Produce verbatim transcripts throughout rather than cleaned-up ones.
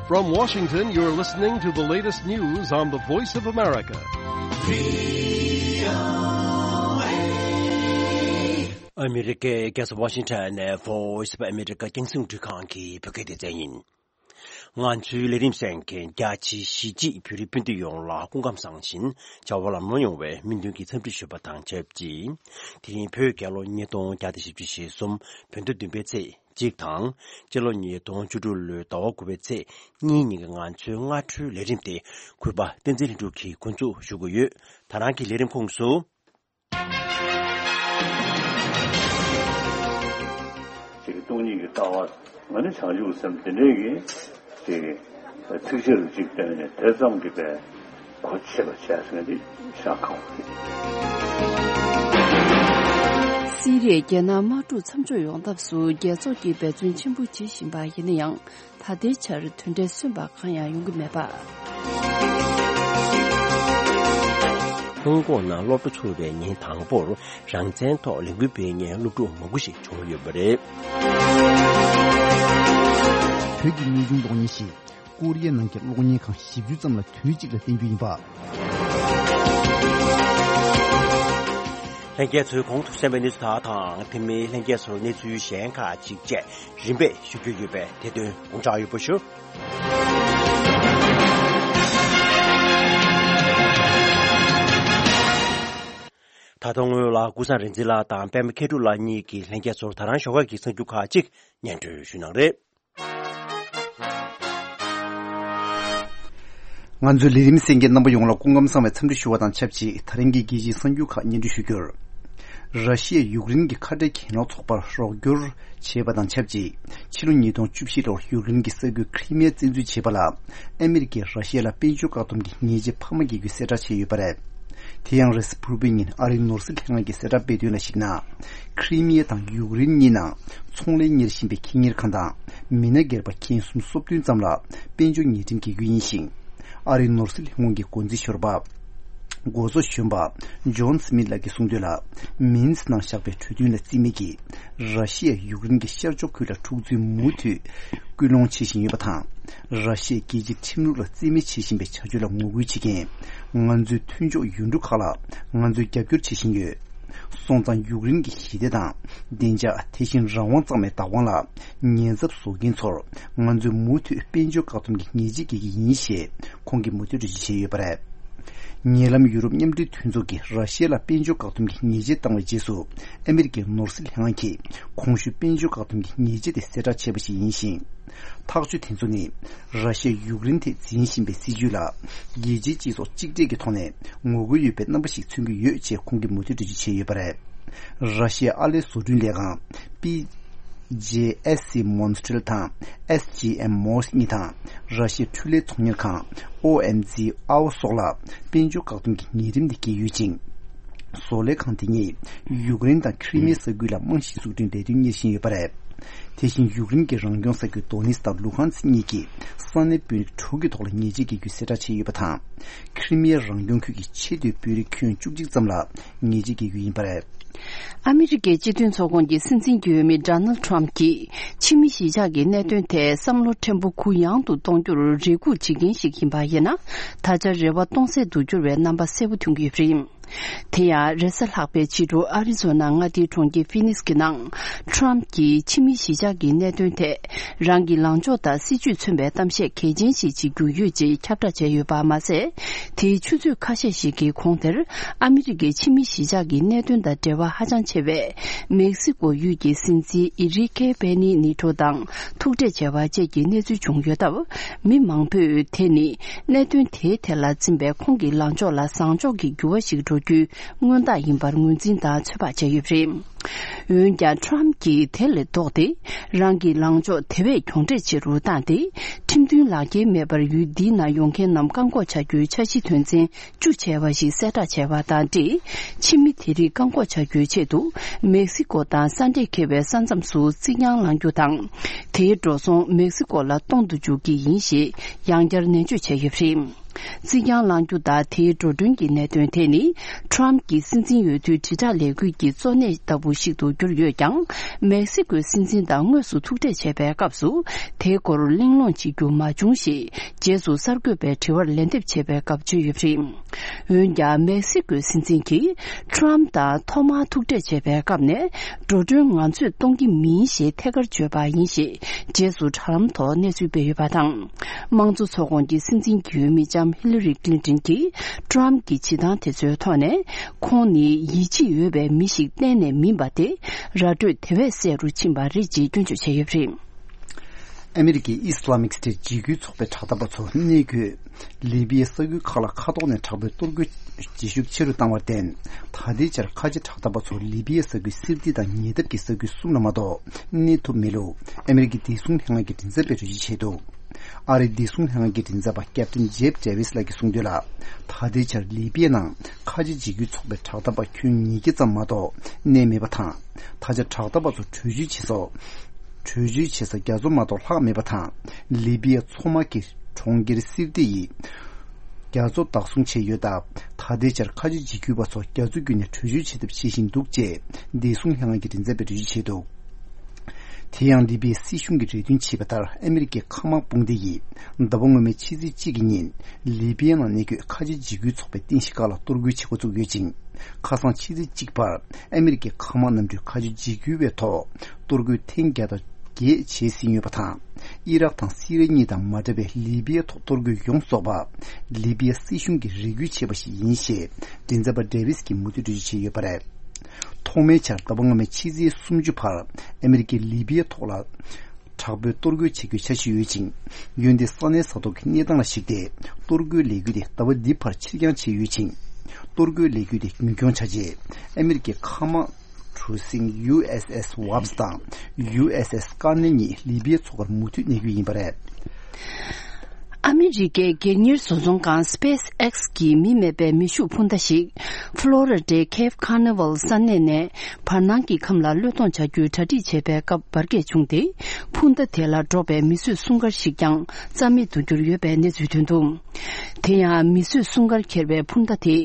From Washington, you're listening to the latest news on the Voice of America. ཨ་མི་རི་ཀའི་རྒྱལ་ས་ཝ་ཤིང་ཊོན་ནས་Voice of America རྒྱང་སྲིང་རླུང་འཕྲིན་ཁང་གི་བོད་སྐད་སྡེ་ཚན་ཡིན། ང་ཚོའི་ལས་རིམ་གསན་མཁན་རྒྱ་ཆེའི་གཞིས་བྱེས་བོད་རིགས་སྤུན་ཟླ་ཡོངས་ལ་སྐུ་ཁམས་བཟང་ཞིང་བྱ་བ་ལམ་ལྷོང་ཡོང་བའི་སྨོན་འདུན་གྱི་འཚམས་འདྲི་ཞུ་བ་དང་ཆབས་ཅིག་དེ་རིང་བོད་རྒྱལ་ལོ་ཉིས་སྟོང་བརྒྱ་དང་བཞི་བཅུ་ཞེ་གསུམ་བོད་ཟླ་བདུན་པའི་ཚེས་གཅིག་དང་། སྤྱི་ལོ་ཉིས་སྟོང་བཅུ་དྲུག་ལོའི་ཟླ་བ་དགུ་པའི་ཚེས་གཉིས་ཉིན་གྱི་ང་ཚོའི་སྔ་དྲོའི་ལས་རིམ་དེ་གུས་པ་བསྟན་འཛིན་ལྷུན་གྲུབ་ཀྱིས་འགོ་འཛུགས་ཞུ་གི་ཡོད། ད་རང་གི་ལས་རིམ་ཁོངས་སུ། ཅིག་སྟོང་ཉིད་ཀྱི་ལྟ་བ་ང་ནི་བྱང་ཆུབ་སེམས་དེ་འདྲའི་གི་ཅིག་ཚིག་ཆེ་རུ་ཅིག་བཏོན་ནས་དེ་ཙམ་གྱིས་པའི་གོ་ཆོད་པ་བྱས་ཟིན་འདི་ཤ་ཁག་པོ་རེད། སི་རི་ཡའི་རྒྱལ་ནང་དམག་འཁྲུག་མཚམས་འཇོག་ཡོང་ཐབས་སུ་རྒྱལ་ཚོགས་ཀྱིས་འབད་བརྩོན་ཆེན་པོ་བྱེད་བཞིན་པ་ཡིན་ན་ཡང་། ད་ལྟའི་ཆར་དོན་འབྲས་སོན་པ་གང་ཡང་ཡོང་གི་མེད་པ། ཧོང་ཀོང་ནང་སློབ་གྲྭ་ཚུགས་པའི་ཉིན་དང་པོར་རང་བཙན་ཐོག་ལས་འགུལ་སྤེལ་མཁན་སློབ་ཕྲུག་མང་པོ་ཞིག་བྱུང་ཡོད་པ་རེད། བོད་ཀྱི་དངོས་བྱུང་གློག་བརྙན་ཞིག་ཀོ་རི་ཡའི་ནང་གི་གློག་བརྙན་ཁང་བཞི་བཅུ་ཙམ་ལ་དུས་གཅིག་ལ་བསྟན་རྒྱུ་ཡིན་པ། ལྷན་རྒྱས་ཚོས་གོང་དུ་གསན་པའི་གནས་ཚུལ་དག་དང་དེ་མིན་ལྷན་རྒྱས་ཚོར་གནས་ཚུལ་གཞན་ཁག་ཅིག་བཅས་རིམ་པས་ཞུ་རྒྱུ་ཡོད་པས་དེ་དོན་དགོངས་འཇགས་ཡོད་པ་ཞུ། ད་དུང་སྔོན་ལ་ཀུན་བཟང་རིག་འཛིན་ལགས་དང་པད་མ་མཁས་གྲུབ་ལགས་གཉིས་ཀྱིས་ལྷན་རྒྱས་ཚོར་ད་རང་ཞོགས་ཀས་ཀྱི་གསར་འགྱུར་ཁག་ཅིག་སྙན་སྒྲོན་ཞུ་གནང་རེད། ང་ཚོའི་ལས་རིམ་གསན་མཁན་རྣམ་པ་ཡོངས་ལ་སྐུ་ཁམས་བཟང་བའི་འཚམས་འདྲི་ཞུ་བ་དང་ཆབས་ཅིག་ད་རིང་གི་རྒྱལ་སྤྱིའི་གསར་འགྱུར་ཁག་སྙན་སྒྲོན་ཞུ་རྒྱུར། ར་ཤི་ཡས་ཡུཀ་རེན་གྱི་ཁ་བྲལ་གྱེན་ལོག་ཚོགས་པར་རོགས་སྐྱོར་བྱས་པ་དང་ཆབས་ཅིག་ཕྱི་ལོ་ཉིས་སྟོང་བཅུ་བཞི་ལོར་ཡུཀ་རེན་གྱི་ས་ཁུལ་ཁྲི་མི་ཡ་བཙན་འཛུལ་བྱས་པ་ལ་ཨ་མི་རི་ཀས་ར་ཤི་ཡ་ལ་དཔལ་འབྱོར་བཀག་སྡོམ་གྱི་ཉེས་ཆད་འཕར་མ་འགེལ་རྒྱུའི་གསལ་བསྒྲགས་བྱས་ཡོད་པ་རེད། དེ་ཡང་རེས་གཟའ་ཕུར་བུའི་ཉིན་ཨ་རིའི་ནོར་སྲིད་ལྷན་ཁང་གིས་གསལ་བསྒྲགས་སྤེལ་དོན་ལ་གཞིགས་ན། ཁྲི་མི་ཡ་དང་ཡུཀ་རེན་གཉིས་ནང་ཚོང་ལས་གཉེར་བཞིན་པའི་ཁེ་གཉེར་ཁང་དང་མི་སྣ་སྒེར་པ་ཁྱིམ་གསུམ་སོ་བདུན་ཙམ་ལ་དཔལ་འབྱོར་ཉེས་ཁྲིམས་འགེལ་རྒྱུ་ཡིན་ཞིང་། ཨ་རིའི་ནོར་སྲིད་ལྷན་ཁང་གི་འགོ་འཛིན་ཞོར་པ། འགོ་གཙོ་གཞོན་པ་ཇོན་སི་མིད་ལགས་ཀྱིས་གསུངས་དོན་ལ། མིན་སི་ནང་བཞག་པའི་གྲོས་མཐུན་ལ་རྩིས་མེད་ཀྱིས། ར་ཤི་ཡས་ཡུཀ་རེན་གྱི་ཤར་ཕྱོགས་ཁུལ་ལ་འཁྲུག་རྩོད་མུ་མཐུད་སྐུལ་སློང་བྱེད་བཞིན་ཡོད་པ་དང་། ར་ཤི་ཡས་རྒྱལ་སྤྱིའི་ཁྲིམས་ལུགས་ལ་རྩིས་མེད་བྱེད་བཞིན་པའི་བྱ་སྤྱོད་ལ་ངོ་རྒོལ་བྱེད་མཁན་ང་ཚོའི་མཐུན་ཕྱོགས་ཡུལ་གྲུ་ཁག་ལ་ང་ཚོས་རྒྱབ་སྐྱོར་བྱེད་བཞིན་ཡོད། སོང་ཙང་ཡུཀ་རེན་གྱི་ཞི་བདེ་དང་བདེ་འཇགས་དེ་བཞིན་རང་དབང་གཙང་མའི་བདག་དབང་ལ་ཉེན་ཚབས་བཟོ་མཁན་ཚོར་ང་ཚོས་མུ་མཐུད་དཔལ་འབྱོར་བཀག་སྡོམ་གྱི་ཉེས་ཆད་འགེལ་གྱི་ཡིན་ཞེས་ཁོང་གིས་མུ་མཐུད་འགྲེལ་བརྗོད་བྱས་ཡོད་པ་རེད། ཉེ་ལམ་ཡུ་རོབ་མཉམ་འབྲེལ་མཐུན་ཚོགས་ཀྱིས་ར་ཤི་ཡ་ལ་དཔལ་འབྱོར་བཀག་སྡོམ་གྱི་ཉེས་ཆད་བཏང་བའི་རྗེས་སུ་ཨ་མི་རི་ཀའི་ནོར་སྲིད་ལྷན་ཁང་གིས་གོང་ཞུས་དཔལ་འབྱོར་བཀག་སྡོམ་གྱི་ཉེས་ཆད་དེ་གསལ་བསྒྲགས་བྱས་པ་ཞིག་ཡིན་ཞིང་། ཐག་གཅོད་དེ་ཚོ་ནི་ར་ཤི་ཡས་ཡུཀ་རེན་ཐད་འཛིན་བཞིན་པའི་སྲིད་བྱུས་ལ་རྒྱལ་སྤྱིའི་སྤྱི་ཚོགས་གཅིག་སྒྲིལ་གྱི་ཐོག་ནས་ངོ་རྒོལ་ཡོད་པའི་རྣམ་པ་ཞིག་མཚོན་གྱི་ཡོད་ཅེས་ཁོང་གིས་མུ་མཐུད་འགྲེལ་བརྗོད་བྱས་ཡོད་པ་རེད། ར་ཤི་ཡའི་ཨར་ལས་བཟོ་སྐྲུན་ལས་ཁང་པི་ཇེ་ཨེས་སི་མོན་སི་ཊལ་དང་ཨེས་ཇི་ཨེམ་མོལ་གཉིས་དང་ར་ཤི་ཡའི་འཕྲུལ་ལས་ཚོང་གཉེར་ཁང་ཨོ་ཨེམ་ཛི་ཨའོ་སོགས་ལ་དཔལ་འབྱོར་བཀག་སྡོམ་གྱི་ཉེས་ཁྲིམས་དེ་འགེལ་ཡོད་ཅིང་། བཟོ་ལས་ཁང་དེ་ཉིད་ཡུཀ་རེན་དང་ཁྲི་མི་ཡ་ས་ཁུལ་ལ་རྨང་གཞི་འཛུགས་སྐྲུན་ལས་དོན་གཉེར་བཞིན་ཡོད་པ་རེད། དེ་བཞིན་ཡུཀ་རེན་གྱི་རང་སྐྱོང་ས་ཁུལ་དོ་ནེ་སི་དང་ལུ་ཧན་སི་གཉིས་ཀྱི་ས་གནས་དཔོན་རིགས་དྲུག་གི་ཐོག་ལ་ཉེས་ཆད་འགེལ་རྒྱུའི་གསལ་བསྒྲགས་བྱས་ཡོད་པ་དང་། ཁྲི་མི་ཡ་རང་སྐྱོང་ཁུལ་གྱི་ཆེས་མཐོའི་དཔོན་རིགས་ཁྱོན་བཅུ་གཅིག་ཙམ་ལ་ཉེས་ཆད་འགེལ་རྒྱུ་ཡིན་པ་རེད། ཨ་མི་རི་ཀའི་སྤྱི་མཐུན་ཚོགས་ཁོངས་ཀྱི་སྲིད་འཛིན་གྱོད་མི་ཌོ་ནལ་ཌི་ཊརམ་ཕི་གྱིས་ཕྱི་མི་གཞིས་ཆགས་ཀྱི་གནད་དོན་ཐད་བསམ་བློ་ཕྲན་བུ་གུ་ཡངས་དུ་གཏོང་རྒྱུར་རེ་སྒུག་བྱེད་མཁན་ཞིག་ཡིན་པ་ཡིན་ན། ད་ཆ་རེ་བ་སྟོང་ཟད་དུ་གྱུར་བའི་རྣམ་པ་གསལ་པོ་མཐོང་གི་ཡོད་པ་རེད། དེ་ཡང་རེས་གཟའ་ལྷག་པའི་ཕྱི་དྲོ་ཨ་རི་ཛོ་ན་མངའ་སྡེའི་གྲོང་ཁྱེར་ཕི་ནིག་སི་གི་ནང་ཊརམ་ཕི་གྱིས་ཕྱི་མི་གཞིས་ཆགས་ཀྱི་གནད་དོན་ཐད་རང་གི་ལངས་ཕྱོགས་དང་སྲིད་བྱུས་མཚོན་པའི་གཏམ་བཤད་གལ་ཆེན་ཞིག་བྱེད་རྒྱུ་ཡོད་ཅེས་ཁྱབ་བསྒྲགས་བྱས་ཡོད་པ་མ་ཟད། དེའི་ཆུ་ཚོད་ཁ་ཤས་ཤིག་གི་གོང་དེར་ཨ་མི་རི་ཀའི་ཕྱི་མི་གཞིས་ཆགས་ཀྱི་གནད་དོན་དང་འབྲེལ་བ་ཧ་ཅང་ཆེ་བའི་མེག་སི་ཀོ་ཡུལ་གྱི་སྲིད་འཛིན་ཨི་རི་ཀེ་པེ་ནི་ནི་ཊོ་དང་ཐུག་འཕྲད་བྱས་པ་བཅས་ཀྱི་གནས་ཚུལ་བྱུང་ཡོད་སྟབས། མི་མང་པོས་དེ་ནི་གནད་དོན་དེའི་ཐད་ལ་འཛིན་པའི་ཁོང་གི་ལངས་ཕྱོགས་ལ་བཟང་ཕྱོགས་ཀྱི་འགྱུར་བ་ཞིག་འགྲོ་རྒྱུའི་མངོན་རྟགས་ཡིན་པར་ངོས་འཛིན་དང་ཚོད་དཔག་བྱས་ཡོད་པ་རེད། འོན་ཀྱང་ཊརམ་ཕི་གྱིས་དེ་ལས་ལྡོག་སྟེ། རང་གི་ལངས་ཕྱོགས་དེ་བས་གྱོང་འབྲས་ཆེ་རུ་བཏང་སྟེ། ཁྲིམས་མཐུན་ལག་འཁྱེར་མེད་པར་ཡུལ་འདིའི་ནང་ཡོང་མཁན་རྣམས་བཀག་འགོག་བྱ་རྒྱུའི་འཆར་གཞི་དོན་ཚན་བཅུ་བྱས་པ་ཞིག་གསལ་བསྒྲགས་བྱས་པ་དང་འབྲེལ། ཕྱི་མི་དེ་རིགས་བཀག་འགོག་བྱ་རྒྱུའི་ཆེད་དུ། མེག་སི་ཀོ་དང་ས་འབྲས་འཁེལ་བའི་ས་མཚམས་སུ་རྩིག་གྱང་བསླང་རྒྱུ་དང་། དེའི་འགྲོ་སོང་མེག་སི་ཀོ་ལ་གཏོང་དུ་འཇུག་གི་ཡིན་ཞེས་ཡང་བསྐྱར་ནན་བརྗོད་བྱས་ཡོད་པ་རེད། རྩིག་གྱང་བསླང་རྒྱུ་དང་དེའི་འགྲོ་གྲོན་གྱི་གནད་དོན་དེ་ནི། ཊམ་གྱི་སྲིད་འཛིན་ཡོད་དུས་དྲིལ་བསྒྲགས་ལས་འགུལ་གྱི་གཙོ་གནད་ལྟ་བུ་ཞིག་ཏུ་གྱུར་ཡོད་ཀྱང་། མེག་སི་ཀོའི་སྲིད་འཛིན་དང་དངོས་སུ་ཐུག་འཕྲད་བྱས་པའི་སྐབས་སུ། དེའི་སྐོར་གླེང་སློང་བྱེད་རྒྱུ་མ་བྱུང་ཞེས། རྗེས་སུ་གསར་འགོད་པའི་དྲི་བར་ལན་འདེབས་བྱས་པའི་སྐབས་བརྗོད་ཡོད་པ་རེད། འོན་ཀྱང་། མེག་སི་ཀོའི་སྲིད་འཛིན་གྱིས། ཊམ་དང་ཐོག་མར་ཐུག་འཕྲད་བྱས་པའི་སྐབས་ནས། འགྲོ་གྲོན་ང་ཚོས་གཏོང་གི་མིན་ཞེས་ཐད་ཀར་བརྗོད་པ་ཡིན་ཞེས། རྗེས་སུ་དྲ་ལམ་ཐོག་གནས་ཚུལ་སྤེལ་ཡོད་པ་དང་། དམངས་གཙོ་ཚོགས་ཁོངས་ཀྱི་སྲིད་འཛིན་གྱི་འོས་མི་ལྕམ་ཧི་ལ་རི་ཀླིན་ཏོན་གྱིས། ཊམ་གྱི་བྱེད་སྟངས་དེ་ཚོའི་ཐོག་ནས། ཁོང་ནི་ཡིད་ཆེས་ཡོད་པའི་མི་ཞིག་གཏན་ནས་མིན་པ་དེ། ར་སྤྲོད་དེ་བས་གསལ་རུ་ཕྱིན་པ་རེད་ཅེས་སྐྱོན་བརྗོད་བྱས་ཡོད་པ་རེད། ཨ་མི་རི་ཀའི་ཨི་སི་ལ་མིག་སི་ཊེཊ་འཇིགས་སྐུལ་ཚོགས་པའི་དྲག་འཐབ་པ་ཚོ་གནས་འཁོད་ལི་པི་ཡའི་ས་ཁུལ་ཁག་ལ་མཁའ་ཐོག་ནས་དྲག་པོའི་གཏོར་རྒོལ་བྱེད་ཤུགས་ཆེ་རུ་བཏང་བར་བརྟེན། ད་ལྟའི་ཆར་ཁ་ཆེ་དྲག་འཐབ་པ་ཚོ་ལི་པི་ཡའི་ས་ཁུལ་སིར་ཏི་དང་ཉེ་འདབས་ཀྱི་ས་ཁུལ་གསུམ་ལ་མ་གཏོགས་གནས་ཐུབ་མེད་ལུགས་ཨ་མི་རི་ཀའི་བདེ་སྲུང་ལྷན་ཁང་གི་མགྲིན་ཚབ་པས་འགྲེལ་བརྗོད་བྱས་འདུག་ཨ་རིའི་བདེ་སྲུང་ལྷན་ཁང་གི་མགྲིན་ཚབ་པ་ཀེབ་ཏིན་ཇེབ་ཌེ་ཝིས་ལགས་ཀྱིས་གསུངས་དོན་ལ། ད་ལྟའི་ཆར་ལི་པི་ཡའི་ནང་ཁ་ཆེ་འཇིགས་སྐུལ་ཚོགས་པའི་དྲག་འཐབ་པ་ཁྱོན་ཉིས་བརྒྱ་ཙམ་མ་གཏོགས་གནས་མེད་པ་དང་། ད་ཆ་དྲག་འཐབ་པ་ཚོ་བྲོས་བྱོལ་བྱེད་ས། བྲོས་བྱོལ་བྱེད་ས་རྒྱ་མཚོ་མ་གཏོགས་ལྷག་མེད་པ་དང་། ལི་པི་ཡ་མཚོ་དམག་གི་གྲོང་ཁྱེར་སིར་ཏི་ཡི་རྒྱ་མཚོ་བདག་བཟུང་བྱས་ཡོད་སྟབས། ད་ལྟའི་ཆར་ཁ་ཆེ་འཇིགས་སྐུལ་བ་ཚོ་རྒྱ་མཚོ་བརྒྱུད་ནས་བྲོས་བྱོལ་བྱེད་ཐབས་བྱེད་བཞིན་འདུག་ཅེས་བདེ་སྲུང་ལྷན་ཁང་གི་མགྲིན་ཚབ་པས་འགྲེལ་བརྗོད་བྱས་འདུག་དེ་ཡང་ལི་པི་ཡའི་སྲིད་གཞུང་གིས་རེ་འདུན་བྱས་པ་ལྟར་ཨ་མི་རི་ཀའི་མཁའ་དམག་དཔུང་སྡེ་ཡིས་ཟླ་བ་སྔོན་མའི་ཕྱི་ཚེས་གཅིག་གི་ཉིན་ལི་པི་ཡའི་ནང་གནས་འཁོད་ཁ་ཆེ་འཇིགས་སྐུལ་ཚོགས་པའི་རྟེན་གཞི་ཁག་ལ་གཏོར་རྒོལ་བྱེད་འགོ་བཙུགས་ཡོད་ཅིང་། ཁ་སང་ཕྱི་ཚེས་གཅིག་བར་ཨ་མི་རི་ཀའི་མཁའ་དམག་གནམ་གྲུས་ཁ་ཆེ་འཇིགས་སྐུལ་བའི་ཐོག་གཏོར་རྒོལ་ཐེངས་བརྒྱ་དང་བརྒྱད་བྱས་ཟིན་ཡོད་པ་དང་། ཨི་རག་དང་སི་རི་ཡ་གཉིས་དང་མ་འདྲ་བའི་ལི་པི་ཡའི་ཐོག་གཏོར་རྒོལ་ཡོངས་རྫོགས་པ་ལི་པི་ཡ་སྲིད་གཞུང་གིས་རེ་སྐུལ་བྱས་པ་ཞིག་ཡིན་ཞེས་མགྲིན་ཚབ་པ་ཌེ་ཝིས་ཀྱིས་མུ་མཐུད་འགྲེལ་བརྗོད་བྱས་ཡོད་པ་རེད། ཐོག་མའི་ཆར་ཟླ་བ་སྔོན་མའི་ཕྱི་ཚེས་སུམ་ཅུ་བར་ཨ་མི་རི་ཀས་ལི་པི་ཡའི་ཐོག་ལ་དྲག་པོའི་གཏོར་རྒོལ་བྱེད་རྒྱུའི་འཆར་གཞི་ཡོད་ཅིང་། འོན་ཏེ་ས་གནས་ས་ཐོག་གི་གནས་སྟངས་ལ་གཞིགས་ཏེ་གཏོར་རྒོལ་ལས་འགུལ་དེ་ཟླ་བ་འདིའི་བར་ཕྱིར་འགྱངས་བྱས་ཡོད་ཅིང་། གཏོར་རྒོལ་ལས་འགུལ་དེ་རྒྱུན་འཁྱོངས་བྱ་ཆེད་ཨ་མི་རི་ཀའི་མཁའ་དམག་གྲུ་གཟིངས་ཡུ་ཨེས་ཨེས་ཝབས་དང་ཡུ་ཨེས་ཨེས་ཀར་ནེལ་གཉིས་ལི་པི་ཡའི་མཚོ་ཁར་མུ་མཐུད་གནས་རྒྱུ་ཡིན་པ་རེད། ཨ་མི་རི་ཀའི་སྒེར་གཉེར་བཟོ་ཚོང་ཁང་སི་པེ་སི་ཨེག་སི་གི་མི་མེད་པའི་མེ་ཤུགས་འཕུར་མདའ་ཞིག་ཕློ་རི་ཌའི་ཁེབ་ཁ་ནི་ཝལ་ས་གནས་ནས་བར་སྣང་གི་ཁམས་ལ་གློད་གཏོང་བྱ་རྒྱུའི་གྲ་སྒྲིག་བྱེད་པའི་སྐབས་འབར་གས་བྱུང་སྟེ། འཕུར་མདའ་དེ་ལ་འགྲོགས་པའི་མི་གསོད་སྲུང་སྐར་ཞིག་ཀྱང་རྩ་མེད་དུ་གྱུར་ཡོད་པའི་གནས་ཚུལ་ཐོན་འདུག་དེ་ཡང་མི་གསོད་སྲུང་སྐར་འཁྱེར་བའི་འཕུར་མདའ་དེ་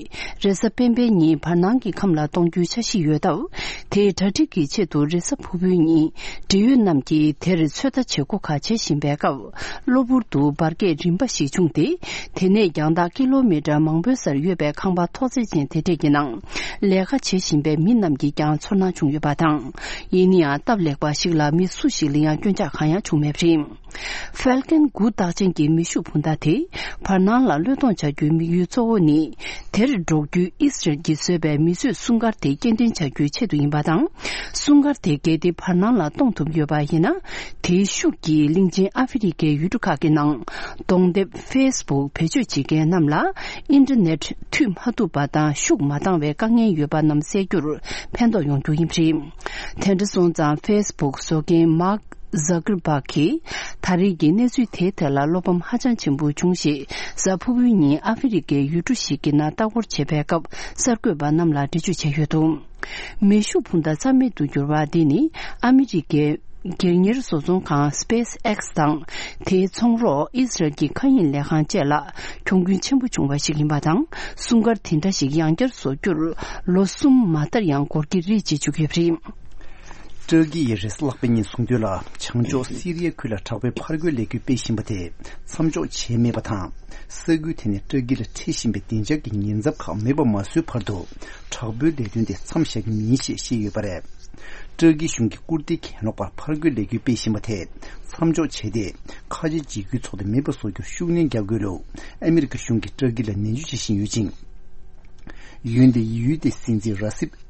རེས་གཟའ་སྤེན་པའི་ཉིན་བར་སྣང་གི་ཁམས་ལ་གཏོང་རྒྱུའི་འཆར་གཞི་ཡོད་སྟབས། དེའི་གྲ་སྒྲིག་གི་ཆེད་དུ་རེས་གཟའ་ཕུར་བུའི་ཉིན་འབྲེལ་ཡོད་རྣམས་ཀྱིས་དེར་ཚོད་ལྟ་བྱེད་སྒོ་ཁག་བྱེད་བཞིན་པའི་སྐབས། གློ་བུར་དུ་འབར་གས་རིམ་པ་ཞིག་བྱུང་སྟེ། དེ་ནས་རྒྱང་ཐག་ཀི་ལོ་མི་ཊར་མང་པོའི་སར་ཡོད་པའི་ཁང་པ་ཐོག་བརྩེགས་ཅན་དེ་འདྲས་ཀྱི་ནང་ལས་ཀ་བྱེད་བཞིན་པའི་མི་རྣམས་ཀྱིས་ཀྱང་ཚོར་སྣང་བྱུང་ཡོད་པ་དང་། ཡིན་ན་ཡང་སྟབས་ལེགས་པ་ཞིག་ལ་མི་སུ་ཞིག་ལ་ཡང་སྐྱོན་ཆ་གང་ཡང་བྱུང་མེད་པ་རེད། ཧྥལ་ཀན་དགུ་རྟགས་ཅན་གྱི་མེ་ཤུགས་འཕུར་མདའ་དེ་བར་སྣང་ལ་གློད་གཏོང་བྱ་རྒྱུའི་དམིགས་ཡུལ་གཙོ་བོ་ནི། དེར་འགྲོགས་རྒྱུའི་ཨི་སི་རལ་གྱིས་བཟོས་པའི་མི་གསོད་སྲུང་སྐར་དེ་སྐྱེལ་འདྲེན་བྱ་རྒྱུའི་ཆེད་དུ་ཡིན་པ་དང་། སྲུང་སྐར་དེ་གལ་ཏེ་བར་སྣང་ལ་གཏོང་ཐུབ་ཡོད་པ་ཡིན་ན། དེའི་ཤུགས་ཀྱིས་གླིང་ཆེན་ཨ་ཧྥེ་རི་ཁའི་ཡུལ་གྲུ་ཁག་གི་ནང་གདོང་དེབ་ཕེ་སི་བུག་བེད་སྤྱོད་བྱེད་མཁན་རྣམས་ལ་ཨིན་ཊར་ནེཊ་མཐུད་མ་ཐུབ་པ་དང་ཤུགས་མ་འདང་བའི་དཀའ་ངལ་ཡོད་པ་རྣམས་སེལ་རྒྱུར་ཕན་ཐོགས་ཡོང་རྒྱུ་ཡིན་པ་རེད། དེ་འདྲ་སོང་ཙང་ཕེ་སི་བུག་བཟོ་མཁན་མཱག་ཟ་ཀར་པག་གིས་ད་རེས་ཀྱི་གནས་ཚུལ་དེའི་ཐད་ལ་བློ་ཕམ་ཧ་ཅང་ཆེན་པོ་བྱུང་ཞེས་གཟའ་ཕུར་བུའི་ཉིན་ཨ་ཧྥེ་རི་ཁའི་ཡུལ་གྲུ་ཞིག་གི་ནང་ལྟ་སྐོར་བྱེད་པའི་སྐབས་གསར་འགོད་པ་རྣམས་ལ་འགྲེལ་བརྗོད་བྱས་ཡོད་འདུག་མེ་ཤུགས་འཕུར་མདའ་རྩ་མེད་དུ་གྱུར་བ་འདི་ནི་ཨ་མི་རི་ཀའི་སྒེར་གཉེར་བཟོ་ཚོང་ཁང་སི་པེ་སི་ཨེག་སི་དང་། དེའི་ཚོང་རོགས་ཨི་སི་རལ་གྱི་མཁའ་དབྱིངས་ལས་ཁང་བཅས་ལ་གྱོང་གུན་ཆེན་པོ་བྱུང་བ་ཞིག་ཡིན་པ་དང་། སྲུང་སྐར་དེ་འདྲ་ཞིག་ཡང་བསྐྱར་བཟོ་རྒྱུར་ལོ་གསུམ་མ་མཐར་ཡང་འགོར་གྱི་རེད་ཅེས་བརྗོད་ཀྱི་ཡོད་པ་རེད། ཏུར་ཀི་ཡིས་རེས་གཟའ་ལྷག་པའི་ཉིན་གསུངས་དོན་ལ། བྱང་ཕྱོགས་སི་རི་ཡའི་ཁུལ་ལ་དྲག་པོའི་ཕར་རྒོལ་ལས་འགུལ་སྤེལ་བཞིན་པ་དེ་མཚམས་འཇོག་བྱས་མེད་པ་དང་། ས་ཁུལ་དེ་ནས་ཏུར་ཀི་ལ་འཁྲིད་བཞིན་པའི་བདེ་འཇགས་ཀྱི་ཉེན་ཚབས་ཁག་མེད་པ་མ་བཟོས་བར་དུ། དྲག་པོའི་ལས་དོན་དེ་མཚམས་བཞག་གི་མིན་ཞེས་བཤད་ཡོད་པ་རེད། ཏུར་ཀི་གཞུང་གིས་ཀུར་ཏིའི་གྱེན་ལོག་པར་ཕར་རྒོལ་ལས་འགུལ་སྤེལ་བཞིན་པ་དེ་མཚམས་འཇོག་བྱས་ཏེ། ཁ་ཆེ་འཇིགས་སྐུལ་ཚོགས་དེ་མེད་པ་བཟོ་རྒྱུར་ཤུགས་སྣོན་རྒྱག་དགོས་ལུགས་ཨ་མི་རི་ཀ་གཞུང་གིས་ཏུར་ཀི་ལ་ནན་བརྗོད་བྱེད་བཞིན་ཡོད་ཅིང་། འོན་ཏེ་ཡུལ་དེའི་སྲིད་འཛིན་ར་སིབ།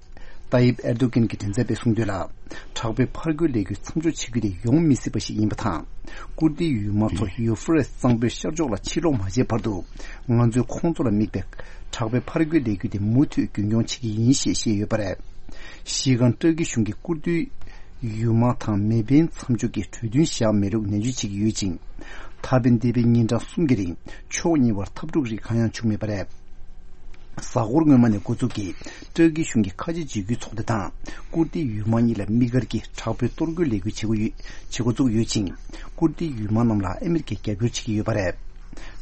ཏཱ་ཡིབ་ཨེར་དོ་གྷན་གྱི་མགྲིན་ཚབ་པས་གསུངས་དོན་ལ། དྲག་པོའི་ཕར་རྒོལ་ལས་འགུལ་མཚམས་འཇོག་བྱེད་རྒྱུ་དེ་ཡོང་མི་སྲིད་པ་ཞིག་ཡིན་པ་དང་། ཀུར་ཏིའི་ཡུལ་དམག་ཚོ་ཡུ་ཧྥུ་རེ་སི་གཙང་པོའི་ཤར་ཕྱོགས་ལ་ཕྱིར་ལོག་མ་བྱས་བར་དུ། ང་ཚོས་ཁོང་ཚོ་ལ་དམིགས་པའི་དྲག་པོའི་ཕར་རྒོལ་ལས་འགུལ་དེ་མུ་མཐུད་རྒྱུན་འཁྱོངས་བྱེད་ཀྱི་ཡིན་ཞེས་བཤད་ཡོད་པ་རེད། གཞི་རྐང་ཏུར་ཀི་གཞུང་གིས་ཀུར་ཏིའི་ཡུལ་དམག་དང་མེ་འཕེན་མཚམས་འཇོག་གི་གྲོས་མཐུན་བཞག་མེད་ལུགས་ནན་བརྗོད་བྱེད་ཀྱི་ཡོད་ཅིང་། ད་ཕན་འདས་པའི་ཉིན་གྲངས་གསུམ་གྱི་རིང་ཕྱོགས་གཉིས་བར་འཐབ་འཁྲུག་རིགས་གང་ཡང་བྱུང་མེད་པ་རེད། གཟའ་འཁོར་སྔོན་མ་ནས་འགོ་འཛུགས་ཀྱིས་ཏུར་ཀི་གཞུང་གིས་ཁ་ཆེ་འཇིགས་སྐུལ་ཚོགས་སྡེ་དང་ཀུར་ཏིའི་ཡུལ་དམག་གཉིས་ལ་དམིགས་བཀར་གྱིས་དྲག་པོའི་གཏོར་རྒོལ་ལས་འགུལ་བྱེད་འགོ་ཡོད་བྱེད་འགོ་བཙུགས་ཡོད་ཅིང་། ཀུར་ཏིའི་ཡུལ་དམག་རྣམས་ལ་ཨ་མི་རི་ཀས་རྒྱབ་སྐྱོར་བྱེད་ཀྱི་ཡོད་པ་རེད།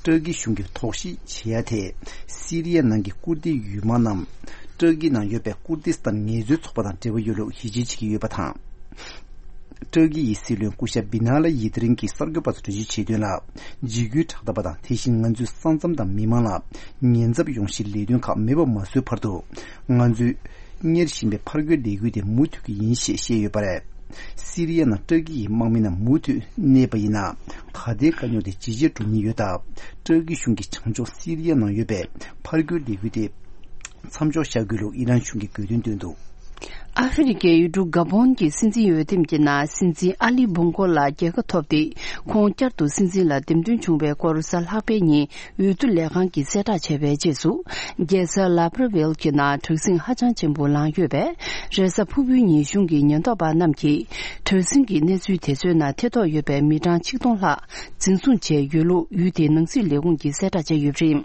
ཏྲ་ཀི་གཞུང་གིས་དོགས་གཞི་བྱེད་ཡ་དེ། སི་རི་ཡ་ནང་གི་ཀུར་ཏི་ཡུལ་དམག་རྣམས་ཏྲ་ཀི་ནང་ཡོད་པའི་ཀུར་ཏི་སི་ཐན་ངལ་རྩོལ་ཚོགས་པ་དང་འབྲེལ་བ་ཡོད་ལུགས་ཡིད་ཆེས་བྱེད་ཀྱི་ཡོད་པ་དང་། ཏྲ་ཀི་ཡི་སྲིད་བློན་སྐུ་ཞབས་བི་ན་ལ་ཡི་ཏི་རིང་གིས་གསར་འགོད་པ་ཚོར་འགྲེལ་བརྗོད་བྱས་དོན་ལ། འཇིགས་སྐུལ་དྲག་འཐབ་པ་དང་། དེ་བཞིན་ང་ཚོའི་ས་མཚམས་དང་མི་མང་ལ་ཉེན་ཚབས་ཡོང་གཞིའི་ལས་དོན་ཁག་མེད་པ་མ་བཟོས་བར་དུ། ང་ཚོས་གཉེར་བཞིན་པའི་ཕར་རྒོལ་ལས་འགུལ་དེ་མུ་མཐུད་ཀྱི་ཡིན་ཞེས་བཤད་ཡོད་པ་རེད། སི་རི་ཡ་ནང་ཏྲ་ཀི་ཡི་དམག་མི་རྣམས་མུ་མཐུད་གནས་པ་ཡིན་ན། ད་ལྟའི་དཀའ་རྙོག་དེ་ཇེ་ཆེར་འགྲོ་ཉེན་ཡོད་སྟབས། ཏྲ་ཀི་གཞུང་གིས་བྱང་ཕྱོགས་སི་རི་ཡ་ནང་ཡོད་པའི་ཕར་རྒོལ་ལས་འགུལ་དེ་མཚམས་འཇོག་བྱ་དགོས་ལུགས་ཨི་རན་གཞུང་གིས་དགོས་འདུན་བཏོན་འདུག། ཨ་ཧྥེ་རི་ཁའི་ཡུལ་གྲུ་ག་བོན་གྱི་སྲིད་འཛིན་འོས་འདེམས་ཀྱི་ནང་སྲིད་འཛིན་ཨ་ལི་བོང་གོ་ལ་རྒྱལ་ཁ་ཐོབ་སྟེ། ཁོང་བསྐྱར་དུ་སྲིད་འཛིན་ལ་འདེམས་ཐོན་བྱུང་བའི་སྐོར་གཟའ་ལྷག་པའི་ཉིན་འོས་བསྡུ་ལས་ཁང་གིས་གསལ་བསྒྲགས་བྱས་པའི་རྗེས་སུ། རྒྱལ་ས་ལ་བྷར་ཝེལ་གྱི་ནང་དྲག་ཟིང་ཧ་ཅང་ཆེན་པོ་ལངས་ཡོད་པས། རེས་གཟའ་ཕུར་བུའི་ཉིན་གཞུང་གི་ཉེན་རྟོག་པ་རྣམས་ཀྱིས་དྲག་ཟིང་གི་གནས་ཚུལ་དེ་ཚོའི་ནང་ཐེ་གཏོགས་ཡོད་པའི་མི་གྲངས་ཆིག་སྟོང་ལྷག་འཛིན་བཟུང་བྱས་ཡོད་ལུགས་ཡུལ་དེའི་ནང་སྲིད་ལས་ཁུངས་ཀྱིས་གསལ་བསྒྲགས་བྱས་ཡོད་པ་རེད།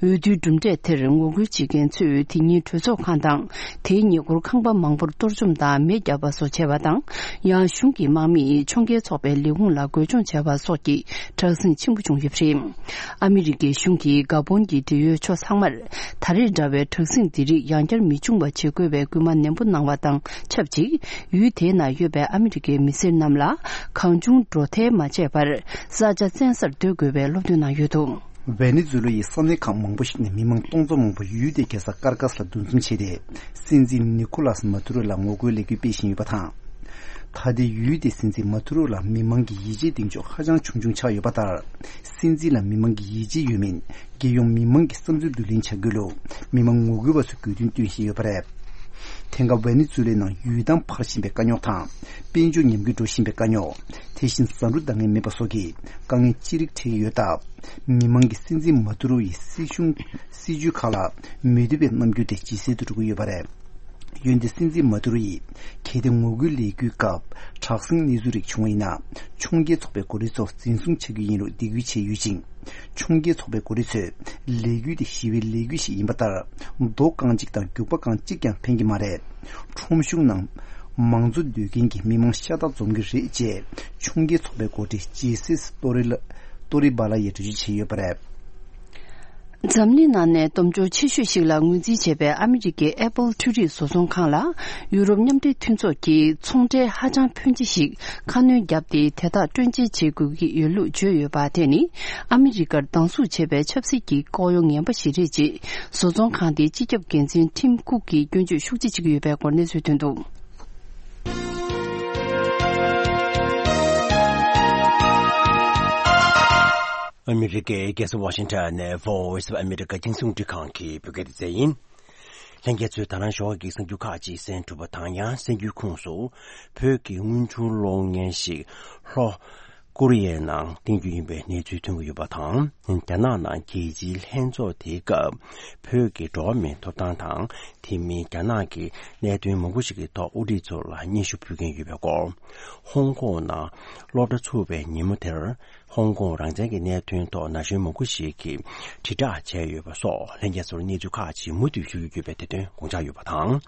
འོས་བསྡུའི་གྲུབ་འབྲས་དེར་ངོ་རྒོལ་བྱེད་མཁན་ཚོས་དེ་ཉིན་གྲོས་ཚོགས་ཁང་དང་དེའི་ཉེ་འཁོར་ཁང་པ་མང་པོར་གཏོར་བཅོམ་དང་མེ་བརྒྱབ་པ་སོགས་བྱས་པ་དང་། ཡང་གཞུང་གི་དམག་མིས་ཕྱོགས་འགལ་ཚོགས་པའི་ལས་ཁུངས་ལ་རྒོལ་སྐྱོང་བྱས་པ་སོགས་ཀྱི་དྲག་ཟིང་ཆེན་པོ་བྱུང་ཡོད་པ་རེད། ཨ་མི་རི་ཀའི་གཞུང་གིས་ག་བོན་གྱི་འབྲེལ་ཡོད་ཕྱོགས་ཚང་མར་ད་རེས་འདྲ་བའི་དྲག་ཟིང་འདི་རིགས་ཡང་བསྐྱར་མི་འབྱུང་བ་བྱེད་དགོས་པའི་སྐུལ་མ་ནན་པོ་གནང་བ་དང་ཆབས་ཅིག་ཡུལ་དེའི་ནང་ཡོད་པའི་ཨ་མི་རི་ཀའི་མི་སེར་རྣམས་ལ་གང་བྱུང་འགྲོ་ཐལ་མ་བྱས་པར་ས་ཆ་བཙན་སར་སྡོད་དགོས་པའི་སློབ་སྟོན་གནང་ཡོད་འདུག། ཝེ་ནེ་ཛུ་ལ་ཡི་ས་གནས་ཁག་མང་པོ་ཞིག་ནས་མི་མང་སྟོང་ཚོ་མང་པོ་ཡུལ་དེའི་རྒྱལ་ས་ཀར་ཀཱས་ལ་འདུ་འཛོམས་བྱས་ཏེ། སྲིད་འཛིན་ནི་ཁོ་ལཱས་མ་ཏུ་རོ་ལ་ངོ་རྒོལ་ལས་འགུལ་སྤེལ་བཞིན་ཡོད་པ་དང་། ད་ལྟའི་ཡུལ་དེའི་སྲིད་འཛིན་མ་ཏུ་རོ་ལ་མི་མང་གི་ཡིད་ཆེས་གདེང་འཇོག་ཧ་ཅང་ཆུང་ཆུང་ཆགས་ཡོད་པ་ལྟར། སྲིད་འཛིན་ལ་མི་མང་གི་ཡིད་ཆེས་ཡོད་མིན། རྒྱལ་ཡོངས་མི་མང་གི་བསམ་ཚུལ་བསྡུ་ལེན་བྱ་རྒྱུ་ལུགས་མི་མང་ངོ་རྒོལ་བ་ཚོས་དགོས་འདུན་བཏོན་བཞིན་ཡོད་པ་རེད། དེང་སྐབས་ཝེ་ནེ་ཛུ་ལའི་ནང་ཡུལ་ཐང་འཕར་བཞིན་པའི་དཀའ་རྙོག་དང་། དཔལ་འབྱོར་ཉམས་རྒུད་འགྲོ་བཞིན་པའི་དཀའ་རྙོག་དེ་བཞིན་བཟའ་འབྲུ་འདང་ངེས་མེད་པ་སོགས་ཀྱི་དཀའ་ངལ་ཅི་རིགས་འཕྲད་ཀྱི་ཡོད་སྟབས། མི་མང་གིས་སྲིད་འཛིན་མ་ཏུ་རོ་ཡི་སྲིད་གཞུང་སྲིད་ཇུས་ཁག་ལ་མི་འདོད་པའི་རྣམ་འགྱུར་དེ་ཇེ་གསལ་དུ་འགྲོ་གི་ཡོད་པ་རེད། འོན་ཏེ་སྲིད་འཛིན་མ་ཏུ་རོ་ཡིས་གལ་ཏེ་ངོ་རྒོལ་ལས་འགུལ་སྐབས་དྲག་ཟིང་གནས་ཚུལ་རིགས་བྱུང་བ་ཡིན་ན། ཕྱོགས་འགལ་ཚོགས་པའི་འགོ་ཁྲིད་ཚོ་འཛིན་བཟུང་བྱ་རྒྱུ་ཡིན་ལུགས་འདེགས་སྐུལ་བྱས་ཡོད་ཅིང་། ཕྱོགས་འགལ་ཚོགས་པའི་འགོ་ཁྲིད་ཚོས་ལས་འགུལ་དེ་ཞི་བའི་ལས་འགུལ་ཞིག་ཡིན་པ་ལྟར། མདོ་རྐང་གཅིག་དང་རྒྱུག་པ་རྐང་གཅིག་ཀྱང་འཕེན་གྱི་མ་རེད། ཁྲོམ་གཞུང་ནང་མང་གཙོ་འདོད་མཁན་གྱི་མི་མང་ཤ་སྟག་འཛོམས་ཀྱི་རེད་ཅེས་ཕྱོགས་འགལ་ཚོགས་པའི་འགོ་ཁྲིད་ཇེ་སིས་ཏོ་རི་ལ་ཏོ་རི་བ་ལ་ཡིས་འགྲེལ་བརྗོད་བྱས་ཡོད་པ་རེད། འཛམ་གླིང་ནང་ནས་སྟོབས་འབྱོར་ཆེ་ཤོས་ཤིག་ལ་ངོས་འཛིན་བྱས་པའི་ཨ་མི་རི་ཀའི་ཨེ་པལ་འཕྲུལ་རིག་བཟོ་ཚོང་ཁང་ལ་ཡུ་རོབ་མཉམ་འབྲེལ་མཐུན་ཚོགས་ཀྱིས་ཚོང་ཁྲལ་ཧ་ཅང་ཕོན་ཆེ་ཞིག་ཁ་སྣོན་བརྒྱབ་སྟེ་དེ་དག་སྤྲོད་འཇལ་བྱེད་དགོས་ཀྱི་ཡོད་ལུགས་བརྗོད་ཡོད་པ་དེ་ནི་ཨ་མི་རི་ཀར་སྡང་ཟུག་བྱེད་པའི་ཆབ་སྲིད་ཀྱི་ལྐོག་གཡོ་ངན་པ་ཞིག་རེད་ཅེས་བཟོ་ཚོང་ཁང་དེའི་སྤྱི་ཁྱབ་འགན་འཛིན་ཊིམ་ཀུག་གིས་སྐྱོན་བརྗོད་ཤུགས་ཆེ་བྱེད་ཀྱི་ཡོད་པའི་སྐོར་གནས་ཚུལ་ཐོན་འདུག། ཨ་མི་རི་ཀའི་རྒྱལ་ས་ཝ་ཤིང་ཊོན་ནས་Voice of America་རྒྱང་སྲིང་རླུང་འཕྲིན་ཁང་གི་བོད་སྐད་སྡེ་ཚན་ཡིན། ལྷན་རྒྱས་ཚོས་ད་རང་ཞོགས་ཀྱི་གསར་འགྱུར་ཁག་ཅིག་གསན་གྲུབ་པ་དང་། ཡང་གསར་འགྱུར་ཁོངས་སུ་བོད་ཀྱི་དངུལ་འབྱོར་གློག་བརྙན་ཞིག་ལྷོ་ཀོ་རི་ཡའི་ནང་བསྟན་རྒྱུ་ཡིན་པའི་གནས་ཚུལ་ཐོན་གྱི་ཡོད་པ་དང་། རྒྱ་ནག་ནང་རྒྱལ་སྤྱིའི་ལྷན་ཚོགས་དེའི་སྐབས་བོད་ཀྱི་འགྲོ་བ་མིའི་ཐོབ་ཐང་དང་། དེ་མིན་རྒྱ་ནག་གི་གནད་དོན་མང་པོ་ཞིག་གི་ཐོག་དབུ་ཁྲིད་ཚོ་ལ་སྙན་ཞུ་ཕུལ་མཁན་ཡོད་པའི་སྐོར། ཧོང་ཀོང་ནང་སློབ་གྲྭ་ཚུགས་པའི་ཉིན་མོ་དེར། ཧོང་ཀོང་རང་བཙན་གྱི་གནད་དོན་ཐོག་ན་གཞོན་མང་པོ་ཞིག་གིས་དྲིལ་བསྒྲགས་བྱས་ཡོད་པ་སོགས་ལྷན་རྒྱས་ཚོར་གནས་ཚུལ་ཁག་ཅིག་མུ་མཐུད་ཞུ་རྒྱུ་ཡོད་པའི་དེ་དོན་དགོངས་འཇགས་ཡོད་པ་དང་།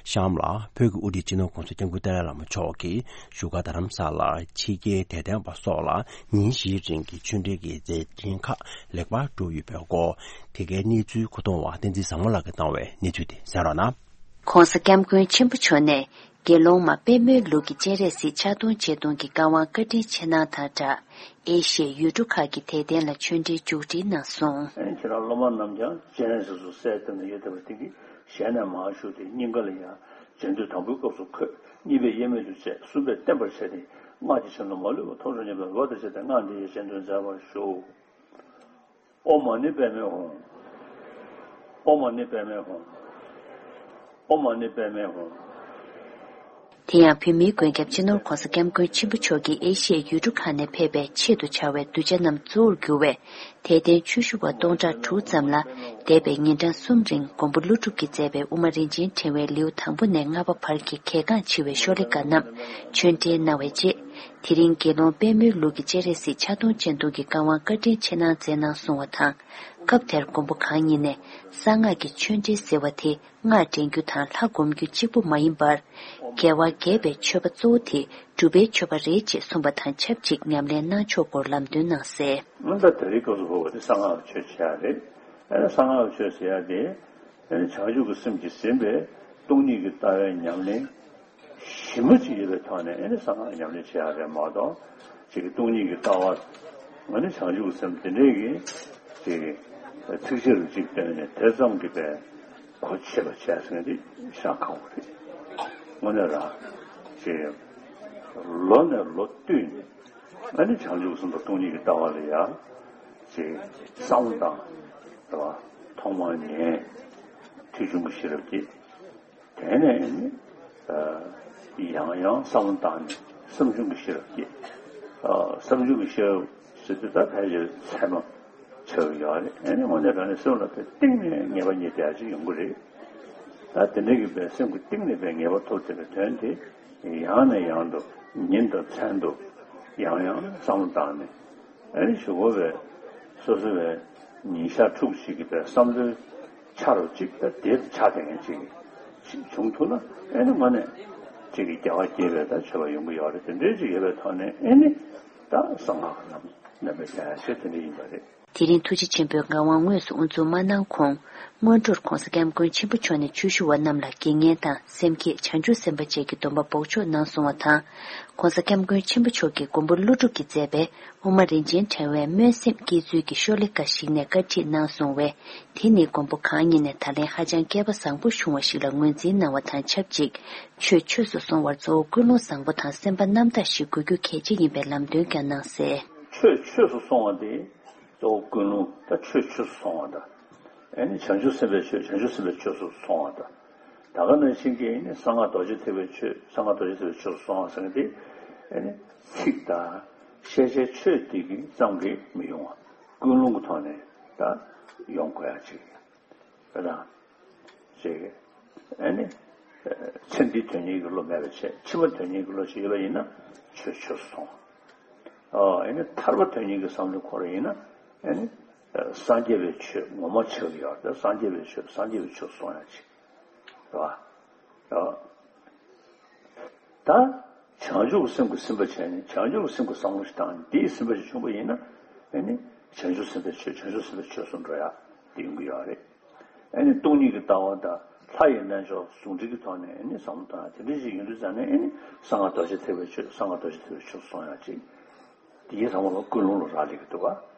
གཤམ་ལ་བོད་ཀྱི་དབུ་ཁྲིད་སྤྱི་ནོར་༸གོང་ས་༸སྐྱབས་མགོན་ཏཱ་ལའི་བླ་མ་མཆོག་གིས་བཞུགས་སྒར་རྡ་རམ་ས་ལར་ཕྱི་རྒྱལ་དད་ལྡན་པ་སོགས་ལ་ཉིན་བཞིའི་རིང་གི་ཆོས་འབྲེལ་གྱི་མཛད་འཕྲིན་ཁག་ལེགས་པར་གྲུབ་ཡོད་པའི་སྐོར། དེ་གའི་གནས་ཚུལ་མཁོ་གཏོང་བ་བསྟན་འཛིན་བཟང་མོ་ལགས་ཀྱིས་བཏང་བའི་གནས་ཚུལ་དེ་གསན་རོགས་གནང་། ༸གོང་ས་༸སྐྱབས་མགོན་ཆེན་པོ་མཆོག་ནས། དགེ་སློང་མ་པད་མོའི་ལུགས་ཀྱི་སྤྱན་རས་གཟིགས་ཕྱག་སྟོང་སྤྱན་སྟོང་གི་བཀའ་དབང་བཀའ་དྲིན་ཆེ་གནང་དང་སྦྲགས། ཨེ་ཤི་ཡའི་ཡུལ་གྲུ་ཁག་གི་དད་ལྡན་ལ་ཆོས་འབྲེལ་མཇུག་སྒྲིལ་གནང་སོང་། ཁྱེད་རང་སློབ་མ་རྣམས་ཀྱང་སྤྱན་རས་གཟིགས་སུ་གསལ་བཏབ་ནས་ཡོད་བསྡད་པ་དེ་གིས་ཞལ་ནས་མར་ཞུགས་ཏེ་སྙིང་ག་ལ་ཡ། སྦྱང་དུས་དང་པོའི་སྐབས་སུ་འཁོད། གཉིས་པས་དབྱེར་མེད་དུ་བྱས། གསུམ་པས་བརྟན་པར་བྱས་ཏེ། སྔགས་ཀྱི་ཆོས་ལ་མ་ལུས་པ་མཐོང་གྲོལ་ཉེ་བའི་འོད་དང་བཅས་ཏེ་སྔགས་འདི་ཡི་སྤྱན་སྟོན་མཛད་པར་ཞུ། ཨོཾ་མ་ཎི་པདྨེ་ཧཱུྃ། ཨོཾ་མ་ཎི་པདྨེ་ཧཱུྃ། ཨོཾ་མ་ཎི་པདྨེ་ཧཱུྃ། དེ་ཡང་བོད་མིའི་མགོན་སྐྱབས་སྤྱི་ནོར་༸གོང་ས་༸སྐྱབས་མགོན་ཆེན་པོ་མཆོག་གིས་ཨེ་ཤི་ཡའི་ཡུལ་གྲུ་ཁག་ནས་ཕེབས་པའི་ཆེད་དུ་བྱ་བའི་གདུལ་བྱ་རྣམས་གཙོ་བོར་གྱུར་བའི་དད་ལྡན་ཆོས་ཞུ་བ་སྟོང་ཕྲག་དྲུག་ཙམ་ལ། འདས་པའི་ཉིན་གྲངས་གསུམ་རིང་མགོན་པོ་ཀླུ་སྒྲུབ་ཀྱིས་མཛད་པའི་དབུ་མ་རིན་ཆེན་ཕྲེང་བའི་ལེའུ་དང་པོ་ནས་ལྔ་པ་བར་གྱི་གལ་འགངས་ཆེ་བའི་ཤོ་ལོ་ཀ་རྣམས་ཆོས་འབྲེལ་གནང་བའི་རྗེས། དེ་རིང་དགེ་སློང་པདྨོའི་ལུགས་ཀྱི་སྤྱན་རས་གཟིགས་ཕྱག་སྟོང་སྤྱན་སྟོང་གི་བཀའ་དབང་བཀའ་དྲིན་ཆེ་གནང་མཛད་གནང་གསུང་བ་དང་། སྐབས་དེར་མགོན་པོ་གང་ཉིད་ནས་གསང་སྔགས་ཀྱི་ཆོས་འབྲེལ་ཟེར་བ་དེ་སྔགས་འདྲེན་རྒྱུ་དང་ལྷ་སྒོམ་རྒྱུ་གཅིག་པུ་མ་ཡིན་པར། རྒྱལ་བ་དགྱེས་པའི་མཆོད་པ་གཙོ་བོ་དེ་སྒྲུབ་པའི་མཆོད་པ་རེད་ཅེས་གསུངས་པ་དང་ཆབས་ཅིག་ཉམས་ལེན་གནང་ཕྱོགས་སྐོར་ལམ་སྟོན་གནང་གསལ། ད་ད་རེས་སྐབས་སུ་བབས་པ་དེ་གསང་སྔགས་ཀྱི་ཆོས་བྱེད་ཡག་རེད། ཨ་ནི་གསང་སྔགས་ཀྱི་ཆོས་ཟེར་ཡག་དེ་ཨ་ནི་བྱང་ཆུབ་ཀྱི་སེམས་ཀྱིས་ཟིན་པའི་སྟོང་ཉིད་ཀྱི་ལྟ་བའི་ཉམས་ལེན་ཞིབ་མོ་ཅིག་ཡོད་པའི་ཐོག་ནས་ཨ་ནི་གསང་སྔགས་ཉམས་ལེན་བྱེད་ཡག་རེད་མ་གཏོགས། ཅིག་གི་སྟོང་ཉིད་ཀྱི་ལྟ་བ་ཨ་ནི་བྱང་ཆུབ་ཀྱི་སེམས་དེ་འདྲས་ཀྱི་ཅིག་གི་ཚིགས་བཅད་རུ་གཅིག་བཏོན་ནས་དེ་ཙམ་གྱིས་པའི་གོ་ཆོད་པ་བྱས་ཟིན་དེ་ཤ་ཁག་པོ་རེད། དངོས་གནས་རང་ཅིག་ལོ་ནས་ལོ་བསྟུད་ནས་ཨ་ནི་བྱང་ཆུབ་སེམས་དང་སྟོང་ཉིད་ཀྱི་ལྟ་བ་ལ་ཡ་ཅིག་བསམ་བློ་བཏང་། རེད་བ། ཐོག་མར་ཉན། ཐོས་བྱུང་གི་ཤེས་རབ་སྐྱེས། དེ་ནས་ནི་ཡང་ཡང་བསམ་བློ་བཏང་ནས་བསམ་བྱུང་གི་ཤེས་རབ་སྐྱེས། བསམ་བྱུང་གི་ཤེས་རབ་ཟེར་དུས་ད་ཕལ་ཆེར་ཚད་མ་ཆགས་ཀྱི་ཡོད་རེད། ཨ་ནི་དངོས་གནས་དྲང་གནས་སེམས་ལ་དེ་གཏིང་ནས་ངེས་པ་རྙེད་བསྡད་ཡག་ཅིག་ཡོང་གི་རེད། ད་དེ་འདྲ་གི་བའི་སེམས་ཀྱི་གཏིང་ནས་བའི་ངེས་པ་ཐོབ་བསྡད་པའི་དོན་དེ་ཡང་ནས་ཡང་དུ་ཉིན་དང་མཚན་དུ་ཡང་ཡང་བསམ་བློ་བཏང་ནས། ཨ་ནི་གཞུག་གུ་བའི་སོ་སོ་བའི་ཉིན་ཞག་ཕྲུགས་ཤིག་གི་བའི་བསམ་བློའི་ཆ་རུ་གཅིག་ད་དེ་ཆགས་བསྡད་མཁན་ཅིག་བྱུང་ཐུབ་ན་ཨ་ནི་དངོས་གནས་ཅིག་གི་རྒྱལ་བ་དགྱེས་པའི་ད་མཆོད་པ་ཡོང་གི་ཡོད་རེད། དེ་འདྲའི་ཅིག་ཡོད་པའི་ཐོག་ནས་ཨ་ནི་ད་གསང་སྔགས་ལམ་ལམ་པའི་རྒྱལ་ཡ་ཆེ་དེ་འདྲ་ཡིན་པ་རེད། དེ་རིང་ཐུགས་རྗེ་ཆེན་པོའི་ངག་དབང་དངོས་སུ་དབུ་འཛུགས་མ་གནང་གོང་། སྔོན་འགྲོར་༧གོང་ས་༧སྐྱབས་མགོན་ཆེན་པོ་མཆོག་ནས་ཆོས་ཞུ་བ་རྣམས་ལ་དགེ་བསྙེན་དང་སེམས་བསྐྱེད་བྱང་ཆུབ་སེམས་དཔའ་བཅས་ཀྱི་སྡོམ་པ་འབོགས་ཆོག་གནང་སོང་བ་དང་། ྋགོང་ས་ྋསྐྱབས་མགོན་ཆེན་པོ་མཆོག་གིས་མགོན་པོ་ཀླུ་སྒྲུབ་ཀྱིས་མཛད་པའི་དབུ་མ་རིན་ཆེན་ཕྲེང་བའི་སྨོན་སེམས་བསྐྱེད་ཚུལ་གྱི་ཤོ་ལོ་ཀ་ཞིག་ནས་བཀའ་ཁྲིད་གནང་སོང་བས། དེ་ནི་མགོན་པོ་གང་ཉིད་ནས་ད་ལན་ཧ་ཅང་སྐལ་པ་བཟང་པོ་བྱུང་བ་ཞིག་ལ་ངོས་འཛིན་གནང་བ་དང་ཆབས་ཅིག་ཆོས་ཆོས་སུ་སོང་བར་གཙོ་བོ་ཀུན་སློང་བཟང་པོ་དང་སེམས་པ་རྣམ་དག་ཞིག་དགོས་རྒྱུ་གལ་ཆེ་ཡིན་པའི་ལམ་སྟོན་ཀྱང་གནང་གསལ། ཆོས་ཆོས་སུ་སོང་བ་དེ། གཙོ་བོ་ཀུན་སློང་ད་ཆོས་ཆོས་སུ་སོང་བ་དང་། ཨེ་ནི་བྱང་ཆུབ་སེམས་དཔའི་ཆོས་བྱང་ཆུབ་སེམས་དཔའི་ཆོས་སུ་སོང་བ་དང་། ད་ག་ནང་བཞིན་གྱི་ཨེ་ནི་གསང་སྔགས་རྡོ་རྗེ་ཐེག་པའི་ཆོས་གསང་སྔགས་རྡོ་རྗེ་ཐེག་པའི་ཆོས་སུ་སོང་བ་ཟེར་མཁན་དེ། ཨེ་ནི་ཚིག་དང་ཤེས་བྱའི་ཆོས་དེ་གི་ཙམ་གྱིས་མི་ཡོང་བ། ཀུན་སློང་གི་ཐོག་ནས་ད་ཡོང་དགོས་ཡ་ཅིག་རེད་དང་། ཅིག་ཨེ་ནི་ཚེ་འདིའི་དོན་གཉེར་གྱི་བློ་མེད་པ་བྱས། ཕྱི་མ་དོན་གཉེར་གྱི་བློ་ཞིག་ཡོད་པ་ཡིན་ན་ཆོས་ཆོས་སུ་སོང་། ཨོ། ཨེ་ནི་ཐར་པ་དོན་གཉེར་གྱི་བསམ་བློ་འཁོར་བ་ཡིན་ན། ཨེ་ནི་སངས་རྒྱས་པའི་ཆོས་ངོ་མ་ཆགས་ཀྱི་ཡོད་རེད། སངས་རྒྱས་པའི་ཆོས་སངས་རྒྱས་པའི་ཆོས་སོང་ཡ་ཅིག་རེད་བ། ཨོ། ད་བྱང་ཆུབ་ཀྱི་སེམས་ཀྱིས་ཟིན་པ་བྱས་ནས་བྱང་ཆུབ་ཀྱི་སེམས་ཀྱི་བསམ་བློ་ཞིག་བཏང་ནས་དེས་ཟིན་པ་ཞིག་བྱུང་བ་ཡིན་ན། ཨེ་ནི་བྱང་ཆུབ་སེམས་དཔའི་ཆོས་བྱང་ཆུབ་སེམས་དཔའི་ཆོས་སུ་འགྲོ་ཡ་དེ་ཡོང་གི་ཡོད་རེད། ཨེ་ནི་སྟོང་ཉིད་ཀྱི་ལྟ་བ་དང་ལྷ་ཡི་རྣལ་འབྱོར་ཟུང་འབྲེལ་གྱི་ཐོག་ནས་ཨེ་ནི་བསམ་བློ་བཏང་ཡ་དེ་འདྲ་ཞིག་ཡིན་དུས་ཙང་ནས། ཨེ་ནི་གསང་སྔགས་རྡོ་རྗེ་ཐེག་པའི་ཆོས་གསང་སྔགས་རྡོ་རྗེ་ཐེག་པའི་ཆོས་སུ་སོང་ཡ་ཅིག་དེའི་ཚང་མ་ལ་ཀུན་སློང་ལ་རག་ལས་ཀྱི་འདུག་ག་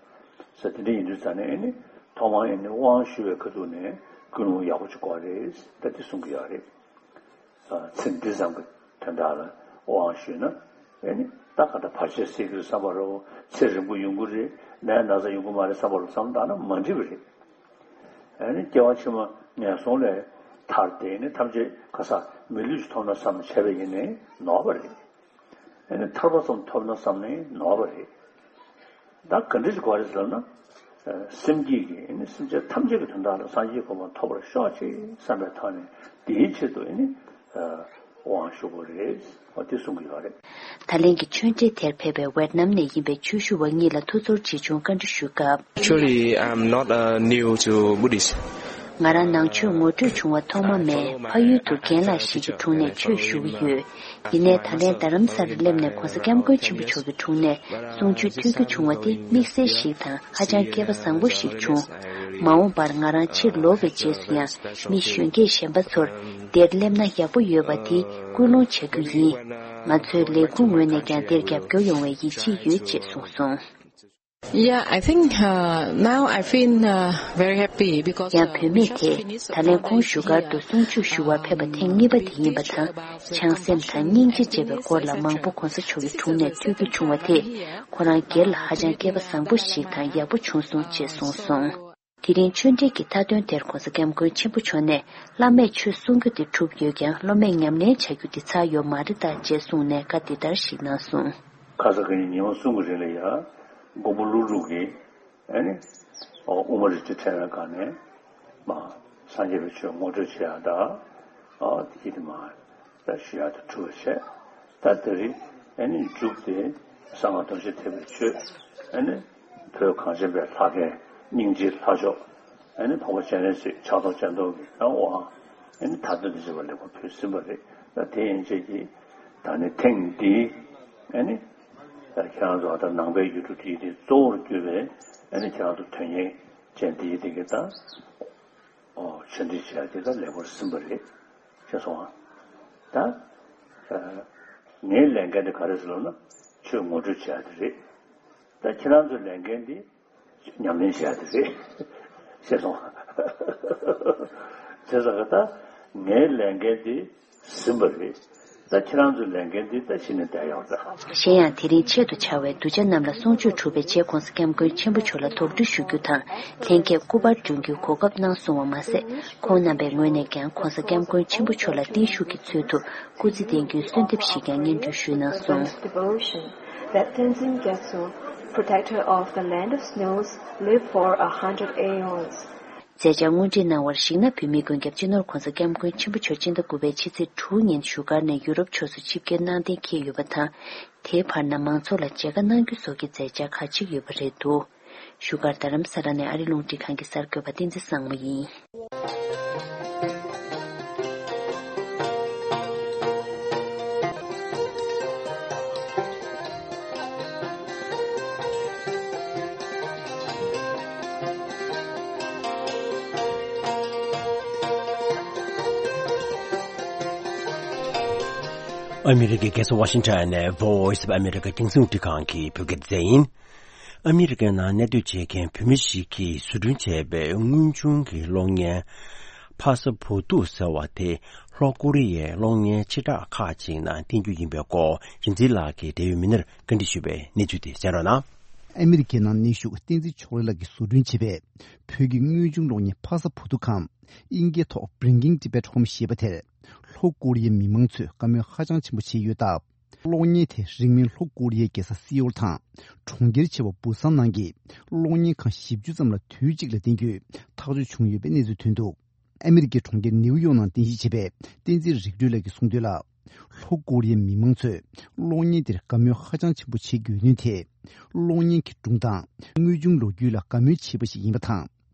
ས། དེ་འདྲ་ཡིན་དུས་ཙང་ནས་ཨེ་ནི་ཐོག་མར་ཨེ་ནི་དབང་ཞུ་བའི་ཁ་ཐུག་ནས་ཀུན་སློང་ཡག་པོ་ཅིག་དགོས་རེད་ད་དེ་གསུང་གི་ཡོད་རེད། ཚེ་འདི་ཙམ་གྱི་དོན་དག་ལ་དབང་ཞུས་ན། ཨེ་ནི་ད་ག་ད་བར་ཆད་སེལ་གྱི་རེད་བསམ་པ་རེད། ཚེ་རིང་པོ་ཡོང་གི་རེད། ནད་ན་ཚ་ཡོང་གི་མ་རེད་བསམ་པ་རེད། བསམ་བཏང་ན་མ་འགྲིག་པ་རེད། ཨེ་ནི་སྐྱེ་བ་ཕྱི་མ་ངན་སོང་ལས་ཐར་ཏེ་ནི་ཐམས་ཅད་ག་ས་མི་ལུས་ཤིག་ཐོབ་ན་བསམ་བྱས་པ་ཡིན་ནའི་ནོར་བ་རེད། ཨེ་ནི་ཐར་པ་ཙམ་ཐོབ་ན་བསམ་ནའི་ནོར་བ་རེད། ད་ག་འདྲ་ཞིག་དགོས་རེད་ཟེར་ན། སེམས་བསྐྱེད་ཀྱིས་ཨེ་ནི་སེམས་ཅན་ཐམས་ཅད་ཀྱི་དོན་དག་ལ་སངས་རྒྱས་གོ་འཕང་ཐོབ་པར་ཤོག་ཅེས་བསམ་པའི་ཐོག་ནས་དེའི་ཆེད་དུ་ཨེ་ནི་དབང་ཞུ་དགོས་རེད། འོ་དེ་གསུང་གི་ཡོད་རེད། ད་ལན་གྱི་ཆོས་འབྲེལ་དེར་ཕེབས་པའི་ཝེད་ནམ་ནས་ཡིན་པའི་ཆོས་ཞུ་བ་གཉིས་ལ་ཐུགས་ཚོར་ཆེ་ཆུང་བཀའ་འདྲི་ཞུས་སྐབས། Actually, I'm not uh, new to Buddhist. ང་རང་ནང་ཆོས་ངོ་སྤྲོད་བྱུང་བ་ཐོག་མ་མིན། ཕ་ཡུལ་དུ་རྒན་ལགས་ཤིག་གི་དྲུང་ནས་ཆོས་ཞུ་གི་ཡོད། ཡིན་ནའི་ད་ལན་རྡ་རམ་ས་ལར་སླེབས་ནས་ྋགོང་ས་ྋསྐྱབས་མགོན་ཆེན་པོ་མཆོག་གི་དྲུང་ནས་གསུང་ཆོས་ཐོས་རྒྱུ་བྱུང་བ་དེ་དམིགས་བསལ་ཞིག་དང་ཧ་ཅང་སྐལ་པ་བཟང་པོ་ཞིག་བྱུང་། མ་འོངས་པར་ང་རང་ཕྱིར་ལོག་པའི་རྗེས་སུ་ཡང་མི་གཞོན་སྐྱེས་གཞན་པ་ཚོར་འདིར་སླེབས་ན་ཡག་པོ་ཡོད་པ་དེ་ཀུན་སློང་བྱ་རྒྱུ་ཡིན། ང་ཚོའི་ལས་ཁུངས་ངོས་ནས་ཀྱང་འདིར་རྒྱབ་སྐྱོར་ཡོང་བའི་ཡིད་ཆེས་ཡོད་ཅེས་གསུངས་སོང་། Yeah, I think uh, now I feel uh, very happy because ཡང་བུད་མེད་དེས་ད་ལན་ཁོང་བཞུགས་སྒར་དུ་གསུང་ཆོས་ཞུ་བར་ཕེབས་པ་ཐེངས་གཉིས་པ་དེ་ཡིན་པ་དང་། བྱང་སེམས་དང་སྙིང་རྗེ་ཅེས་པའི་སྐོར་ལ་མང་པོ་གོང་ས་མཆོག་གི་དྲུང་ནས་ཐོས་རྒྱུ་བྱུང་བ་དེས་ཁོ་རང་སྒེར་ལ་ཧ་ཅང་སྐལ་པ་བཟང་པོ་ཞིག་དང་ཡག་པོ་བྱུང་སོང་ཅེས་གསུངས་སོང་། དེ་རིང་ཆོས་འབྲེལ་གྱི་མཐའ་དོན་དེར་གོང་ས་སྐྱབས་མགོན་ཆེན་པོ་མཆོག་ནས་བླ་མས་ཆོས་གསུང་རྒྱུ་དེ་གྲུབ་ཡོད་ཀྱང་སློབ་མས་ཉམས་ལེན་བྱ་རྒྱུ་དེ་ཚར་ཡོད་མ་རེད་ད་ཅེས་གསུངས་ནས་བཀའ་འདི་ལྟར་ཞིག་གནང་སོང་། ཁ་ས་ག་ཉིན་ཉི་མ་གསུམ་གྱི་རིང་ལ་ཡ་མགོན་པོ་ཀླུ་སྒྲུབ་ཀྱིས་ཨ་ནི་དབུ་མ་རིན་ཆེན་ཕྲེང་བའི་སྒང་ནས་མ་སངས་རྒྱས་པའི་ཆོས་ངོ་སྤྲོད་བྱེད་ཡག་དང་། ཨ་དེ་དེ་མ་ད་ཞུ་ཡག་དང་གྲུབ་པ་བྱས། ད་དེ་རིང་ཨ་ནི་མཇུག་དེ་གསང་སྔགས་རྡོ་རྗེ་ཐེག་པའི་ཆོས་ཨ་ནི་བོད་གངས་ཅན་པའི་ལྷ་རྒན་སྙིང་རྗེའི་ལྷ་མཆོག་ཨ་ནི་འཕགས་པ་སྤྱན་རས་གཟིགས་ཕྱག་རྡོར་སྤྱན་སྟོབས་ཀྱི་ཨ་དབང་ཨ་ནི་མཐའ་དོན་དུ་བྱེད་པ་ལེགས་པར་ཕུལ་ཟིན་པ་རེད། ད་དེ་ཡན་ཆད་ཀྱི་ད་ནི་ཐེངས་འདིའི་ཨ་ནི་ད་ཁྱེད་རང་ཚོ་ད་ནང་པའི་ཡུལ་གྲུ་དེའི་དེ་གཙོ་བོར་གྱུར་པའི་ཨ་ནི་ཁྱེད་རང་ཚོ་དོན་གཉེར་ཅན་དེའི་དེ་གི་ད་ཨོ་ཆོས་འདི་བྱས་དེ་ད་ལེགས་པར་ཟིན་པ་རེད་ཅེས་སོང་ང་། ད་ངའི་ལས་འགན་དེ་ག་རེ་ཟེར་ལབ་ན་ཆོས་ངོ་སྤྲོད་བྱས་དེ་རེད། ད་ཁྱེད་རང་ཚོའི་ལས་འགན་དེ་ཉམས་ལེན་བྱས་ཏེ་རེད། ཞེས་གསུངས། བྱས་ཙང་ད་ངའི་ལས་འགན་དེ་ཟིན་པ་རེད། ད་ཁྱེད་རང་ཚོའི་ལས་འགན་དེ་ད་གཞི་ནས་བསྡད་ཡོད་རེད། གཞན་ཡང་དེ་རིང་ཆེད་དུ་བཅར་བའི་གདུལ་བྱ་རྣམས་ལ་གསུང་ཆོས་གྲུབ་པའི་རྗེས་༸གོང་ས་༸སྐྱབས་མགོན་ཆེན་པོ་མཆོག་ལ་དོགས་འདྲི་ཞུ་རྒྱུ་དང་། ལྷན་རྒྱས་སྐུ་པར་སྒྲོན་རྒྱུའི་གོ་སྐབས་གནང་སོང་བ་མ་ཟད། ཁོང་རྣམ་པའི་ངོས་ནས་ཀྱང་༸གོང་ས་༸སྐྱབས་མགོན་ཆེན་པོ་མཆོག་ལ་བརྟན་བཞུགས་ཀྱི་ཚུལ་དུ་སྐུ་རྩེད་འགྲན་རྒྱུའི་གསོལ་འདེབས་ཤིག་ཀྱང་སྙན་སྒྲོན་ཞུས་གནང་སོང་། Devotion that Tenzin Gyatso, protector of the land of snows, live for a hundred aeons. མཛད་འཆར་དངོས་འབྲེལ་གནང་བར་གཞིགས་ན། བོད་མིའི་མགོན་སྐྱབས་སྤྱི་ནོར་༸གོང་ས་༸སྐྱབས་མགོན་ཆེན་པོ་མཆོག་སྤྱི་ཟླ་དགུ་པའི་ཕྱི་ཚེས་དྲུག་ཉིན་བཞུགས་སྒར་ནས་ཡུ་རོབ་ཕྱོགས་སུ་ཆིབས་བསྒྱུར་གནང་གཏན་འཁེལ་ཡོད་པ་དང་། དེའི་བར་ན་མང་ཚོགས་ལ་མཇལ་ཁ་གནང་རྒྱུ་སོགས་ཀྱི་མཛད་འཆར་ཁག་ཅིག་ཡོད་པ་རེད་འདུག་བཞུགས་སྒར་རྡ་རམ་ས་ལ་ནས་ཨ་རི་རླུང་འཕྲིན་ཁང་གི་གསར་འགོད་པ་བསྟན་འཛིན་བཟང་མོ་ཡིན། ཨ་མི་རི་ཀའི་རྒྱལ་ས་ཝ་ཤིང་ཊོན་ནས་Voice of America་རྒྱང་སྲིང་རླུང་འཕྲིན་ཁང་གི་བོད་སྐད་སྡེ་ཚན་ཡིན། ཨ་མི་རི་ཀའི་ནང་གནས་སྡོད་བྱེད་མཁན་བོད་མི་ཞིག་གིས་བཟོ་སྐྲུན་བྱས་པའི་དངོས་བྱུང་གི་གློག་བརྙན་ཕ་ས་བུ་ཐུ་ཟེར་བ་དེ་ལྷོ་ཀོ་རི་ཡའི་གློག་བརྙན་ཆེ་ཁག་ཅིག་ནང་བསྟན་རྒྱུ་ཡིན་པའི་སྐོར་རིག་འཛིན་ལགས་ཀྱིས་འབྲེལ་ཡོད་མི་སྣར་བཀའ་འདྲི་ཞུས་པའི་གནས་ཚུལ་དེ་གསན་རོགས་གནང་། ཨ་མི་རི་ཀའི་ནང་གནས་བཞུགས་བསྟན་འཛིན་ཕྱོགས་རིས་ལགས་ཀྱིས་བཟོ་སྐྲུན་བྱས་པའི་བོད་ཀྱི་དངོས་བྱུང་གློག་བརྙན་ཕ་ས་བུ་ཐུ་ཁམས་དབྱིན་སྐད་ཐོག་Bringing Tibet Home ཞེས་པ་དེར་ལྷོ་ཀོ་རི་ཡའི་མི་མང་ཚོས་བཀའ་མོལ་ཧ་ཅང་ཆེན་པོ་བྱས་ཡོད་སྟབས། གློག་བརྙན་དེ་རིང་མིན་ལྷོ་ཀོ་རི་ཡའི་རྒྱལ་ས་སི་ཨོལ་དང་གྲོང་ཁྱེར་ཆེ་བ་བུ་སང་ནང་གི་གློག་བརྙན་ཁང་བཞི་བཅུ་ཙམ་ལ་དུས་གཅིག་ལ་བསྟན་རྒྱུའི་ཐག་གཅོད་བྱུང་ཡོད་པའི་གནས་ཚུལ་ཐོན་འདུག་ཨ་མི་རི་ཀའི་གྲོང་ཁྱེར་ནེའུ་ཡོག་ནང་རྟེན་གཞི་བྱས་པའི་བསྟན་འཛིན་རིག་གྲོལ་ལགས་ཀྱིས་གསུངས་དོན་ལ། ལྷོ་ཀོ་རི་ཡའི་མི་མང་ཚོས་གློག་བརྙན་དེར་དགའ་མོས་ཧ་ཅང་ཆེན་པོ་བྱེད་དགོས་དོན་དེ། གློག་བརྙན་གྱི་སྒྲུང་དང་དངོས་བྱུང་ལོ་རྒྱུས་ལ་དགའ་མོས་བྱེད་པ་ཞིག་ཡིན་པ་དང་།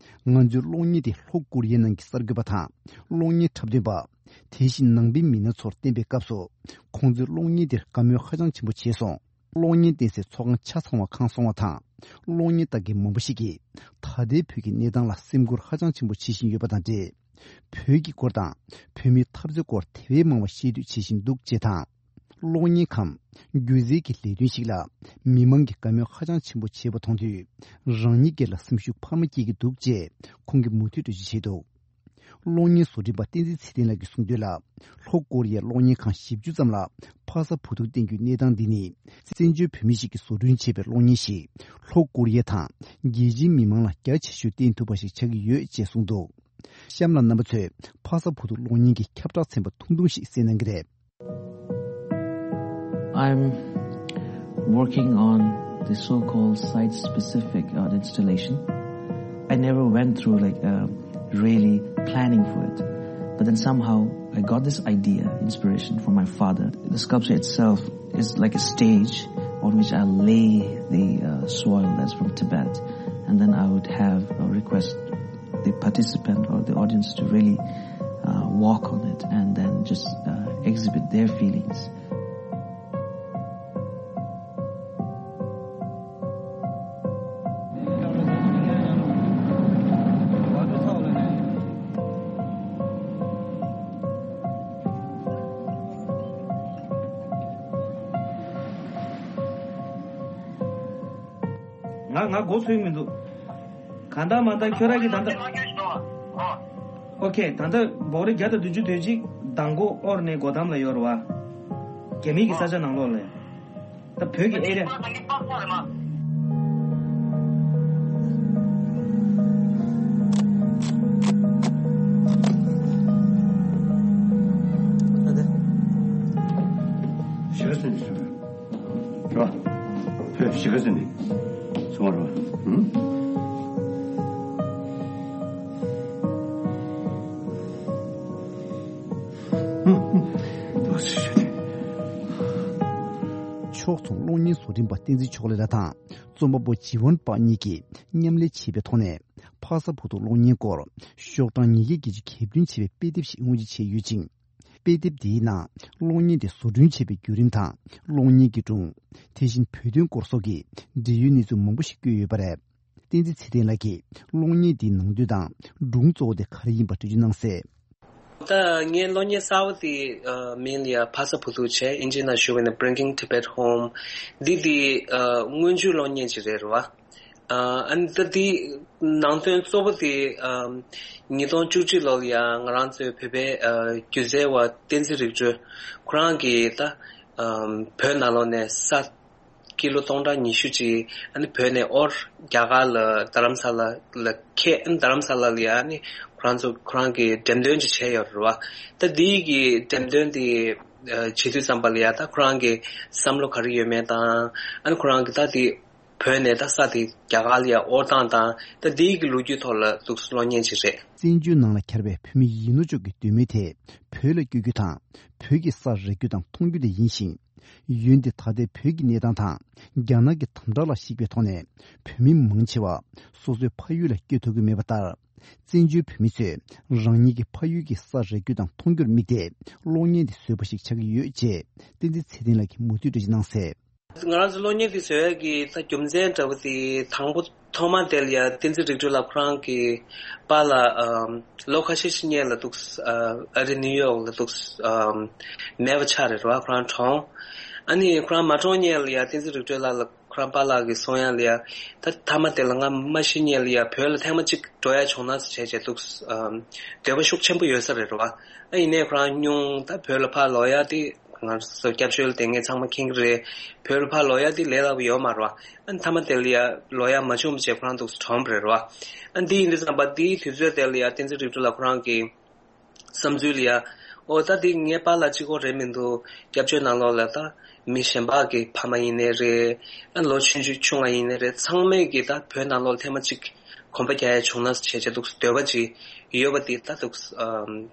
ང་ཚོའི་གློག་བརྙན་དེ་ལྷོ་ཀོ་རི་ཡའི་ནང་གི་གསར་འགོད་པ་དང་གློག་བརྙན་འཁྲབ་སྟོན་པ། དེ་བཞིན་ནང་པའི་མི་སྣ་ཚོར་བསྟན་པའི་སྐབས་སུ། ཁོང་ཚོས་གློག་བརྙན་དེར་དགའ་མོས་ཧ་ཅང་ཆེན་པོ་བྱས་སོང་། གློག་བརྙན་བསྟན་སའི་ཚོགས་ཁང་ཆ་ཚང་བ་ཁང་སོང་བ་དང་། གློག་བརྙན་ལྟ་མཁན་མང་པོ་ཞིག་གིས་ད་ལྟའི་བོད་ཀྱི་གནས་སྟངས་ལ་སེམས་ཁུར་ཧ་ཅང་ཆེན་པོ་བྱེད་བཞིན་ཡོད་པ་དང་འབྲེལ། བོད་ཀྱི་སྐོར་དང་བོད་མིའི་འཐབ་རྩོད་སྐོར་དེ་བས་མང་བ་ཤེས་འདོད་བྱེད་བཞིན་འདུག་ཅེས་དང་། གློག་བརྙན་ཁམས་སྒྱུ་རྩལ་གྱི་ལས་དོན་ཞིག་ལ་མི་མང་གིས་དགའ་མོས་ཧ་ཅང་ཆེན་པོ་བྱེད་པ་མཐོང་དུས། རང་ཉིད་སྒེར་ལ་སེམས་ཤུགས་འཕར་མ་སྐྱེ་གི་འདུག་ཅེས་ཁོང་གིས་མུ་མཐུད་འགྲེལ་བརྗོད་བྱས་འདུག་གློག་བརྙན་བཟོ་སྐྲུན་པ་བསྟན་འཛིན་ཚེ་བརྟན་ལགས་ཀྱིས་གསུངས་དོན་ལ། ལྷོ་ཀོ་རི་ཡའི་གློག་བརྙན་ཁང་བཞི་བཅུ་ཙམ་ལ་ཕ་ས་བུ་ཐུ་བསྟན་རྒྱུའི་གནས་སྟངས་འདི་ནི། བཙན་བྱོལ་བོད་མི་ཞིག་གིས་བཟོ་སྐྲུན་བྱས་པའི་གློག་བརྙན་ཞིག་ལྷོ་ཀོ་རི་ཡ་དང་རྒྱལ་སྤྱིའི་མི་མང་ལ་རྒྱ་ཆེ་ཤོས་བསྟན་ཐུབ་པ་ཞིག་ཆགས་ཀྱི་ཡོད་ཅེས་གསུངས་འདུག་གཤམ་ལ་རྣམ་པ་ཚོས་ཕ་ས་བུ་ཐུ་གློག་བརྙན་གྱི་ཁྱབ་བསྒྲགས་ཚན་པ་ཐུང་ཐུང་ཞིག་གསན་གནང་གི་རེད། I'm working on the so-called site-specific art installation. I never went through, like, uh, really planning for it. But then somehow I got this idea, inspiration from my father. The sculpture itself is like a stage on which I lay the, uh, soil that's from Tibet. And then I would have a request the participant or the audience to really, uh, walk on it and then just, uh, exhibit their feelings. ང་ང་མགོ་ཚོས་མི་འདུག་གང་ལྟར་མ་ལྟར་ཁྱོད་རང་གིས་ད་ལྟ། ཨོ་ཁེ། ད་ལྟ་འབོག་རེ་བརྒྱ་དང་བདུན་ཅུ་དོན་གཅིག་མདང་དགོང་ཨོར་ནས་སྒོ་འགྲམ་ལ་ཡོད་རེད་བ། རྒྱ་མིའི་གི་ས་ཆ་ནང་ལོགས་ལ། ད་བོད་ཀྱི་ཨེ་རི་ཡ། ཞེ་ག་ཟིན་ནས་སོང་། རོ། བོད་ཞེ་ག་ཟིན་ནས་སོང་བ་རོ། ཧུམ། ཕྱོགས་མཚུངས་གློག་བརྙན་བཟོ་སྐྲུན་པ་བསྟན་འཛིན་ཕྱོགས་ལས་ལགས་དང་རྩོམ་པ་པོ་ཇི་ཝན་པག་གཉིས་ཀྱིས་མཉམ་ལས་བྱས་པའི་ཐོག་ནས་ཕ་ས་བུ་ཐུ་གློག་བརྙན་སྐོར་ཤོག་གྲངས་ཉིས་བརྒྱ་བརྒྱད་ཅུ་གྱ་བདུན་བྱས་པའི་དཔེ་དེབ་ཞིག་དངོས་གཞི་བྱས་ཡོད་ཅིང་། དཔེ་དེབ་འདིའི་ནང་གློག་བརྙན་དེ་བཟོ་སྐྲུན་བྱས་པའི་བརྒྱུད་རིམ་དང་། གློག་བརྙན་གྱི་སྒྲུང་། དེ་བཞིན་བོད་དོན་སྐོར་སོགས་ཀྱི་འབྲེལ་ཡོད་གནས་ཚུལ་མང་པོ་ཞིག་བཀོད་ཡོད་པ་རེད། བསྟན་འཛིན་ཚེ་བརྟན་ལགས་ཀྱིས་གློག་བརྙན་དེའི་ནང་དོན་དང་སྒྲུང་གཙོ་བོ་དེ་ག་རེ་ཡིན་པ་འགྲེལ་བརྗོད་གནང་གསལ། ད་ངའི་གློག་བརྙན་གསར་པ་དེ་ཨ་མིང་ལ་ཡ་ཕ་ས་བུ་ཐུག་བྱས། ཨིན་ཇིའི་ནང་ཞུ་བ་ཡིན་ན་Bringing Tibet Home། འདི་དེ་ཨ་སྔོན་འཇུག་གློག་བརྙན་ཅིག་རེད་རེད་བ། ཨ་ཨ་ནི་ད་དེ་ནང་དོན་གཙོ་བོ་དེ་ཨ་ཉིས་སྟོང་བཅུ་གཅིག་ལོ་ལ་ཡ་ང་རང་ཚོའི་བོད་པའི་ཨ་སྒྱུ་རྩལ་བ་བསྟན་འཛིན་རིག་སྒྲོལ་ཁོ་རང་གིས་ད་ཨ་བོད་ནང་ལོགས་ནས་ས་ཀི་ལོ་སྟོང་ཕྲག་ཉི་ཤུ་ཅིག་ཨ་ནི་བོད་ནས་ཨོ་རྒྱ་གར་ལ་རྡ་རམ་ས་ལ་ལ་ཁེལ། ཨ་ནི་རྡ་རམ་ས་ལ་ལ་ཡ་ཨ་ནི་ཁོ་རང་ཚོ་ཁོ་རང་གི་འགྲེམས་སྟོན་ཅིག་བྱས་ཡོད་རེད་བ། ད་འདིའི་གི་འགྲེམས་སྟོན་དེ་ཨ་བྱེད་དུས་ཙམ་པ་ལ་ཡ་ད་ཁོ་རང་གི་བསམ་བློ་ག་རེ་ཡོད་མེད་དང་། ཨ་ནི་ཁོ་རང་གི་ད་དེ་བོད་ནས་ད་ས་དེ་རྒྱ་གར་ལ་ཡ་དབོར་སྟངས་དང་། ད་འདིའི་གི་ལོ་རྒྱུས་ཐོག་ལ་འདུག་གློག་བརྙན་ཅིག་རེད། བཙན་བྱོལ་ནང་ལ་གྱར་བའི་བོད་མི་ཡིན་ནོ་ཅོག་གི་འདོད་མོས་དེ་བོད་ལ་བསྐྱོད་རྒྱུ་དང་། བོད་ཀྱི་ས་རེག་རྒྱུ་དང་མཐོང་རྒྱུ་དེ་ཡིན་ཞིང་། འོན་ཏེ་ད་ལྟའི་བོད་ཀྱི་གནས་སྟངས་དང་རྒྱ་ནག་གི་དམ་དྲག་ལ་གཞིགས་པའི་ཐོག་ནས་བོད་མི་མང་ཆེ་བ་སོ་སོའི་ཕ་ཡུལ་ལ་བསྐྱོད་ཐུབ་ཀྱི་མེད་པ་ལྟར། བཙན་བྱོལ་བོད་མི་ཚོས་རང་ཉིད་ཀྱི་ཕ་ཡུལ་གྱི་ས་རེག་རྒྱུ་དང་མཐོང་རྒྱུར་དམིགས་ཏེ་གློག་བརྙན་དེ་བཟོས་པ་ཞིག་ཆགས་ཀྱི་ཡོད་ཅེས་བསྟན་འཛིན་ཚེ་བརྟན་ལགས་ཀྱིས་མུ་མཐུད་འགྲེལ་བརྗོད་གནང་གསལ། ང་རང་ཚོ་གློག་བརྙན་དེ་བཟོ་ཡག་གི་ད་རྒྱུ་མཚན་འདྲ་བོ་དེ་དང་པོ་ཐོག་མ་དེ་ལ་ཡ་བསྟན་འཛིན་རིག་སྒྲོལ་ལགས་ཁོ་རང་གི་པཱ་ལགས་ཨམ་ལོ་ཁ་ཤས་ཤིག་སྔོན་ལ་འདུག་ཨ་ཨ་རི་ནིའུ་ཡོག་ལ་འདུག་ཨམ་མེད་པ་ཆགས་རེད་ར། ཁོ་རང་གྲོངས། ཨ་ནི་ཁོ་རང་མ་གྲོངས་སྔོན་ལ་ཡ་བསྟན་འཛིན་རིག་སྒྲོལ་ལགས་ལ་ཁོ་རང་པཱ་ལགས་ཀྱིས་གསུང་ཡག་ལ་ཡ། ད་མཐའ་མ་དེ་ལ་ང་མ་ཤི་སྔོན་ལ་ཡ་བོད་ལ་ཐེངས་མ་གཅིག་འགྲོ་ཡག་བྱུང་ན་ཟེར་བྱས་བྱས་འདུག་ཨམ་འདོད་པ་ཤུགས་ཆེན་པོ་ཡོད་ས་རེད་ར། ཨ་ཡིན་ནའི་ཁོ་རང་སྙུང་ད་བོད་ལ་ཕར་ལོག་ཡག་དེ། ང་ཚོ་སྐྱབས་བཅོལ་དེ་ངས་ཚང་མ་མཁྱེན་གྱི་རེད། བོད་ལ་ཕར་ལོག་ཡག་དེ་ལས་སླ་པོ་ཡོད་མ་རེད་བ། ཨ་ནི་མཐའ་མ་དེ་ལ་ཡ་ལོག་ཡག་མ་བྱུང་བ་བྱས་ཁོ་རང་འདུག་གྲོངས་པ་རེད་བ། ཨ་འདི་ཡིན་དུས་ཙམ་པ་འདིའི་དུས་ཚོད་དེ་ལ་ཡ་བསྟན་འཛིན་རིག་སྒྲོལ་ལགས་ཁོ་རང་གི་བསམ་ཚུལ་ལ་ཡ། ཨོ་ད་འདི་ངའི་པཱ་ལགས་གཅིག་པོ་རེད་མི་འདུག་སྐྱབས་བཅོལ་ནང་ལོགས་ལ་ད་མི་གཞན་པ་གི་ཕ་མ་ཡིན་ནའི་རེད། ཨ་ལོ་ཆུང་ཆུང་ཆུང་བ་ཡིན་ནའི་རེད། ཚང་མས་ཀྱི་ད་བོད་ནང་ལོགས་ལ་ཐེངས་མ་གཅིག་གོམ་པ་རྒྱག་ཡག་བྱུང་ན་བྱས་བྱས་འདུག་འདོད་པ་ཅིག་ཡོད་པ་འདི་ད་འདུག་ཨམ།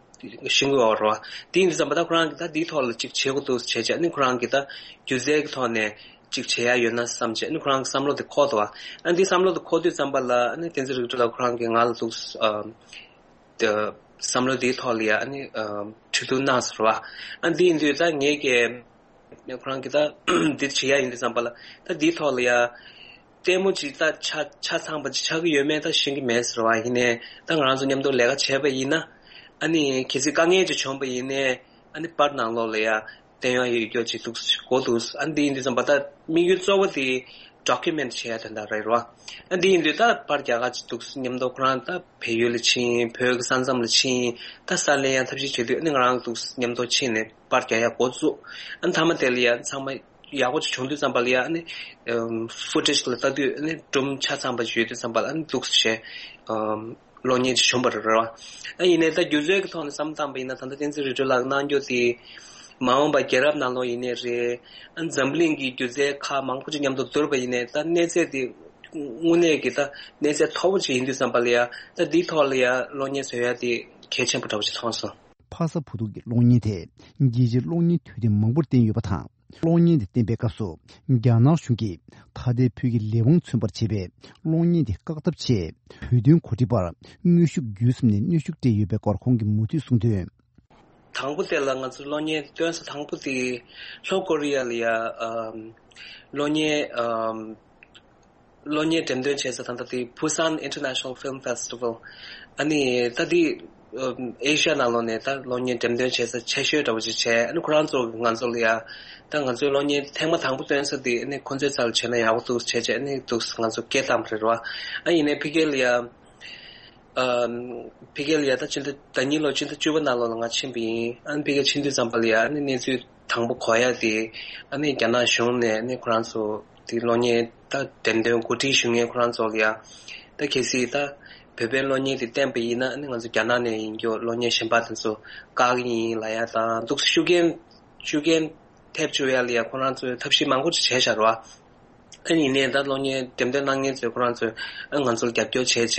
ཤིང་གི་འོག་རོ། དེ་ཡིན་དུས་ཙམ་པ་ད་ཁོ་རང་གིས་ད་འདིའི་ཐོག་ལ་ཅིག་བྱེད་དགོས་འདུག་བྱས་བྱས་ནི་ཁོ་རང་གིས་ད་སྒྱུ་རྩལ་གྱི་ཐོག་ནས་ཅིག་བྱེད་ཡག་ཡོད་ན་བསམ་བྱས་ནི་ཁོ་རང་གི་བསམ་བློ་དེ་འཁོར་འདུག་ཨ་འདིའི་བསམ་བློ་དེ་འཁོར་དུས་ཙམ་པ་ལ་ནི་བསྟན་འཛིན་རིག་སྒྲོལ་ལགས་ཁོ་རང་གིས་ང་ལ་འདུག་ཨ་བསམ་བློ་འདིའི་ཐོག་ལ་ཡ་ནི་ཁྲིད་སྟོན་གནང་ཟེར་བ། ཨ་འདི་ཡིན་དུས་ད་ངས་ཀྱི་ཁོ་རང་གིས་ད་འདི་བྱེད་ཡག་ཡིན་དུས་ཙམ་པ་ལ་ད་འདིའི་ཐོག་ལ་ཡ། ལྟད་མོ་ཅིག་ད་ཆ་ཆ་ཚང་པ་ཅིག་ཆགས་ཀྱི་ཡོད་མེད་ད་ཤེས་ཀྱི་མེད་ཟེར་བ་ཡིན་ནའི། ད་ང་རང་ཚོ་མཉམ་དུ་ལས་ཀ་བྱས་པ་ཡིན་ན། ཨ་ནི་གལ་སྲིད་དཀའ་ངལ་ཅིག་བྱུང་པ་ཡིན་ནའི། ཨ་ནི་པར་ནང་ལོགས་ལ་ཡ་བསྟན་ཡག་ཡོད་རྒྱུ་ཅིག་འདུག་གོ་འདུག་ཨ་ནི་འདི་ཡིན་དུས་ཙམ་པ་ད་དམིགས་ཡུལ་གཙོ་བོ་དེ་ཌོ་ཀུ་མེན་ཊི་བྱེད་ཡག་དོན་དག་རེད་རོ། ཨ་འདི་ཡིན་དུས་ད་པར་རྒྱག་ག་ཅིག་འདུག་མཉམ་དུ་ཁོ་རང་ད་བལ་ཡུལ་ལ་ཕྱིན། བོད་ཀྱི་ས་མཚམས་ལ་ཕྱིན། ད་ས་ལེན་ཡག་ཐབས་ཤེས་བྱེད་དུས་ཨ་ནི་ང་རང་འདུག་མཉམ་དུ་ཕྱིན་ནས་པར་རྒྱག་ཡག་འགོ་བཙུགས། ཨ་ནི་མཐའ་མ་དེ་ལ་ཡ་ཚང་མ། ཡག་པོ་ཅིག་བྱུང་དུས་ཙམ་པ་ལ་ཡ་ཨ་ནི་ཕུ་ཊེཇ་ལ་ལྟ་དུས་ཨ་ནི་སྒྲོམ་ཆ་ཚང་པ་ཅིག་ཡོད་དུས་ཙམ་པ་ལ་ཨ་ནི་འདུག་སེ་བྱས་གློག་བརྙན་ཅིག་བྱུང་བ་རེད་ར། ཨ་ཡིན་ནའི་ད་སྒྱུ་རྩལ་གྱི་ཐོག་ནས་བསམ་བློ་བཏང་པ་ཡིན་ན་ད་ལྟ་བསྟན་འཛིན་རིག་སྒྲོལ་ལགས་གནང་རྒྱུ་དེ་མ་འོངས་པ་རྒྱལ་རབས་ནང་ལོགས་ཡིན་ནའི་རེད། ཨ་ནི་འཛམ་གླིང་གི་སྒྱུ་རྩལ་ཁག་མང་པོ་ཅིག་མཉམ་དུ་བསྡུར་བ་ཡིན་ནའི་ད་གནས་ཚད་དེ་དངོས་གནས་ཀྱི་ད་གནས་ཚད་མཐོ་པོ་ཅིག་ཡིན་དུས་ཙམ་པ་ལ་ཡ་ད་འདིའི་ཐོག་ལ་ཡ་གློག་བརྙན་བཟོ་ཡ་དེ་གལ་ཆེན་པོ་འདྲ་པོ་ཅིག་མཐོང་སོང་། ཕ་ས་བུ་ཐུག་གི་གློག་བརྙན་དེ་རྒྱལ་སྤྱིའི་གློག་བརྙན་དུས་དེབ་མང་པོར་བསྟན་ཡོད་པ་དང་། གློག་བརྙན་དེ་བསྟན་པའི་སྐབས་སུ་རྒྱ་ནག་གཞུང་གིས་ད་ལྟའི་བོད་ཀྱི་ལས་དབང་མཚོན་པར་བྱེད་པའི་གློག་བརྙན་དེ་བཀག་ཐབས་ཆེད་བོད་དོན་གོ་སྒྲིག་པར་དངོས་ཤུགས་བརྒྱུད་གསུམ་ནས་གནོན་ཤུགས་སྤྲད་ཡོད་པའི་སྐོར་ཁོང་གིས་མུ་མཐུད་གསུངས་དོན། དང་པོ་དེ་ལ་ང་ཚོ་གློག་བརྙན་སྟོན་ས་དང་པོ་དེ་ལྷོ་ཀོ་རི་ཡ་ལ་ཡ་ཨམ་གློག་བརྙན་ཨམ། གློག་བརྙན་འགྲེམས་སྟོན་བྱེད་ས་ད་ལྟ་དེ་Busan International Film Festival། ཨ་ནི་ད་དེ་ཨེ་ཤ་ཡ་ནང་ལོགས་ནས་ད་གློག་བརྙན་འགྲེམས་སྟོན་བྱེད་ས་ཆེ་ཤོས་འདྲ་བོ་ཅིག་བྱས། ཨ་ནི་ཁོ་རང་ཚོ་ང་ཚོ་ལ་ཡ་ད་ང་ཚོའི་གློག་བརྙན་ཐེངས་མ་དང་པོ་སྟོན་ས་དེ་ཨ་ནི་ཁོ་ཚོའི་རྩ་ལ་བྱས་ན་ཡག་པོ་འདུག་བྱས་བྱས་ཨ་ནི་འདུག་ང་ཚོ་སྐད་བཏང་བ་རེད་རོ། ཨ་ཡིན་ནའི་ཕ་གི་ལ་ཡ་ཨ་ཕ་གི་ལ་ཡ་ད་ཕྱི་ཟླ་ཟླ་གཉིས་ལོ་ཕྱི་ཟླ་བཅུ་པ་ནང་ལོགས་ལ་ང་ཕྱིན་པ་ཡིན། ཨ་ནི་ཕ་གི་ཕྱིན་དུས་ཙམ་པ་ལ་ཡ་ཨ་ནི་གནས་ཚུལ་དང་པོ་གོ་ཡ་དེ་ཨ་ནི་རྒྱ་ནག་གཞུང་ནས་ཨ་ནི་ཁོ་རང་ཚོ་དེ་གློག་བརྙན་ད་འགྲེམས་སྟོན་གོ་སྒྲིག་ཞུ་མཁན་ཁོ་རང་ཚོ་ལ་ཡ་ད་གལ་སྲིད་ད་བོད་པའི་གློག་བརྙན་དེ་བསྟན་པ་ཡིན་ན་ཨ་ནི་ང་ཚོ་རྒྱ་ནག་ནས་ཡིན་རྒྱུ་གློག་བརྙན་གཞན་པ་དེ་ཚོ་བཀག་གི་ཡིན་ལབ་ཡ་དང་འདུག་སེ་ཤུགས་རྐྱེན་ཤུགས་རྐྱེན་ཐེབས་བཅུག་ཡ་ལ་ཡ་ཁོ་རང་ཚོས་ཐབས་ཤེས་མང་པོ་ཅིག་བྱས་བཞག་རེད་བ། ཨ་ནི་ཡིན་ནའི་ད་གློག་བརྙན་འགྲེམས་སྟོན་གནང་མཁན་ཚོས་ཁོ་རང་ཚོས་ཨ་ང་ཚོ་ལ་རྒྱབ་སྐྱོར་བྱས་བྱས་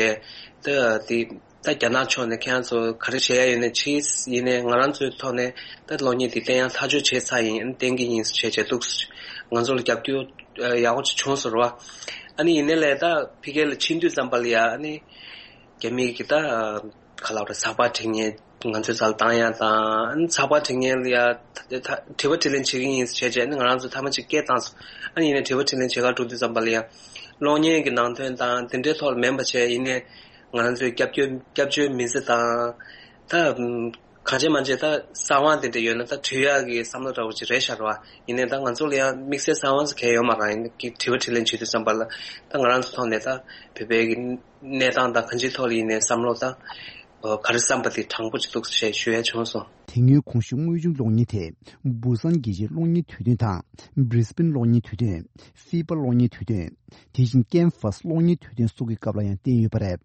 ད་དེ་ད་རྒྱ་ནག་ཕྱོགས་ནས་ཁྱེད་རང་ཚོ་ག་རེ་བྱེད་ཡ་ཡོད་ནའི་བྱེད། ཡིན་ནའི་ང་རང་ཚོའི་ཐོག་ནས་ད་གློག་བརྙན་དེ་བསྟན་ཡ་ཐག་གཅོད་བྱས་ཚར་ཡིན། ཨ་ནི་བསྟན་གྱི་ཡིན་ཟེར་བྱས་བྱས་འདུག་ང་ཚོ་ལ་རྒྱབ་སྐྱོར་ཡག་པོ་ཅིག་བྱུང་སོང་རེད་བ། ཨ་ནི་ཡིན་ནའི་ལས་ད་ཕ་གི་ལ་ཕྱིན་དུས་ཙམ་པ་ལ་ཡ་ཨ་ནི་རྒྱ་མི་གི་ད་ག་ལབ་རེད་ཟག་པ་འཁྲིད་མཁན་ ང་ཚོའི་རྩ་ལ་བཏང་ཡ་དང་ཚགས་པར་འབྲི་མཁན་ལ་ཡ་ད་དྲི་བ་དྲིས་ལན་བྱེད་ཀྱི་ཡིན་ཟེར་བྱས་ནས་ང་རང་ཚོ་ཐ་མ་གཅིག་སྐད་བཏང་སོང་། ཨ་ནི་ཡིན་ནའི་དྲི་བ་དྲིས་ལན་བྱེད་གར་འགྲོ་དུས་ཙམ་པ་ལ་ཡ་གློག་བརྙན་གྱི་ནང་དོན་དང་དེ་འདྲའི་ཐོག་ལ་མིན་པ་བྱས། ཡིན་ནའི་ང་རང་ཚོའི་སྐྱབས་བཅོལ་སྐྱབས་བཅོལ་མི་སེར་དང་ད་གང་བྱས་མ་བྱས་ད་གསང་བ་དེ་འདྲ་ཡོད་ན་ད་དྲི་ཡག་གི་བསམ་བློ་འདྲ་བོ་ཅིག་རེད་ཤག་རེད་བ། ཡིན་ནའི་ད་ང་ཚོ་ལ་ཡང་དམིགས་བསལ་གསང་བ་ཟེར་མཁན་ཡོད་མ་རེད། ཡིན་ནའི་དྲི་བ་དྲིས་ལན་བྱེད་དུས་ཙམ་པ་ལ་ད་ང་རང་ཚོ་ཐོག་ནས་ད་བོད་པའི་གི་གནས་སྟངས་དང་གང་ཅིའི་ཐོག་ལ་ཡིན་ནའི་བསམ་བློ་ད་ག་རེ་བསམ་པ་དེ་དྲང་པོ་ཅིག་འདུག་ཞེས་ཞུ་ཡ་བྱུང་སོང་། དེ་སྔོན་གོང་ཞུས་དངོས་བྱུང་གློག་བརྙན་དེ་བུ་སན་རྒྱལ་སྤྱིའི་གློག་བརྙན་དུས་སྟོན་དང་། བྷི་རི་སི་བྷེན་གློག་བརྙན་དུས་སྟོན། ཧྥི་པ་གློག་བརྙན་དུས་སྟོན། དེ་བཞིན་ཀེན་ཧྥ་སི་གློག་བརྙན་དུས་སྟོན་སོགས་ཀྱི་སྐབས་ལ་ཡང་བསྟན་ཡོད་པ་རེད།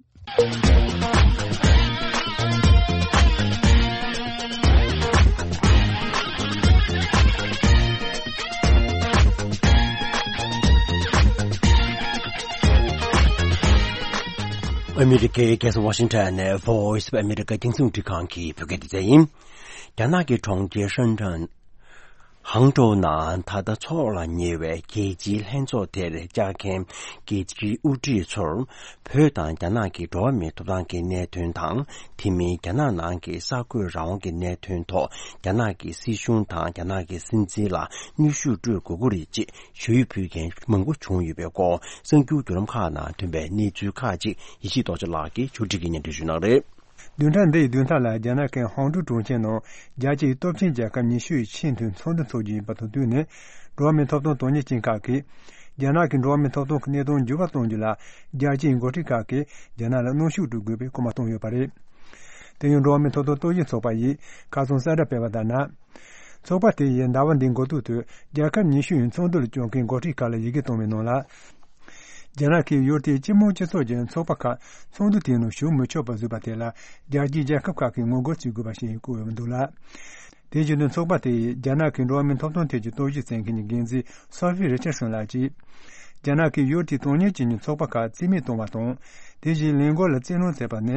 ཨ་མི་རི་ཀའི་རྒྱལ་ས་ཝ་ཤིང་ཊོན་ནས་Voice of America རྒྱང་སྲིང་རླུང་འཕྲིན་ཁང་གི་བོད་སྐད་སྡེ་ཚན་ཡིན། རྒྱ་ནག་གི་གྲོང་ཁྱེར་ཧྲན་ཀྲང་། ཧང་ཀྲོའུ་ནང་ད་ལྟ་འཚོགས་ལ་ཉེ་བའི་རྒྱལ་སྤྱིའི་ལྷན་ཚོགས་དེར་བཅར་མཁན་རྒྱལ་སྤྱིའི་དབུ་ཁྲིད་ཚོར་བོད་དང་རྒྱ་ནག་གི་འགྲོ་བ་མིའི་ཐོབ་ཐང་གི་གནད་དོན་དང་། དེ་མིན་རྒྱ་ནག་ནང་གི་གསར་འགོད་རང་དབང་གི་གནད་དོན་ཐོག་རྒྱ་ནག་གི་སྲིད་གཞུང་དང་རྒྱ་ནག་གི་སྲིད་འཛིན་ལ་གནོན་ཤུགས་སྤྲོད་དགོས་ཀྱི་རེད་ཅེས་ཞུ་ཡིག་ཕུལ་མཁན་མང་པོ་བྱུང་ཡོད་པའི་སྐོར་གསར་འགྱུར་བརྒྱུད་ལམ་ཁག་ནང་ཐོན་པའི་གནས་ཚུལ་ཁག་ཅིག་ཡེ་ཤེས་རྡོ་རྗེ་ལགས་ཀྱིས་ཕྱོགས་སྒྲིག་གིས་སྙན་སྒྲོན་ཞུ་གནང་རེད། བདུན་ཕྲག་འདིའི་བདུན་ཕྲག་ལ་རྒྱ་ནག་གི་ཧོང་ཀྲུའུ་གྲོང་ཁྱེར་ནང་རྒྱལ་སྤྱིའི་སྟོབས་ཆེན་རྒྱལ་ཁབ་ཉི་ཤུ་ཡི་ཆེས་མཐོའི་ཚོགས་འདུ་འཚོགས་རྒྱུ་ཡིན་པ་དང་བསྟུན་ནས། འགྲོ་བ་མིའི་ཐོབ་ཐང་དོན་གཉེར་ཅན་ཁག་གིས་རྒྱ་ནག་གི་འགྲོ་བ་མིའི་ཐོབ་ཐང་གི་གནས་སྟངས་འགྱུར་བ་གཏོང་རྒྱུ་ལ་རྒྱལ་སྤྱིའི་འགོ་ཁྲིད་ཁག་གིས་རྒྱ་ནག་ལ་གནོན་ཤུགས་སྤྲོད་དགོས་པའི་སྐུལ་མ་བཏང་ཡོད་པ་རེད། དེ་ཡང་འགྲོ་བ་མིའི་ཐོབ་ཐང་རྟོག་ཞིབ་ཚོགས་པ་ཡིས་ཁ་སང་གསལ་བསྒྲགས་སྤེལ་བ་ལྟར་ན། ཚོགས་པ་དེ་ཡིས་ཟླ་བ་འདིའི་འགོ་ཐོག་ཏུ་རྒྱལ་ཁབ་ཉི་ཤུ་ཡི་ཚོགས་འདུ་ལ་བཅར་མཁན་འགོ་ཁྲིད་ཁག་ལ་ཡི་གེ་བཏང་བའི་ནང་ལ། རྒྱ་ནག་གིས་ཡུལ་དེའི་སྤྱི་དམངས་སྤྱི་ཚོགས་ཀྱི་ཚོགས་པ་ཁག་ཚོགས་འདུ་དེའི་ནང་ཞུགས་མི་ཆོག་པ་བཟོས་པ་དེ་ལ་རྒྱལ་སྤྱིའི་རྒྱལ་ཁབ་ཁག་གིས་ངོ་རྒོལ་བྱེད་དགོས་པ་ཞིག་བཀོད་ཡོད་འདུག་ལ། དེ་བཞིན་དུ་ཚོགས་པ་དེ་ཡིས་རྒྱ་ནག་གི་འགྲོ་བ་མིའི་ཐོབ་ཐང་ཐད་ཀྱི་རྟོག་ཞིབ་བྱེད་མཁན་གྱི་འགན་འཛིན་སོ་ཧྥི་རི་ཆར་སོན་ལགས་ཀྱིས། རྒྱ་ནག་གིས་ཡུལ་དེའི་དོན་གཉེར་བྱེད་མཁན་ཚོགས་པ་ཁག་རྩིས་མེད་བཏང་བ་དང་། དེ་བཞིན་ལས་འགུལ་ལ་བཙན་གནོན་བྱས་པ་ནི་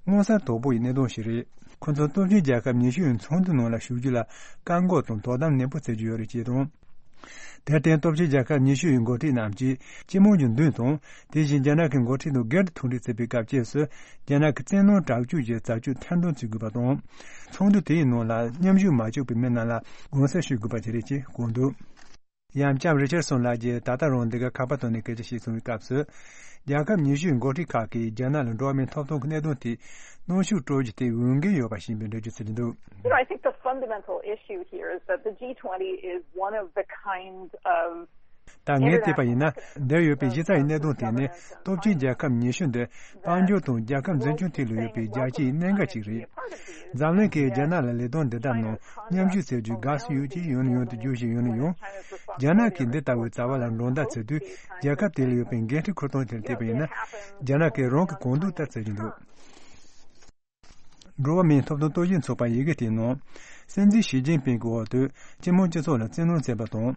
མངོན་གསལ་དོད་པོ་ཡི་གནད་དོན་ཞིག་རེད། ཁོ་ཚོས་སྟོབས་ཆེན་རྒྱལ་ཁབ་ཉི་ཤུ་ཡི་ཚོགས་འདུ་ནང་ལ་ཞུགས་རྒྱུ་ལ་བཀག་འགོག་དང་དོ་དམ་ནན་པོ་བྱེད་ཀྱི་ཡོད་རེད་ཅེས་དང་། དེར་བརྟེན་སྟོབས་ཆེན་རྒྱལ་ཁབ་ཉི་ཤུ་ཡི་འགོ་ཁྲིད་རྣམས་ཀྱིས་སྤྱི་དམངས་ཀྱི་མདུན་དང་། དེ་བཞིན་རྒྱ་ནག་གི་འགོ་ཁྲིད་དང་སྒེར་དུ་ཐུག་འཕྲད་བྱེད་པའི་སྐབས་བཅས་སུ་རྒྱ་ནག་གི་བཙན་གནོན་དྲག་སྤྱོད་ཀྱི་བྱ་སྤྱོད་ཐེར་འདོན་བྱེད་དགོས་པ་དང་། ཚོགས་འདུ་དེའི་ནང་ལ་མཉམ་ཞུགས་མ་བྱུང་བའི་མི་རྣམས་ལ་དགོངས་སེལ་ཞུ་དགོས་པ་བཅས་རེད་ཅེས་བཀོད་འདུག། ཡང་ལྕམ་རི་ཆར་སོན་ལགས་ཀྱིས་ད་ལྟ་རང་འདི་ག་ཁ་པར་ཐོག་ནས་སྐད་ཆ་བཤད་སོང་བའི་སྐབས་སུ། རྒྱལ་ཁབ་ཉི་ཤུའི་འགོ་ཁྲིད་ཁག་གིས་རྒྱ་ནག་ལ་འགྲོ་བ་མིའི་ཐོབ་ཐང་གི་གནད་དོན་དེ་གནོན་ཤུགས་སྤྲོད་རྒྱུ་དེ་འོས་འགན་ཡོད་པ་ཞིག་ཡིན་པའི་འགྲེལ་བརྗོད་བྱེད་ཀྱི་འདུག། You know, I think the fundamental issue here is that the G twenty is one of the kind of ད་ངས་བལྟས་པ་ཡིན་ན། འདིར་ཡོད་པའི་གཞི་རྩ་ཡི་གནད་དོན་དེ་ནི་སྟོབས་ཆེན་རྒྱལ་ཁབ་ཉི་ཤུ་འདི་དཔལ་འབྱོར་དང་རྒྱལ་ཁབ་འཛིན་སྐྱོང་ཐད་ལ་ཡོད་པའི་རྒྱལ་སྤྱིའི་གནད་འགག་ཅིག་རེད། འཛམ་གླིང་གིས་རྒྱ་ནག་ལ་ལས་དོན་འདི་ལྟར་ནང་མཉམ་ཞུགས་བྱེད་རྒྱུའི་དགའ་བསུ་ཡོད་ཅེས་ཡང་ནས་ཡང་དུ་བརྗོད་བཞིན་ཡོད་ན་ཡང་། རྒྱ་ནག་གིས་འདི་ལྟ་བུའི་བྱ་བ་ལ་འགྲན་ཟླ་བྱེད་དུས་རྒྱལ་ཁབ་དེ་ལ་ཡོད་པའི་འགན་འཁྲི་འཁུར་སྟངས་དེར་བལྟས་པ་ཡིན་ན། རྒྱ་ནག་གིས་རང་གི་གོང་འདུག་ལྟར་བྱེད་ཀྱི་འདུག། འགྲོ་བ་མིའི་ཐོབ་ཐང་རྟོག་ཞིབ་ཚོགས་པ་ཡི་གེ་དེའི་ནང་། སྲིད་འཛིན་ཞི་ཅིན་ཕིང་གི་འོག་ཏུ་སྤྱི་དམངས་སྤྱི་ཚོགས་ལ་བཙན་གནོན་བྱས་པ་དང་།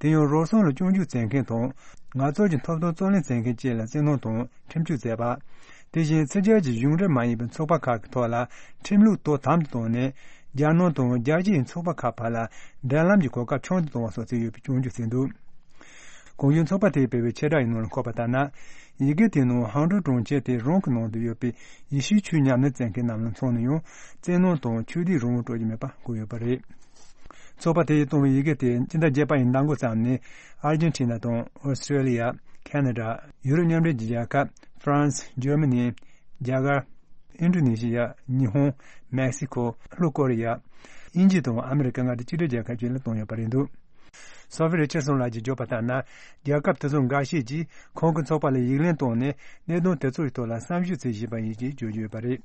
དེ་ཡང་རོགས་རམ་ལ་སྐྱོན་བརྗོད་བྱེད་མཁན་དང་། ངལ་རྩོལ་གྱི་ཐོབ་ཐང་རྩོད་ལེན་བྱེད་མཁན་བཅས་ལ་བཙན་གནོན་དང་ཁྲིམས་གཅོད་བྱས་པ། དེ་བཞིན་ཕྱི་རྒྱལ་གྱི་གཞུང་འབྲེལ་མ་ཡིན་པའི་ཚོགས་པ་ཁག་གི་ཐོག་ལ་ཁྲིམས་ལུགས་དོ་དམ་དུ་བཏང་ནས། རྒྱལ་ནང་དང་རྒྱལ་སྤྱིའི་ཚོགས་པ་ཁག་བར་ལ་འབྲེལ་ལམ་གྱི་གོ་སྐབས་ཆུང་དུ་གཏོང་བ་སོགས་བྱས་ཡོད་པའི་སྐྱོན་བརྗོད་བྱས་འདུག། གོང་ཞུས་ཚོགས་པ་དེས་སྤེལ་བའི་ཕྱིར་བསྒྲགས་ཡི་ནང་ལ་འཁོད་པ་ལྟར་ན། ཡི་གེ་དེའི་ནང་ཧང་ཀྲོའུ་གྲོང་ཁྱེར་དེ་རང་གི་ནང་དུ་ཡོད་པའི་ཡེ་ཤུའི་ཆོས་ཉམས་ལེན་མཛད་མཁན་རྣམས་ལ་མཚོན་ནས་ཡང་བཙན་གནོན་དང་ཆོས་དད་རང་དབང་སྤྲོད་ཀྱི་མེད་པ་བཀོད་ཡོད་པ་རེད། ཚོགས་པ་དེས་བཏང་བའི་ཡི་གེ་དེ་སྤྱི་ཟླ་བརྒྱད་པ་ཡི་མདང་དགོང་ཙམ་ནས་ཨར་ཇེན་ཊི་ན་དང་ཨོ་སི་ཀྲེ་ལི་ཡ། ཁེ་ན་ཌ། ཡུ་རོབ་མཉམ་འབྲེལ་གྱི་རྒྱལ་ཁབ། ཧྥ་རན་སི། འཇར་མ་ནི། རྒྱ་གར། ཨིན་ཌོ་ནེ་ཤི་ཡ། ཉི་ཧོང་། མེག་སི་ཁོ། ལྷོ་ཀོ་རི་ཡ། དབྱིན་ཇི་དང་ཨ་མི་རི་ཀ་མངའ་སྡེ་གཅིག་སྒྲིལ་རྒྱལ་ཁབ་བཅས་ལ་བཏང་ཡོད་པ་རེད་འདུག། སོ་ཕི་རི་ཆར་སོན་ལགས་ཀྱིས་བརྗོད་པ་ལྟར་ན། རྒྱལ་ཁབ་དེ་ཚོ་འགའ་ཤས་ཀྱིས་ཁོང་གི་ཚོགས་པ་ལ་ཡིག་ལན་བཏང་ནས་གནད་དོན་དེ་ཚོའི་ཐོག་ལ་བསམ་ཞིབ་བྱེད་བཞིན་པ་ཡིན་ཞེས་བརྗོད་ཀྱི་ཡོད་པ་རེད།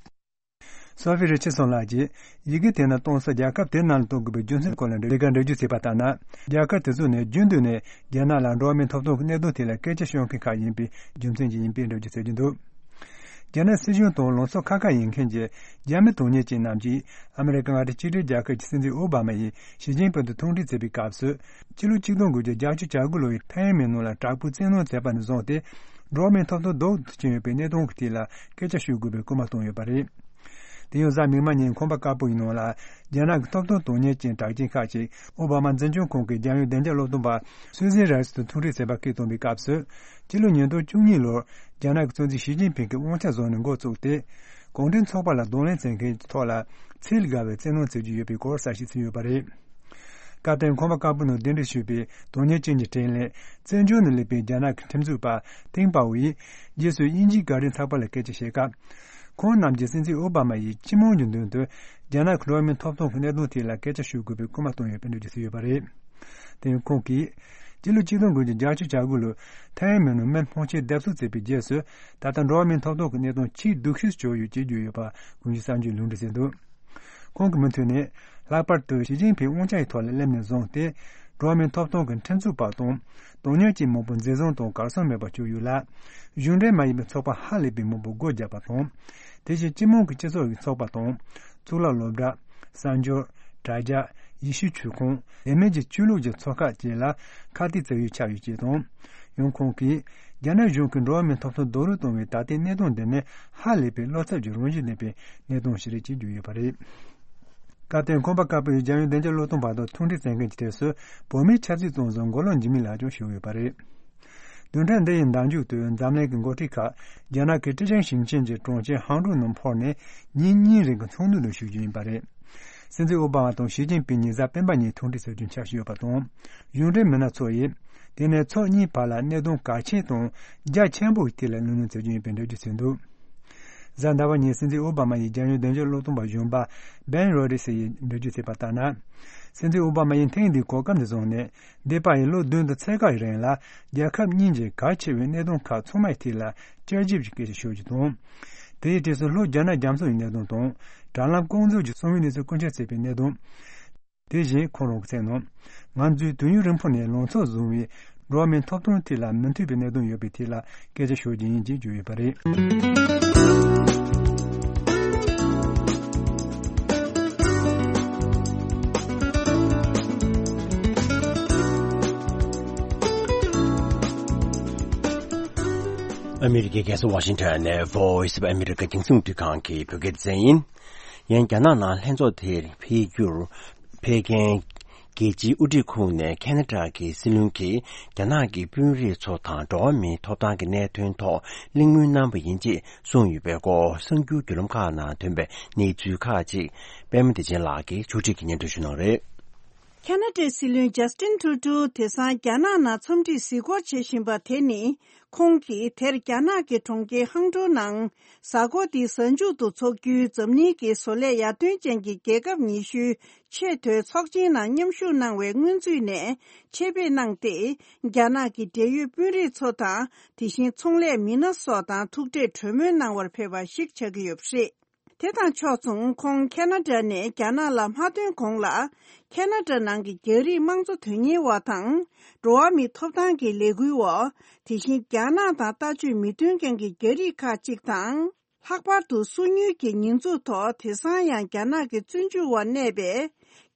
སོ་ཕི་རི་ཆར་སོན་ལགས་ཀྱིས་ཡི་གེ་དེ་ནང་གཏོང་ས་རྒྱལ་ཁབ་དེ་ནང་ལ་གཏོང་དགོས་པའི་རྒྱུ་མཚན་སྐོར་ལ་འགྲེལ་བཤད་འགྲེལ་བརྗོད་བྱས་པ་ལྟར་ན། རྒྱལ་ཁབ་དེ་ཚོ་ནི་རྒྱུན་དུ་ནས་རྒྱ་ནག་ལ་འགྲོ་བ་མིའི་ཐོབ་ཐང་གི་གནད་དོན་ཐད་ལ་སྐད་ཆ་ཤོད་མཁན་ཁག་ཡིན་པའི་རྒྱུ་མཚན་གྱིས་ཡིན་པའི་འགྲེལ་བརྗོད་བྱེད་ཀྱི་འདུག། རྒྱ་ནག་སྲིད་གཞུང་དང་ལངས་ཕྱོགས་ཁ་ཁ་ཡིན་མཁན་གྱི་རྒྱ་མི་དོན་གཉེར་ཅན་རྣམས་ཀྱིས་ཨ་མི་རི་ཀ་མངའ་སྡེ་གཅིག་སྒྲིལ་རྒྱལ་ཁབ་ཀྱི་སྲིད་འཛིན་ཨོ་བྷ་མ་ཡིས་ཞི་ཅིན་ཕིང་དང་ཐུག་འཕྲད་བྱེད་པའི་སྐབས་སུ། ཕྱི་ལོ་ཆིག་སྟོང་དགུ་བརྒྱ་བརྒྱད་ཅུ་གྱ་དགུ་ལོ་ཡི་ཐའེ་ཝན་མི་ནང་ལ་དྲག་པོའི་བཙན་གནོན་བྱས་པ་ནས་བཟུང་སྟེ། འགྲོ་བ་མིའི་ཐོབ་ཐང་སྡུག་ཏུ་ཕྱིན་ཡོད་པའི་གནད་དོན་གྱི་ཐད་ལ་སྐད་ཆ་ཤོད་དགོས་པའི་སྐུལ་མ་བཏང་ཡོད་པ་རེད། དེ་ཡང་གཟའ་མིག་དམར་ཉིན་ཁང་པ་དཀར་པོ་ཡི་ནང་ལ་རྒྱ་ནག་གི་ཐོབ་ཐང་དོན་གཉེར་ཅན་གྲགས་ཅན་ཁག་ཅིག་ཨོ་བྷ་མ་འཛིན་སྐྱོང་ཁང་གི་རྒྱལ་ཡོངས་བདེ་འཇགས་སློབ་སྟོན་པ་སུ་ཟན་རའེ་སི་དང་ཐུག་འཕྲད་བྱས་པ་སྐད་བཏང་བའི་སྐབས་སུ། སྤྱི་ལོ་ཉིས་སྟོང་བཅུ་གཉིས་ལོར་རྒྱ་ནག་གི་གཙོ་འཛིན་ཞི་ཅིན་ཕིང་གིས་དབང་ཆ་བཟུང་ནས་འགོ་བཙུགས་ཏེ། གུང་ཁྲན་ཚོགས་པ་ལ་གདོང་ལེན་བྱེད་མཁན་གྱི་ཐོག་ལ་ ཚད་བརྒལ་བའི་བཙན་གནོན་བྱེད་ཀྱི་ཡོད་པའི་སྐོར་གསལ་བཤད་བྱས་ཡོད་པ་རེད། སྐབས་དེར་ཁང་པ་དཀར་པོའི་ནང་གདན་འདྲེན་ཞུས་པའི་དོན་གཉེར་ཅན་གྱི་དྲིན་ལན་བཙན་བྱོལ་ནས་སླེབས་པའི་རྒྱ་ནག་གི་ཁྲིམས་རྩོད་པ་ཐེང་པའོ་ཡིས་རྗེས་སུ་དབྱིན་ཇིའི་བརྒྱུད་རིམ་ཚགས་པར་ལ་སྐད་ཆ་བཤད་སྐབས། ཁོང་རྣམས་ཀྱིས་སྲིད་འཛིན་ཨོ་བྷ་མ་ཡིས་སྤྱི་དམངས་ཀྱི་མདུན་དུ་རྒྱ་ནག་གི་འགྲོ་བ་མིའི་ཐོབ་ཐང་གི་གནད་དོན་ཐད་ལ་སྐད་ཆ་ཤོད་དགོས་པའི་སྐུལ་མ་བཏང་ཡོད་པའི་འགྲེལ་བརྗོད་བྱས་ཡོད་པ་རེད། དེ་ཡང་ཁོང་གིས། སྤྱི་ལོ་ཆིག་སྟོང་དགུ་བརྒྱ་བརྒྱད་ཅུ་གྱ་དགུ་ལོར་ཐའེ་ཝན་མི་རྣམས་དམག་ཆེན་བརྡབ་གསིག་བྱས་པའི་རྗེས་སུ། ད་ལྟ་འགྲོ་བ་མིའི་ཐོབ་ཐང་གི་གནད་དོན་ཆེས་སྡུག་ཤོས་སུ་གྱུར་ཡོད་ཅེས་བརྗོད་ཡོད་པ་དགོངས་ཞུ་གསར་འགྱུར་ལུང་འདྲེན་བྱས་འདུག་ཁོང་གི་མུ་མཐུད་ནས། ལྷག་པར་དུ་ཞི་ཅིན་ཕིང་དབང་ཆ་ཡི་ཐོག་ལ་སླེབས་ནས་བཟུང་སྟེ། འགྲོ་བ་མིའི་ཐོབ་ཐང་གི་ཁྲིམས་རྩོད་པ་དང་། དོན་གཉེར་ཅན་མང་པོ་འཛིན་བཟུང་དང་གར་སོང་མེད་པར་གྱུར་ཡོད་ལ། གཞུང་འབྲེལ་མ་ཡིན་པའི་ཚོགས་པ་ཧ་ལས་པའི་མང་པོ་སྒོ་བརྒྱབ་པ་དང་། དེ་བཞིན་སྤྱི་དམངས་ཀྱི་སྤྱི་ཚོགས་ཀྱི་ཚོགས་པ་དང་། གཙུག་ལག་སློབ་གྲྭ། གསར་འགྱུར། དྲ་རྒྱ། ཡེ་ཤུའི་ཆོས་ཁང་། དེ་མིན་གྱི་ཆོས་ལུགས་ཀྱི་ཚོགས་ཁག་བཅས་ལ་ཁ་གཏད་བྱེད་ཡུལ་ཆགས་ཡོད་ཅེས་དང་། ཡང་ཁོང་གིས། རྒྱ་ནག་གཞུང་གིས་འགྲོ་བ་མིའི་ཐོབ་ཐང་རྡོག་རོལ་གཏོང་བའི་ད་ལྟའི་གནད་དོན་འདི་ནི་ཧ་ལས་པའི་བློ་འཚབ་ཀྱི་རང་བཞིན་ལྡན་པའི་གནད་དོན་ཞིག་རེད་ཅེས་བརྗོད་ཡོད་པ་རེད། སྐབས་དེར་ཁང་པ་དཀར་པོའི་རྒྱལ་ཡོངས་བདེ་འཇགས་བློས་གཏོང་པ་དང་མཐུན་སྒྲིལ་མཛད་མཁན་གྱི་གྲས་སུ་བོད་མིའི་ཆབ་སྲིད་བཙོན་བཟུང་མགོ་ལོག་འཇིགས་མེད་ལགས་ཀྱང་ཞུགས་ཡོད་པ་རེད། བདུན་ཕྲག་འདི་ཡི་ཟླ་མཇུག་ཏུ་འཛམ་གླིང་གི་འགོ་ཁྲིད་ཁག་རྒྱ་ནག་གི་ཀྲེ་ཅང་ཞིང་ཆེན་གྱི་གྲོང་ཁྱེར་ཧང་ཀྲོའུ་ནང་འཕུར་ནས་ཉིན་གཉིས་རིང་གི་ཚོགས་འདུ་ནང་ཞུགས་རྒྱུ་ཡིན་པ་རེད། སྲིད་འཛིན་ཨོ་བྷ་མ་དང་ཞི་ཅིན་ཕིང་གཉིས་གཟའ་སྤེན་པ་ཉིན་ཐུག་འཕྲད་བྱ་རྒྱུའི་འཆར་གཞི་ཡོད་པ་དང་། གཞུང་འབྲེལ་མི་སྣ་ཚོ་ཡིས་དེ་ནས་ཚོགས་གཉིས་བར་ལ་གནད་དོན་གལ་ཆེན་དང་རྒྱ་ཆེན་པོའི་ཐད་ལ་གླེང་སློང་བྱ་རྒྱུ་ཡིན་པའི་འགྲེལ་བརྗོད་བྱས་འདུག་གཟའ་ཟླ་བ་ཉིན་སྲིད་འཛིན་ཨོ་བྷ་མ་ཡིས་རྒྱལ་ཡོངས་བདེ་འཇགས་བློས་གཏོང་པ་གཞོན་པ་བན་རོ་ཌི་སི་ཡིས་འགྲེལ་བརྗོད་བྱས་པ་ལྟར་ན། སྲིད་འཛིན་ཨོ་བྷ་མ་ཡིས་ཐེངས་འདིའི་གོ་སྐབས་འདི་བཟུང་ནས། འདས་པ་ཡི་ལོ་བདུན་དང་ཕྱེད་ཀ་ཡི་རིང་ལ་རྒྱལ་ཁབ་གཉིས་ཀྱི་གལ་ཆེ་བའི་གནད་དོན་ཁག་ཚང་མའི་ཐད་ལ་བསྐྱར་ཞིབ་ཀྱི་སྐད་ཆ་ཤོད་རྒྱུ་དང་། དེའི་གྲས་སུ་ལྷོ་རྒྱ་ནག་རྒྱ་མཚོ་ཡི་གནད་དོན་དང་། དྲ་ལམ་རྐང་འཛུགས་ཀྱི་གསང་བའི་གནས་ཚུལ་རྐུ་འཁྱེར་བྱས་པའི་གནད་དོན། དེ་བཞིན་ཁོང་རང་གིས་གསུངས་ནོ། ང་ཚོས་དུས་ཡུན་རིང་པོ་ནས་ལང་ཚོ་བཟུང་བའི་འགྲོ་བ་མིའི་ཐོབ་ཐང་ཐད་ལ་མི་མཐུན་པའི་གནད་དོན་ཡོད་པའི་ཐད་ལ་སྐད་ཆ་ཤོད་རྒྱུ་ཡིན་ཅེས་བརྗོད་ཡོད་པ་རེད། ཨ་མི་རི་ཀའི་རྒྱལ་ས་ཝ་ཤིང་ཊོན་ནས་Voice of America རྒྱང་སྲིང་རླུང་འཕྲིན་ཁང་གི་བོད་སྐད་སྡེ་ཚན་ཡིན། ཡང་རྒྱ་ནག་ནང་ལྷན་ཚོགས་དེར་ཕེབས་རྒྱུར་ཕེབས་མཁན་རྒྱལ་སྤྱིའི་དབུ་ཁྲིད་ཁོངས་ནས་ཁ་ན་ཌ་གི་སྲིད་བློན་གྱིས་རྒྱ་ནག་གི་དཔོན་རིགས་ཚོ་དང་འགྲོ་བ་མིའི་ཐོབ་ཐང་གི་གནད་དོན་ཐོག་གླེང་མོལ་གནང་བ་ཡིན་ཅེས་གསུངས་ཡོད་པའི་སྐོར་གསར་འགྱུར་བརྒྱུད་ལམ་ཁག་ནང་ཐོན་པའི་གནས་ཚུལ་ཁག་ཅིག་པད་མ་བདེ་ཆེན་ལགས་ཀྱིས་ཕྱོགས་སྒྲིག་གིས་སྙན་སྒྲོན་ཞུ་གནང་རེད། ཁ་ན་ཌའི་སྲིད་བློན་ཇ་སི་ཊིན་ཊུ་རུ་ཌོ་དེང་སང་རྒྱ་ནག་ནང་འཚམས་འདྲིར་གཟིགས་སྐོར་བྱེད་བཞིན་པ་དེ་ནི། ཁོང་གིས་དེར་རྒྱ་ནག་གི་གྲོང་ཁྱེར་ཧང་ཀྲོའུ་ནང་གཟའ་འཁོར་འདིའི་གཟའ་མཇུག་ཏུ་འཚོགས་རྒྱུའི་འཛམ་གླིང་གི་བཟོ་ལས་ཡར་ཐོན་ཅན་གྱི་རྒྱལ་ཁབ་ཉི་ཤུའི་ཆེས་མཐོའི་ཚོགས་ཆེན་ནང་མཉམ་ཞུགས་གནང་བའི་སྔོན་ཚུད་ནས་ཆེད་ཕེབས་གནང་སྟེ། རྒྱ་ནག་གི་འབྲེལ་ཡོད་དཔོན་རིགས་ཚོ་དང་། དེ་བཞིན་ཚོང་ལས་མི་སྣ་སོགས་དང་ཐུག་འཕྲད་གྲོས་མོལ་གནང་བར་ཕེབས་པ་ཞིག་ཆགས་ཀྱི་ཡོད་པ་རེད། དེ་དང་ཕྱོགས་མཚུངས་ཁོང་ཁ་ན་ཌ་ནས་རྒྱ་ནག་ལ་མ་ཐོན་གོང་ལ། ཁ་ན་ཌ་ནང་གི་རྒྱ་རིགས་དམངས་གཙོ་དོན་གཉེར་བ་དང་། འགྲོ་བ་མིའི་ཐོབ་ཐང་གི་ལས་འགུལ་བ། དེ་བཞིན་རྒྱ་ནག་དང་ལྟ་སྤྱོད་མི་མཐུན་མཁན་གྱི་རྒྱ་རིགས་ཁག་ཅིག་དང་། ལྷག་པར་དུ་སོ་ཉུལ་གྱི་ཉེས་འཛུགས་ཐོག་དེང་སང་ཡང་རྒྱ་ནག་གི་བཙོན་འཇུག་འོག་གནས་པའི།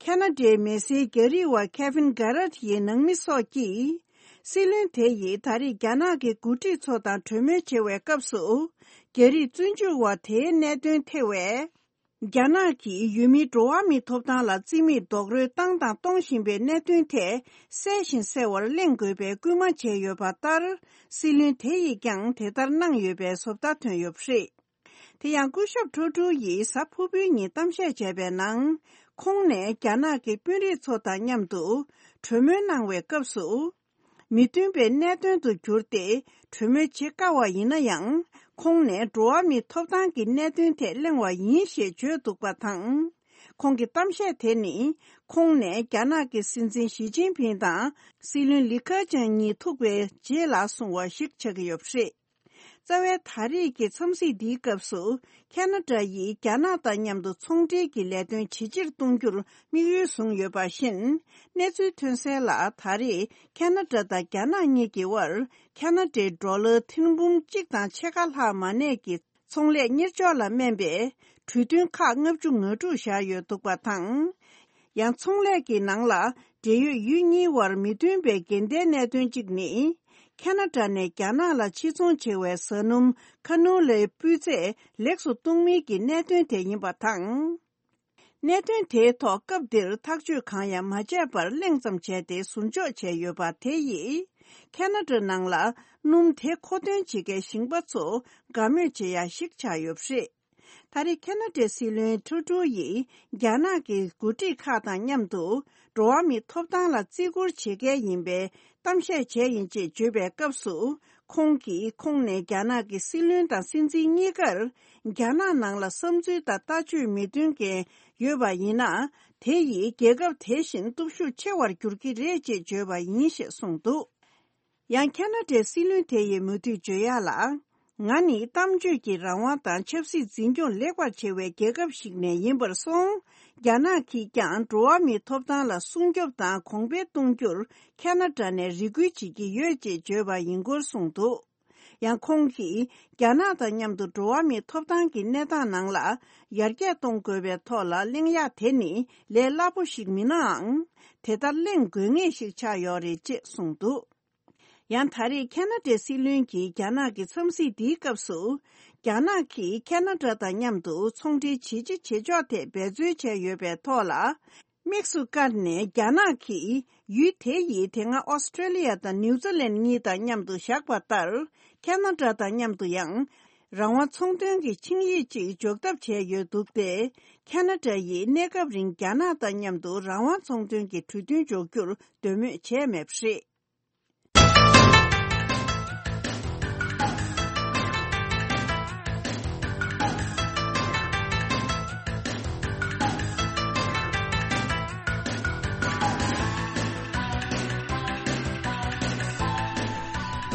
ཁ་ན་ཌའི་མི་སེར་རྒྱ་རིགས་བ་ཁེ་ཕིན་གྷ་རད་ཡི་ནང་མི་སོགས་ཀྱིས། སྲིད་བློན་དེ་ཡིས་ད་རེས་རྒྱ་ནག་གི་འགོ་ཁྲིད་ཚོ་དང་གྲོས་མོལ་བྱེད་པའི་སྐབས་སུ། རྒྱ་རིགས་བཙོན་འཇུག་བ་དེའི་གནད་དོན་ཐེ་བའི། རྒྱ་ནག་གིས་ཡུལ་མིའི་འགྲོ་བ་མིའི་ཐོབ་ཐང་ལ་བརྩི་མེད་རྡོག་རོལ་བཏང་དང་གཏོང་བཞིན་པའི་གནད་དོན་ཐད་གསལ་ཞིང་གསལ་བར་གླེང་དགོས་པའི་སྐུལ་མ་བྱས་ཡོད་པ་ལྟར། སྲིད་བློན་དེ་ཡིས་ཀྱང་དེ་ལྟར་གནང་ཡོད་པའི་བཟོ་ལྟ་ཐོན་ཡོད་པ་རེད། དེ་ཡང་སྐུ་ཞབས་ཀྲོ་ཀྲུའུ་ཡིས་གཟའ་ཕུར་བུའི་ཉིན་གཏམ་བཤད་བྱས་པའི་ནང་། ཁོང་ནས་རྒྱ་ནག་གི་དཔོན་རིགས་ཚོ་དང་མཉམ་དུ་གྲོས་མོལ་གནང་བའི་སྐབས་སུ། མི་མཐུན་པའི་གནད་དོན་དུ་གྱུར་ཏེ་གྲོས་མོལ་བྱེད་དཀའ་བ་ཡིན་ན་ཡང་། ཁོང་ནས་འགྲོ་བ་མིའི་ཐོབ་ཐང་གི་གནད་དོན་ཐད་གླེང་བ་ཡིན་ཞེས་བརྗོད་འདུག་པ་དང་། ཁོང་གི་གཏམ་བཤད་དེ་ནི། ཁོང་ནས་རྒྱ་ནག་གི་སྲིད་འཛིན་ཞི་ཅིན་ཕིང་དང་སྲིད་བློན་ལི་ཁེ་ཆང་གཉིས་ཐུག་པའི་རྗེས་ལ་གསུངས་པ་ཞིག་ཆགས་ཀྱི་ཡོད་པ་རེད། རྩ་བའི་ད་རེས་ཀྱི་འཚམས་གཟིགས་འདིའི་སྐབས་སུ། ཁ་ན་ཌ་ཡིས་རྒྱ་ནག་དང་མཉམ་དུ་ཚོང་འབྲེལ་གྱི་ལས་དོན་ཇེ་ཆེར་གཏོང་རྒྱུར་དམིགས་ཡུལ་བཟུང་ཡོད་པ་བཞིན། གནས་ཚུལ་ཐོན་གསལ་ལ། ད་རེས་ཁ་ན་ཌ་དང་རྒྱ་ནག་གཉིས་ཀྱི་དབར། ཁ་ན་ཌའི་ཌོ་ལར་ཐེར་འབུམ་གཅིག་དང་ཕྱེད་ཀ་ལྷག་མ་གནས་ཀྱི་ཚོང་ལས་གཉེར་ཕྱོགས་ལ་སྨན་པའི་གྲོས་མཐུན་ཁག་ལྔ་བཅུ་ང་དྲུག་བཞག་ཡོད་འདུག་པ་དང་། ཡང་ཚོང་ལས་ཀྱི་ནང་ལ་འབྲེལ་ཡོད་ཡུལ་གཉིས་དབར་མི་མཐུན་པའི་འགལ་ཟླའི་གནད་དོན་གཅིག་ནི། ཁ་ན་ཌ་ནས་རྒྱ་ནག་ལ་ཕྱིར་ཚོང་བྱེད་པའི་བཟའ་སྣུམ་ཁ་ནོ་ལའི་སྤུས་ཚད་ལེགས་སུ་གཏོང་མིན་གྱི་གནད་དོན་དེ་ཡིན་པ་དང་། གནད་དོན་དེའི་ཐོག་སྐབས་འདིར་ཐག་གཅོད་གང་ཡང་མ་བྱས་པར་གླེང་ཙམ་བྱས་ཏེ་ཟུར་འཇོག་བྱས་ཡོད་པ་དེ་ཡིས། ཁ་ན་ཌ་ནང་ལ་སྣུམ་དེ་མཁོ་འདོན་བྱེད་མཁན་ཞིང་པ་ཚོ་དགའ་མོས་བྱེད་ཡ་ཞིག་ཆགས་ཡོད་པ་རེད། ད་རེས་ཁ་ན་ཌའི་སྲིད་བློན་ཁྲུ་ཌོ་ཡིས་རྒྱ་ནག་གི་འགོ་ཁྲིད་ཁག་དང་མཉམ་དུ་འགྲོ་བ་མིའི་ཐོབ་ཐང་ལ་བརྩི་བཀུར་བྱེད་མཁན་ཡིན་པའི་གཏམ་བཤད་བྱས་ཡིན་ཅེས་བརྗོད་པའི་སྐབས་སུ། ཁོང་གིས་ཁོང་ནས་རྒྱ་ནག་གི་སྲིད་བློན་དང་སྲིད་འཛིན་གཉིས་ཀར་རྒྱ་ནག་ནང་ལ་བསམ་ཚུལ་དང་ལྟ་སྤྱོད་མི་མཐུན་མཁན་ཡོད་པ་ཡིན་ན། དེ་ཡིས་རྒྱལ་ཁབ་དེ་བཞིན་སྟོབས་ཤུགས་ཆེ་བར་འགྱུར་གྱི་རེད་ཅེས་བརྗོད་པ་ཡིན་ཞེས་གསུངས་འདུག། ཡང་ཁ་ན་ཌའི་སྲིད་བློན་དེ་ཡིས་མུ་མཐུད་བརྗོད་ཡག་ལ། ང་ནི་གཏམ་བརྗོད་ཀྱི་རང་དབང་དང་ཆབ་སྲིད་འཛིན་སྐྱོང་ལེགས་པར་བྱེད་པའི་རྒྱལ་ཁབ་ཞིག་ནས་ཡིན་པར་སོང་། རྒྱ་ནག་གིས་ཀྱང་འགྲོ་བ་མིའི་ཐོབ་ཐང་ལ་སྲུང་སྐྱོབ་དང་གོང་འཕེལ་གཏོང་རྒྱུར་ཁ་ན་ཌ་ནས་རེ་སྐུལ་བྱེད་ཀྱི་ཡོད་ཅེས་བརྗོད་པ་ཡིན་སྐོར་གསུངས་འདུག། ཡང་ཁོང་གིས་རྒྱ་ནག་དང་མཉམ་དུ་འགྲོ་བ་མིའི་ཐོབ་ཐང་གི་གནས་སྟངས་ནང་ལ་ཡར་རྒྱས་གཏོང་དགོས་པའི་ཐོག་ལ་གླེང་ཡག་དེ་ནི་ལས་སླ་པོ་ཞིག་མིན་ནའང་། དེ་ལྟར་གླེང་དགོས་ངེས་ཤིག་ཆགས་ཡོད་རེད་ཅེས་གསུངས་འདུག། ཡང་ད་རེས་ཁ་ན་ཌའི་སྲིད་བློན་གྱིས་རྒྱ་ནག་གི་འཚམས་གཟིགས་འདིའི་སྐབས་སུ། རྒྱ་ནག་གིས་ཁ་ན་ཌ་དང་མཉམ་དུ་ཚོང་འབྲེལ་ཇེ་ཆེ་ཇེ་མགྱོགས་ཐད་འབད་རྩོལ་བྱས་ཡོད་པའི་ཐོག་ལ། དམིགས་སུ་བཀར་ནས་རྒྱ་ནག་གིས་ཡུལ་དེ་ཡིས་དེ་སྔ་ཨོ་སི་ཀྲེ་ལི་ཡ་དང་ནིའུ་ཛི་ལན་གཉིས་དང་མཉམ་དུ་བཞག་པ་ལྟར། ཁ་ན་ཌ་དང་མཉམ་དུ་ཡང་རང་དབང་ཚོང་དོན་གྱི་ཆིངས་ཡིག་ཅིག་འཇོག་ཐབས་བྱས་ཡོད་འདུག་སྟེ། ཁ་ན་ཌ་ཡིས་གནས་སྐབས་རིང་རྒྱ་ནག་དང་མཉམ་དུ་རང་དབང་ཚོང་དོན་གྱི་གྲོས་མཐུན་འཇོག་རྒྱུར་འདོད་མོས་བྱས་མེད་པ་རེད།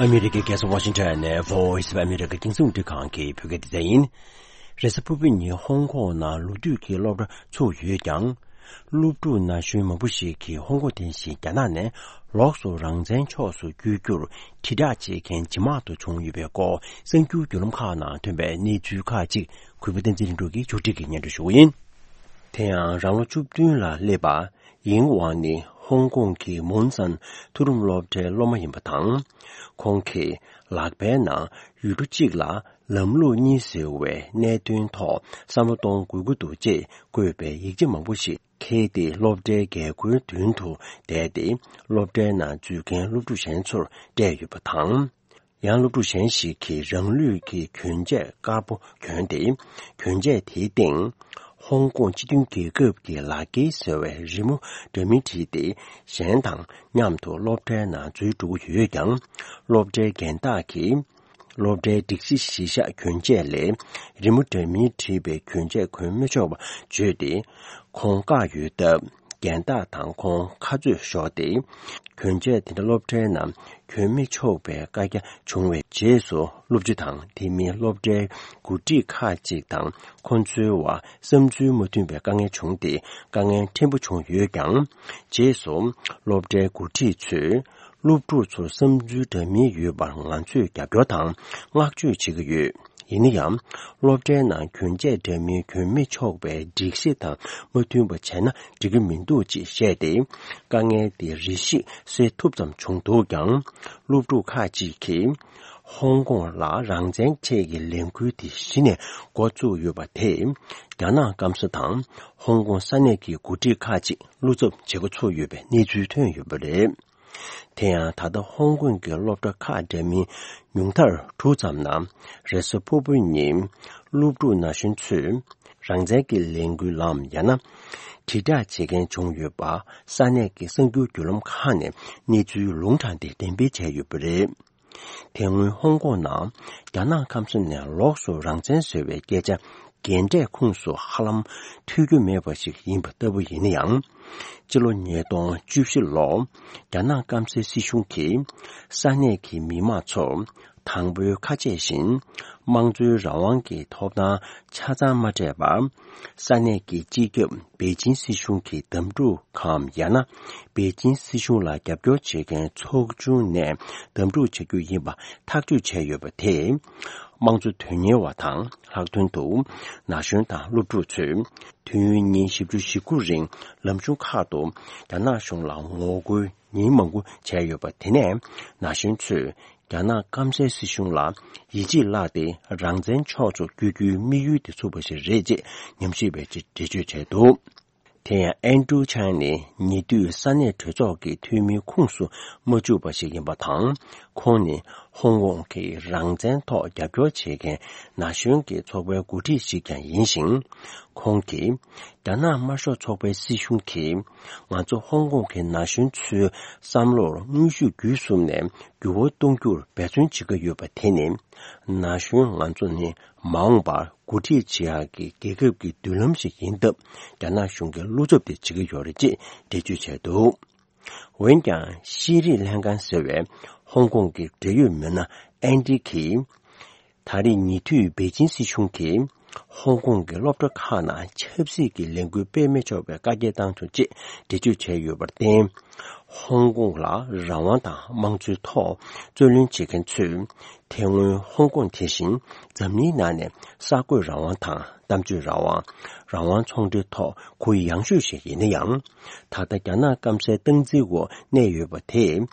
ཨ་མི་རི་ཀའི་རྒྱལ་ས་ཝ་ཤིང་ཊོན་ནས་Voice of America རྒྱང་སྲིང་རླུང་འཕྲིན་ཁང་གི་བོད་སྐད་སྡེ་ཚན་ཡིན། རེས་གཟའ་ཕུར་བུ་ཉིན་ཧོང་ཀོང་ནང་ལོ་དུས་ཀྱི་སློབ་གྲྭ་ཚུགས་ཡོད་ཀྱང་། སློབ་ཕྲུག་ན་གཞོན་མང་པོ་ཞིག་གིས་ཧོང་ཀོང་རྟེན་གཞི་རྒྱ་ནག་ནས་ལོགས་སུ་རང་བཙན་ཕྱོགས་སུ་བསྐྱོད་རྒྱུར་དྲིལ་བསྒྲགས་བྱེད་མཁན་ཇེ་མང་དུ་བྱུང་ཡོད་པའི་སྐོར་གསར་འགྱུར་བརྒྱུད་ལམ་ཁག་ནང་ཐོན་པའི་གནས་ཚུལ་ཁག་ཅིག་གུས་པ་བསྟན་འཛིན་ལྷུན་གྲུབ་ཀྱིས་ཕྱོགས་སྒྲིག་གིས་སྙན་སྒྲོན་ཞུ་གི་ཡིན། དེ་ཡང་རང་ལོ་བཅུ་བདུན་ལ་སླེབས་པ་ཡིན་ཝང་ནི་ཧོང་ཀོང་གི་མུན་སན་མཐོ་རིམ་སློབ་གྲྭའི་སློབ་མ་ཡིན་པ་དང་། ཁོང་གིས་ལག་པའི་ནང་ཡུལ་གྲུ་གཅིག་ལ་ལམ་ལུགས་གཉིས་ཟེར་བའི་གནད་དོན་ཐོག་བསམ་བློ་གཏོང་དགོས་ཀྱི་འདུག་ཅེས་བཀོད་པའི་ཡིག་ཆ་མང་པོ་ཞིག་འཁྱེར་ཏེ་སློབ་གྲྭའི་རྒྱལ་སྒོའི་མདུན་དུ་བསྡད་དེ། སློབ་གྲྭའི་ནང་འཛུལ་མཁན་སློབ་ཕྲུག་གཞན་ཚོར་སྤྲད་ཡོད་པ་དང་། ཡང་སློབ་ཕྲུག་གཞན་ཞིག་གིས་རང་ལུས་ཀྱི་གྱོན་ཆས་དཀར་པོ་གྱོན་ཏེ། གྱོན་ཆས་དེའི་སྟེང་ཧོང་ཀོང་སྤྱི་མཐུན་རྒྱལ་ཁབ་ཀྱི་ལག་འཁྱེར་ཟེར་བའི་རི་མོ་འདྲ་མིན་བྲིས་ཏེ། གཞན་དང་མཉམ་དུ་སློབ་གྲྭའི་ནང་འཛུལ་འགྲོ་གི་ཡོད་ཀྱང་། སློབ་གྲྭའི་རྒན་བདག་གིས་སློབ་གྲྭའི་སྒྲིག་གཞི་གཞིར་བཞག་གྱོན་ཆས་ལས་རི་མོ་འདྲ་མིན་བྲིས་པའི་གྱོན་ཆས་གོན་མི་ཆོག་པ་བརྗོད་དེ། ཁོང་བཀག་ཡོད་སྟབས། རྒན་བདག་དང་ཁོང་ཁ་རྩོད་ཤོར་ཏེ། གྱོན་ཆས་དེ་འདྲ་སློབ་གྲྭའི་ནང་གྱོན་མི་ཆོག་པའི་བཀའ་རྒྱ་བྱུང་བའི་རྗེས་སུ། སློབ་སྤྱི་དང་དེ་མིན་སློབ་གྲྭའི་འགོ་ཁྲིད་ཁག་ཅིག་དང་ཁོང་ཚོའི་བར་བསམ་ཚུལ་མ་མཐུན་པའི་དཀའ་ངལ་བྱུང་སྟེ། དཀའ་ངལ་ཕྲན་བུ་བྱུང་ཡོད་ཀྱང་། རྗེས་སུ་སློབ་གྲྭའི་འགོ་ཁྲིད་ཚོས་སློབ་ཕྲུག་ཚོར་བསམ་ཚུལ་འདྲ་མིན་ཡོད་པར་ང་ཚོས་རྒྱབ་སྐྱོར་དང་བསྔགས་བརྗོད་བྱེད་ཀྱི་ཡོད། ཡིན་ན་ཡང་། སློབ་གྲྭའི་ནང་གྱོན་ཆས་འདྲ་མིན་གྱོན་མི་ཆོག་པའི་སྒྲིག་གཞི་དང་མ་མཐུན་པ་བྱས་ན་འགྲིག་གི་མི་འདུག་ཅེས་བཤད་དེ། དཀའ་ངལ་དེ་རེ་ཞིག་སེལ་ཐུབ་ཙམ་བྱུང་འདུག་ཀྱང་། སློབ་ཕྲུག་ཁག་ཅིག་གིས། ཧོང་ཀོང་ལ་རང་བཙན་ཆེད་ཀྱི་ལས་འགུལ་དེ་གཞི་ནས་འགོ་བཙུགས་ཡོད་པ་དེས། རྒྱ་ནག་སྐམ་ས་དང་ཧོང་ཀོང་ས་གནས་ཀྱི་འགོ་ཁྲིད་ཁག་ཅིག་བློ་འཚབ་བྱེད་འགོ་ཚུགས་ཡོད་པའི་གནས་ཚུལ་ཐོན་ཡོད་པ་རེད། དེ་ཡང་། ད་ལྟ་ཧོང་ཀོང་གི་སློབ་གྲྭ་ཁག་འདྲ་མིན་ཉུང་མཐར་དྲུག་ཙམ་ནང་རེས་གཟའ་ཕུར་བུ་ཉིན་སློབ་ཕྲུག་ན་གཞོན་ཚོས་རང་བཙན་གྱི་ལས་འགུལ་ལམ་ཡང་ན་དྲིལ་བསྒྲགས་བྱེད་མཁན་བྱུང་ཡོད་པ་ས་གནས་ཀྱི་གསར་འགྱུར་བརྒྱུད་ལམ་ཁག་ནས་གནས་ཚུལ་ལུང་དྲངས་ཏེ་འགྲེམས་སྤེལ་བྱས་ཡོད་པ་རེད། དེ་སྔོན་ཧོང་ཀོང་ནང་རྒྱ་ནག་སྐམ་ས་ནས་ལོགས་སུ་རང་བཙན་ཟེར་བའི་སྐད་ཆ། རྒན་གྲས་ཁོངས་སུ་ཧ་ལམ་ཐོས་རྒྱུ་མེད་པ་ཞིག་ཡིན་པ་ལྟ་བུ་ཡིན་ན་ཡང་། སྤྱི་ལོ་ཉིས་སྟོང་བཅུ་བཞི་ལོར་རྒྱ་ནག་སྐམ་སའི་སྲིད་གཞུང་གིས་ས་གནས་ཀྱི་མི་མང་ཚོར་དང་པོའི་ཁ་ཆད་བཞིན་དམངས་གཙོའི་རང་དབང་གི་ཐོབ་ཐང་ཆ་ཚང་མ་སྤྲད་པ། ས་གནས་ཀྱི་སྤྱི་ཁྱབ་པེ་ཅིན་སྲིད་གཞུང་གི་དམ་ཕྲུག་གམ་ཡང་ན་པེ་ཅིན་སྲིད་གཞུང་ལ་རྒྱབ་སྐྱོར་བྱེད་མཁན་ཚོགས་ཆུང་ནས་དམ་ཕྲུག་བྱ་རྒྱུ་ཡིན་པ་ཐག་གཅོད་བྱས་ཡོད་པ་དེས། དམངས་གཙོ་དོན་གཉེར་བ་དང་ལྷག་དོན་དུ་ན་གཞོན་དང་སློབ་ཕྲུག་ཚོས་དུས་ཡུན་ཉིན་བཞི་བཅུ་ཞེ་དགུ་རིང་ལམ་གཞུང་ཁག་ཏུ་རྒྱ་ནག་གཞུང་ལ་ངོ་རྒོལ་ཉིན་མང་པོ་བྱས་ཡོད་པ་དེ་ནས་ན་གཞོན་ཚོས་རྒྱ་ནག་སྐམ་སའི་སྲིད་གཞུང་ལ་ཡིད་ཆེས་བརླགས་ཏེ་རང་བཙན་ཕྱོགས་སུ་བསྐྱོད་རྒྱུའི་དམིགས་ཡུལ་དེ་ཚུགས་པ་ཞིག་རེད་ཅེས་ཉམས་ཞིབ་པས་འགྲེལ་བརྗོད་བྱས་འདུག། དེ་ཡང་ཨན་ཀྲུའུ་ཆང་ནི་ཉེ་དུས་ས་གནས་གྲོས་ཚོགས་ཀྱི་འཐུས་མིའི་ཁོངས་སུ་མ་བཅུག་པ་ཞིག་ཡིན་པ་དང་། ཁོང་ནི་ ཧོང་ཀོང་གི་རང་བཙན་ཐོག་རྒྱབ་སྐྱོར་བྱེད་མཁན་ན་གཞོན་གྱི་ཚོགས་པའི་འགོ་ཁྲིད་ཅིག་ཀྱང་ཡིན་ཞིང་། ཁོང་གིས། རྒྱ་ནག་དམར་ཤོག་ཚོགས་པའི་སྲིད་གཞུང་གིས། ང་ཚོ་ཧོང་ཀོང་གི་ན་གཞོན་ཚོའི་བསམ་བློར་དངོས་ཤུགས་བརྒྱུད་གསུམ་ནས་འགྱུར་བ་གཏོང་རྒྱུར་འབད་བརྩོན་བྱེད་ཀྱི་ཡོད་པ་དེ་ནི། ན་གཞོན་ང་ཚོ་ནི་མ་འོངས་པར་འགོ་ཁྲིད་བྱེད་ཡག་གི་རྒྱལ་ཁབ་ཀྱི་མདུན་ལམ་ཞིག་ཡིན་སྟབས། རྒྱ་ནག་གཞུང་གིས་བློ་འཚབ་དེ་བྱེད་ཀྱི་ཡོད་རེད་ཅེས་འགྲེལ་བརྗོད་བྱས་འདུག་འོན་ཀྱང་། ཤེས་རིག་ལྷན་ཁང་ཟེར་བའི་ཧོང་ཀོང་གི་འབྲེལ་ཡོད་མི་སྣ་ཨན་ཌི་གིས། ད་རེས་ཉེ་དུས་པེ་ཅིན་སྲིད་གཞུང་གིས་ཧོང་ཀོང་གི་སློབ་གྲྭ་ཁག་ནང་ཆབ་སྲིད་ཀྱི་ལས་འགུལ་སྤེལ་མི་ཆོག་པའི་བཀའ་རྒྱ་བཏང་བྱུང་ཅེས་འགྲེལ་བརྗོད་བྱས་ཡོད་པར་བརྟེན། ཧོང་ཀོང་ལ་རང་དབང་དང་དམངས་གཙོའི་ཐོག་རྩོད་ལེན་བྱེད་མཁན་ཚོས། དེ་སྔོན་ཧོང་ཀོང་དེ་བཞིན་འཛམ་གླིང་ནང་ནས་གསར་འགོད་རང་དབང་དང་། གཏམ་བརྗོད་རང་དབང་། རང་དབང་ཚོང་འབྲེལ་ཐོག་གུ་ཡངས་ཤོས་ཤིག་ཡིན་ན་ཡང་། ད་ལྟ་རྒྱ་ནག་སྐམ་སའི་སྟངས་འཛིན་འོག་གནས་ཡོད་པ་དེས།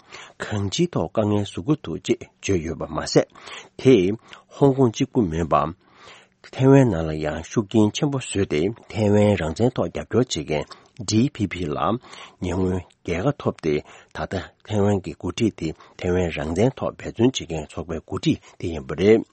གང་ཅིའི་ཐོག་དཀའ་ངལ་བཟོ་གི་འདུག་ཅེས་བརྗོད་ཡོད་པ་མ་ཟད། དེས་ཧོང་ཀོང་གཅིག་པུ་མིན་པ། ཐའེ་ཝན་ནང་ལ་ཡང་ཤུགས་རྐྱེན་ཆེན་པོ་བཟོས་ཏེ། ཐའེ་ཝན་རང་བཙན་ཐོག་རྒྱབ་སྐྱོར་བྱེད་མཁན་ཌི་ཕི་ཕི་ལ་ཉེ་སྔོན་རྒྱལ་ཁ་ཐོབ་སྟེ། ད་ལྟ་ཐའེ་ཝན་གྱི་འགོ་ཁྲིད་དེ་ཐའེ་ཝན་རང་བཙན་ཐོག་འབད་བརྩོན་བྱེད་མཁན་ཚོགས་པའི་འགོ་ཁྲིད་དེ་ཡིན་པ་རེད།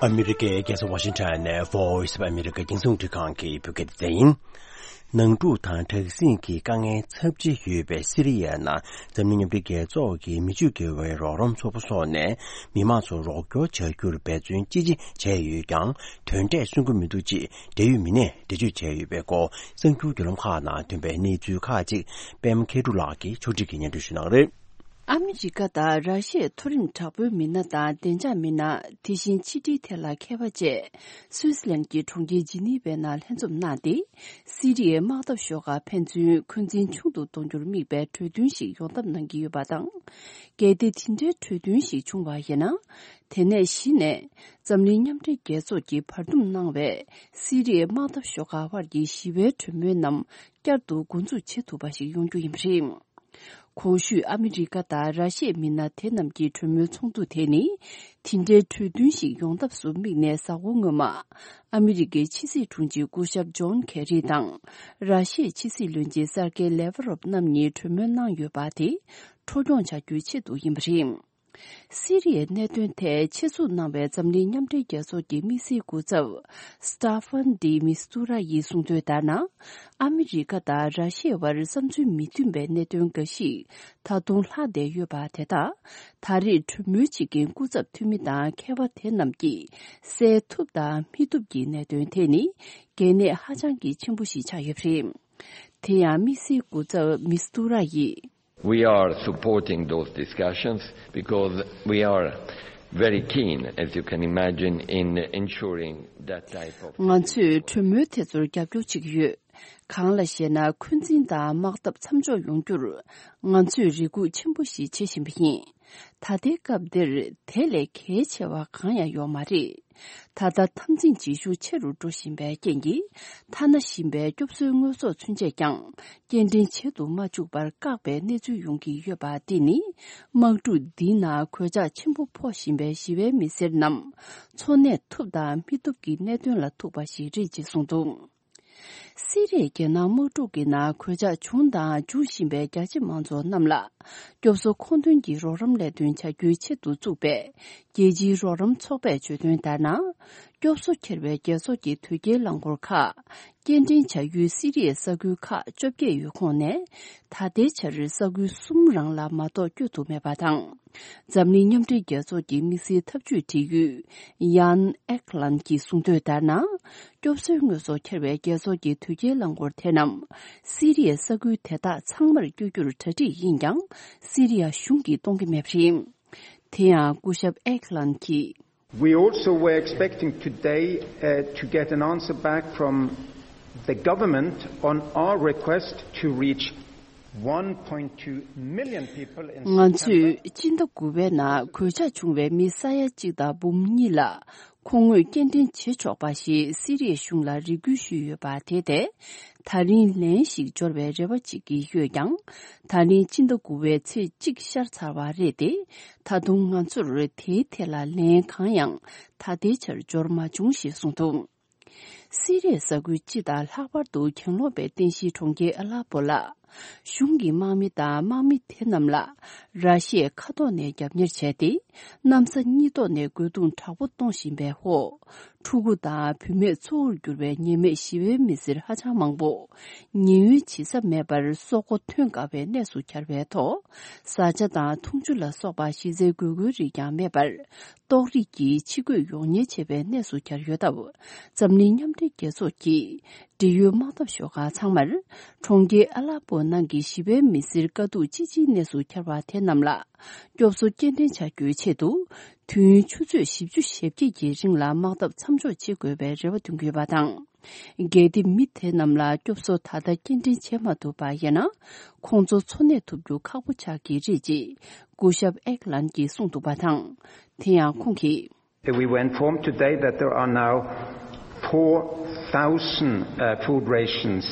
ཨ་མི་རི་ཀའི་རྒྱལ་ས་ཝ་ཤིང་ཊོན་ནས་Voice of America་རྒྱང་སྲིང་རླུང་འཕྲིན་ཁང་གི་བོད་སྐད་སྡེ་ཚན་ཡིན། ནང་འཁྲུག་དང་དྲག་ཟིང་གི་དཀའ་ངལ་ཚབས་ཆེ་ཡོད་པའི་སི་རི་ཡའི་ནང་འཛམ་གླིང་མཉམ་འབྲེལ་རྒྱལ་ཚོགས་ཀྱི་མི་ཆོས་དགེ་བའི་རོགས་རམ་ཚོགས་པ་སོགས་ནས་མི་མང་ཚོར་རོགས་སྐྱོར་བྱ་རྒྱུར་འབད་བརྩོན་ཅི་ཆེ་བྱས་ཡོད་ཀྱང་། དོན་འབྲས་སོན་གྱི་མི་འདུག་ཅེས་འབྲེལ་ཡོད་མི་སྣས་འགྲེལ་བརྗོད་བྱས་ཡོད་པའི་སྐོར། གསར་འགྱུར་བརྒྱུད་ལམ་ཁག་ནང་ཐོན་པའི་གནས་ཚུལ་ཁག་ཅིག་པད་མ་མཁས་གྲུབ་ལགས་ཀྱིས་ཕྱོགས་སྒྲིག་གིས་སྙན་སྒྲོན་ཞུ་གནང་གི་རེད། ཨ་མི་རི་ཀ་དང་ར་ཤི་ཡའི་མཐོ་རིམ་དྲག་པོའི་མི་སྣ་དང་བདེ་འཇགས་མི་སྣ། དེ་བཞིན་ཕྱི་འབྲེལ་ཐད་ལ་མཁས་པ་བཅས་སུད་སི་ལན་གྱི་གྲོང་ཁྱེར་ཇི་ནི་ཝའི་ནང་ལྷན་འཛོམས་གནང་སྟེ། སི་རི་ཡའི་དམག་འཐབ་ཤོག་ཁག་ཕན་ཚུན་འཁོན་འཛིན་ཆུང་དུ་གཏོང་རྒྱུར་དམིགས་པའི་གྲོས་མཐུན་ཞིག་ཡོང་ཐབས་གནང་གི་ཡོད་པ་དང་། གལ་ཏེ་དེ་འདྲའི་གྲོས་མཐུན་ཞིག་བྱུང་བ་ཡིན་ན། དེ་ནས་གཞི་ནས་འཛམ་གླིང་མཉམ་འབྲེལ་རྒྱལ་ཚོགས་ཀྱིས་བར་འདུམ་གནང་བའི་སི་རི་ཡའི་དམག་འཐབ་ཤོག་ཁག་དབར་གྱི་ཞི་བའི་གྲོས་མོལ་རྣམས་བསྐྱར་དུ་འགོ་འཛུགས་བྱེད་ཐུབ་པ་ཞིག་ཡོང་རྒྱུ་ཡིན་པ་རེད། གོང་ཞུས་ཨ་མི་རི་ཀ་དང་ར་ཤི་ཡའི་མི་སྣ་དེ་རྣམས་ཀྱི་གྲོས་མོལ་ཚོགས་འདུ་དེ་ནི། དེ་འདྲའི་གྲོས་མཐུན་ཞིག་ཡོང་ཐབས་སུ་དམིགས་ནས་གཟའ་འཁོར་སྔོན་མ། ཨ་མི་རི་ཀའི་ཕྱི་སྲིད་དྲུང་ཆེ་སྐུ་ཞབས་ཇོན་ཁེ་རི་དང་། ར་ཤི་ཡའི་ཕྱི་སྲིད་བློན་ཆེན་སར་ཀེ་ལེ་ཝ་རོབ་རྣམ་གཉིས་གྲོས་མོལ་གནང་ཡོད་པ་དེ། འཕྲོ་སྐྱོང་བྱ་རྒྱུའི་ཆེད་དུ་ཡིན་པ་རེད། སི་རི་ཡའི་གནད་དོན་ཐད་ཆེད་འཛུགས་གནང་བའི་འཛམ་གླིང་མཉམ་འབྲེལ་རྒྱལ་ཚོགས་ཀྱི་དམིགས་བསལ་སྐུ་ཚབ། སི་ཏཱ་ཧྥན་ཌི་མི་སི་ཏུ་ར་ཡིས་གསུངས་དོན་ལྟར་ན། ཨ་མི་རི་ཀ་དང་ར་ཤི་ཡའི་བར་བསམ་ཚུལ་མི་མཐུན་པའི་གནད་དོན་འགའ་ཞིག་ད་དུང་ལྷག་བསྡད་ཡོད་པ་དེ་དག་ད་རེས་གྲོས་མོལ་བྱེད་མཁན་སྐུ་ཚབ་འཐུས་མི་དང་མཁས་པ་དེ་རྣམས་ཀྱིས་སེལ་ཐུབ་དང་མི་ཐུབ་ཀྱི་གནད་དོན་དེ་ནི་གལ་གནད་ཧ་ཅང་གི་ཆེན་པོ་ཞིག་ཆགས་ཡོད་པ་རེད། དེ་ཡང་དམིགས་བསལ་སྐུ་ཚབ་མི་སི་ཏུ་ར་ཡིས། We are supporting those discussions because we are very keen, as you can imagine, in ensuring that type of ང་ཚོས་གྲོས་མོལ་དེ་ཚོར་རྒྱབ་སྐྱོར་བྱེད་ཀྱི་ཡོད། གང་ལ་ཞེ་ན། འཁོན་འཛིན་དང་དམག་འཐབ་མཚམས་འཇོག་ཡོང་རྒྱུར་ང་ཚོས་རེ་སྒུག་ཆེན་པོ་ཞིག་བྱེད་བཞིན་པ་ཡིན། ད་ལྟའི་སྐབས་འདིར་དེ་ལས་གལ་ཆེ་བ་གང་ཡང་ཡོད་མ་རེད། ད་ལྟ་འཐབ་འཛིང་བྱེད་ཤུགས་ཆེ་རུ་འགྲོ་བཞིན་པའི་རྐྱེན་གྱིས། ཐ་ན་ཞིང་པའི་སྐྱོབ་གསོའི་དངོས་ཟོག་ཚུན་ཆད་ཀྱང་སྐྱེལ་འདྲེན་བྱེད་དུ་མ་བཅུག་པར་བཀག་པའི་གནས་ཚུལ་ཡོང་གི་ཡོད་པ་འདི་ནི། དམག་འཁྲུག་འདིའི་ནང་གོད་ཆག་ཆེན་པོ་ཕོག་བཞིན་པའི་ཞི་བའི་མི་སེར་རྣམས་འཚོ་གནས་ཐུབ་དང་མི་ཐུབ་ཀྱི་གནད་དོན་ལ་ཐུག་པ་ཞིག་རེད་ཅེས་གསུངས་འདུག། སི་རི་ཡའི་རྒྱལ་ནང་དམག་འཁྲུག་གི་ནང་གོད་ཆག་བྱུང་དང་འབྱུང་བཞིན་པའི་རྒྱ་ཆེ་མང་ཚོགས་རྣམས་ལ། སྐྱོབ་གསོ་མཁོ་འདོན་གྱི་རོགས་རམ་ལས་དོན་བྱ་རྒྱུའི་ཆེད་དུ་བཙུགས་པའི་རྒྱལ་སྤྱིའི་རོགས་རམ་ཚོགས་པས་བརྗོད་དོན་ལྟར་ན། སྐྱོབ་གསོ་འཁྱེར་བའི་རྒྱལ་ཚོགས་ཀྱི་དོས་སྐྱེལ་རླངས་འཁོར་ཁག་སྐྱེལ་འདྲེན་བྱ་ཡུལ་སི་རི་ཡའི་ས་ཁུལ་ཁག་བཅོ་བརྒྱད་ཡོད་ཁོངས་ནས། ད་ལྟའི་ཆར་ས་ཁུལ་གསུམ་རང་ལ་མ་གཏོགས་བསྐྱོད་ཐུབ་མེད་པ་དང་། འཛམ་གླིང་མཉམ་འབྲེལ་རྒྱལ་ཚོགས་ཀྱི་དམིགས་བསལ་འཐབ་ཇུས་འབྲེལ་ཡོད་ཡཱན་ཨེག་ལན་གྱིས་གསུངས་དོན་ལྟར་ན། སྐྱོབ་གསོའི་དངོས་ཟོག་འཁྱེར་བའི་རྒྱལ་ཚོགས་ཀྱི་དོས་སྐྱེལ་རླངས་འཁོར་དེ་རྣམས་སི་རི་ཡའི་ས་ཁུལ་དེ་དག་ཚང་མར་བསྐྱོད་རྒྱུར་གྲ་སྒྲིག་ཡིན་ཀྱང་། སི་རི་ཡ་གཞུང་གིས་གཏོང་གི་མེད་པ་རེད། དེ་ཡང་སྐུ་ཞབས་ཨེག་ལན་གྱིས། We also were expecting today, uh, to get an answer back from the government on our request to reach one point two million people in ང་ཚོས་སྤྱི་ཟླ་དགུ་པའི་ནང་གོད་ཆག་བྱུང་བའི་མི་ས་ཡ་གཅིག་དང་འབུམ་གཉིས་ལ་ཁོང་དངོས་སྐྱེལ་འདྲེན་བྱེད་ཆོག་པ་ཞིག་སི་རི་ཡའི་གཞུང་ལ་རེ་སྐུལ་ཞུས་ཡོད་པ་དེ་དེ་ད་རིང་ལན་ཞིག་འབྱོར་བའི་རེ་བ་བྱེད་ཀྱི་ཡོད་ཀྱང་། ད་རིང་སྤྱི་ཟླ་དགུ་པའི་ཚེས་གཅིག་ཤར་ཚར་བ་རེད་དེ། ད་དུང་ང་ཚོར་དེའི་ཐད་ལ་ལན་གང་ཡང་ད་ལྟའི་ཆར་འབྱོར་མ་བྱུང་ཞེས་གསུངས་འདུག་སི་རིའི་ས་ཁུལ་སྤྱི་དང་ལྷག་པར་དུ་གྱེན་ལོག་པའི་རྟེན་གཞིའི་གྲོང་ཁྱེར་ཨ་ལ་པོ་ལ། གཞུང་གི་དམག་མི་དང་དམག་མི་དེ་རྣམས་ལ་ར་ཤི་ཡའི་མཁའ་ཐོག་ནས་རྒྱབ་གཉེར་བྱས་ཏེ། གནམ་ས་གཉིས་ཐོག་ནས་རྒོལ་རྡུང་དྲག་པོ་གཏོང་བཞིན་པའི་འོག་ཕྲུ་གུ་དང་བུད་མེད་གཙོ་བོར་གྱུར་བའི་ཉེས་མེད་ཞི་བའི་མི་སེར་ཧ་ཅང་མང་པོ། ཉེན་གཡོལ་བྱེད་ས་མེད་པར་སྲོག་མགོ་ཐོན་དཀའ་བའི་གནས་སུ་གྱར་བའི་ཐོག་བཟའ་བཅའ་དང་འཐུང་ཆུ་ལ་སོགས་པ་གཞི་རྩའི་དགོས་མཁོའི་རིགས་ཀྱང་མེད་པར། ཏོག་དབྱིབས་ཀྱིས་ཕྱི་བགོས་ཡོང་ཉེན་ཆེ་བའི་གནས་སུ་གྱར་ཡོད་སྟབས། འཛམ་གླིང་མཉམ་འབྲེལ་རྒྱལ་ཚོགས་ཀྱིས་འབྲེལ་ཡོད་དམག་འཐབ་ཤོག་ཁག་ཚང་མར། གྲོང་ཁྱེར་ཨ་ལ་པོ་ནང་གི་ཞི་བའི་མི་སེར་དཀའ་སྡུག་ཅི་ཆེའི་གནས་སུ་གྱར་བ་དེ་རྣམས་ལ། སྐྱོབ་གསོ་སྐྱེལ་འདྲེན་བྱ་རྒྱུའི་ཆེད་དུ། དུས་ཡུན་ཆུ་ཚོད་བཞི་བཅུ་ཞེ་བརྒྱད་ཀྱི་རིང་ལ་དམག་འཐབ་མཚམས་འཇོག་བྱེད་དགོས་པའི་རེ་བ་འདོན་གྱི་ཡོད་པ་དང་། གལ་ཏེ་མི་དེ་རྣམས་ལ་སྐྱོབ་གསོ་ད་ལྟ་སྐྱེལ་འདྲེན་བྱེད་མ་ཐུབ་པ་ཡིན་ན། ཁོང་ཚོ་འཚོ་གནས་ཐུབ་རྒྱུ་ཁག་པོ་ཆགས་ཀྱི་རེད་ཅེས་སྐུ་ཞབས་ཨེག་ལན་གྱིས་གསུངས་འདུག་པ་དང་། དེ་ཡང་ཁོང་གིས། We were informed today that there are now four thousand, uh, food rations,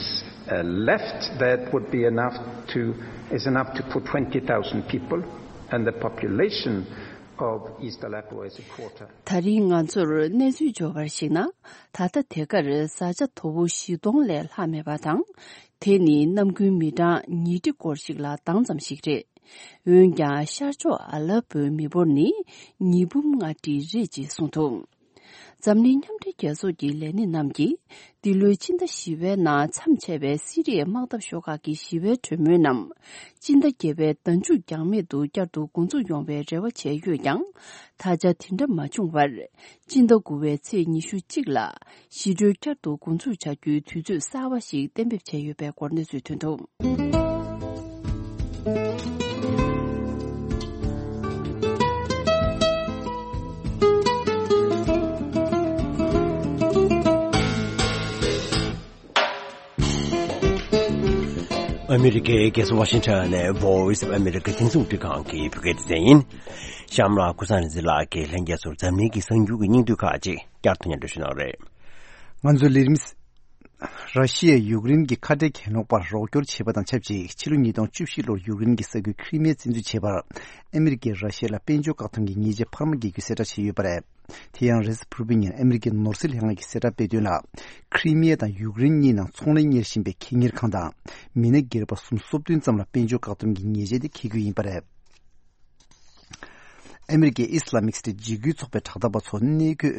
uh, left that would be enough to, is enough to put twenty thousand people, and the population of East Aleppo is a quarter. ད་རིང་ང་ཚོར་གནས་ཚུལ་འབྱོར་བར་གཞིགས་ན། ད་ལྟ་དེ་གར་བཟའ་བཅའ་དོ་པོ་བཞི་སྟོང་ལས་ལྷག་མེད་པ་དང་། དེ་ནི་གནམ་དགུན་མི་གྲངས་ཉིས་ཁྲི་སྐོར་ཞིག་ལ་ལྡང་ཙམ་ཞིག་རེད། འོན་ཀྱང་ཤར་ཕྱོགས་ཨ་ལ་པོའི་མི་འབོར་ནི་ཉིས་འབུམ་ལྔ་ཁྲི་རེད་ཅེས་གསུངས་འདུག་འཛམ་གླིང་མཉམ་འབྲེལ་རྒྱལ་ཚོགས་ཀྱི་ལས་སྣེ་རྣམས་ཀྱིས། འདི་ལོའི་སྤྱི་ཟླ་བཞི་པའི་ནང་མཚམས་ཆད་པའི་སི་རི་ཡའི་དམག་འཐབ་ཤོག་ཁག་གི་ཞི་བའི་གྲོས་མོལ་རྣམས། སྤྱི་ཟླ་བརྒྱད་པའི་ཟླ་མཇུག་འགྱངས་མེད་དུ་བསྐྱར་དུ་འགོ་འཛུགས་ཡོང་བའི་རེ་བ་བྱས་ཡོད་ཀྱང་། ད་ཆ་དེ་འདྲ་མ་བྱུང་བར། སྤྱི་ཟླ་དགུ་པའི་ཚེས་ཉི་ཤུ་གཅིག་ལ། ཞི་གྲོས་བསྐྱར་དུ་འགོ་འཛུགས་བྱ་རྒྱུའི་དུས་ཚོད་གསར་བ་ཞིག་གཏན་འབེབས་བྱས་ཡོད་པའི་སྐོར་གནས་ཚུལ་ཐོན་འདུག་ཨ་མི་རི་ཀའི་རྒྱལ་ས་ཝ་ཤིང་ཊོན་ནས་Voice of America་རྒྱང་སྲིང་རླུང་འཕྲིན་ཁང་གི་བོད་སྐད་སྡེ་ཚན་ཡིན། གཤམ་ལ་ཀུན་བཟང་ལྷ་འཛིན་ལགས་ཀྱིས་ལྷན་རྒྱས་ཚོར་འཛམ་གླིང་གི་གསར་འགྱུར་གྱི་སྙིང་བསྡུས་ཁག་ཅིག་བསྐྱར་དུ་སྙན་སྒྲོན་ཞུ་གནང་རེད། ང་ཚོའི་ལས་རིམ། ར་ཤི་ཡས་ཡུཀ་རེན་གྱི་ཁ་བྲལ་གྱེན་ལོག་པར་རོགས་སྐྱོར་བྱས་པ་དང་ཆབས་ཅིག་ཕྱི་ལོ་ཉིས་སྟོང་བཅུ་བཞི་ལོར་ཡུཀ་རེན་གྱི་ས་ཁུལ་ཁྲི་མེ་བཙན་འཛུལ་བྱས་པར། ཨ་མི་རི་ཀས་ར་ཤི་ཡ་ལ་དཔལ་འབྱོར་བཀག་སྡོམ་གྱི་ཉེས་ཆད་འཕར་མ་འགེལ་རྒྱུའི་གསལ་བསྒྲགས་བྱས་ཡོད་པ་རེད། དེ་ཡང་རེས་གཟའ་ཕུར་བུའི་ཉིན་ཨ་མི་རི་ཀའི་ནོར་སྲིད་ལྷན་ཁང་གིས་གསལ་བསྒྲགས་སྤེལ་དོན་ལ། ཁྲི་མེ་དང་ཡུཀ་རེན་གཉིས་ནང་ཚོང་ལས་གཉེར་བཞིན་པའི་ཁེ་གཉེར་ཁང་དང་། མི་སྣ་སྒེར་པ་སུམ་སོ་བདུན་ཙམ་ལ་དཔལ་འབྱོར་བཀག་སྡོམ་གྱི་ཉེས་ཆད་དེ་འཁེལ་རྒྱུ་ཡིན་པ་རེད། ཨ་མི་རི་ཀའི་ཨི་སི་ལ་མིག་སི་ཊི་འཇིགས་སྐུལ་ཚོགས་པའི་དྲག་འཐབ་པ་ཚོ་གནས་འཁོད་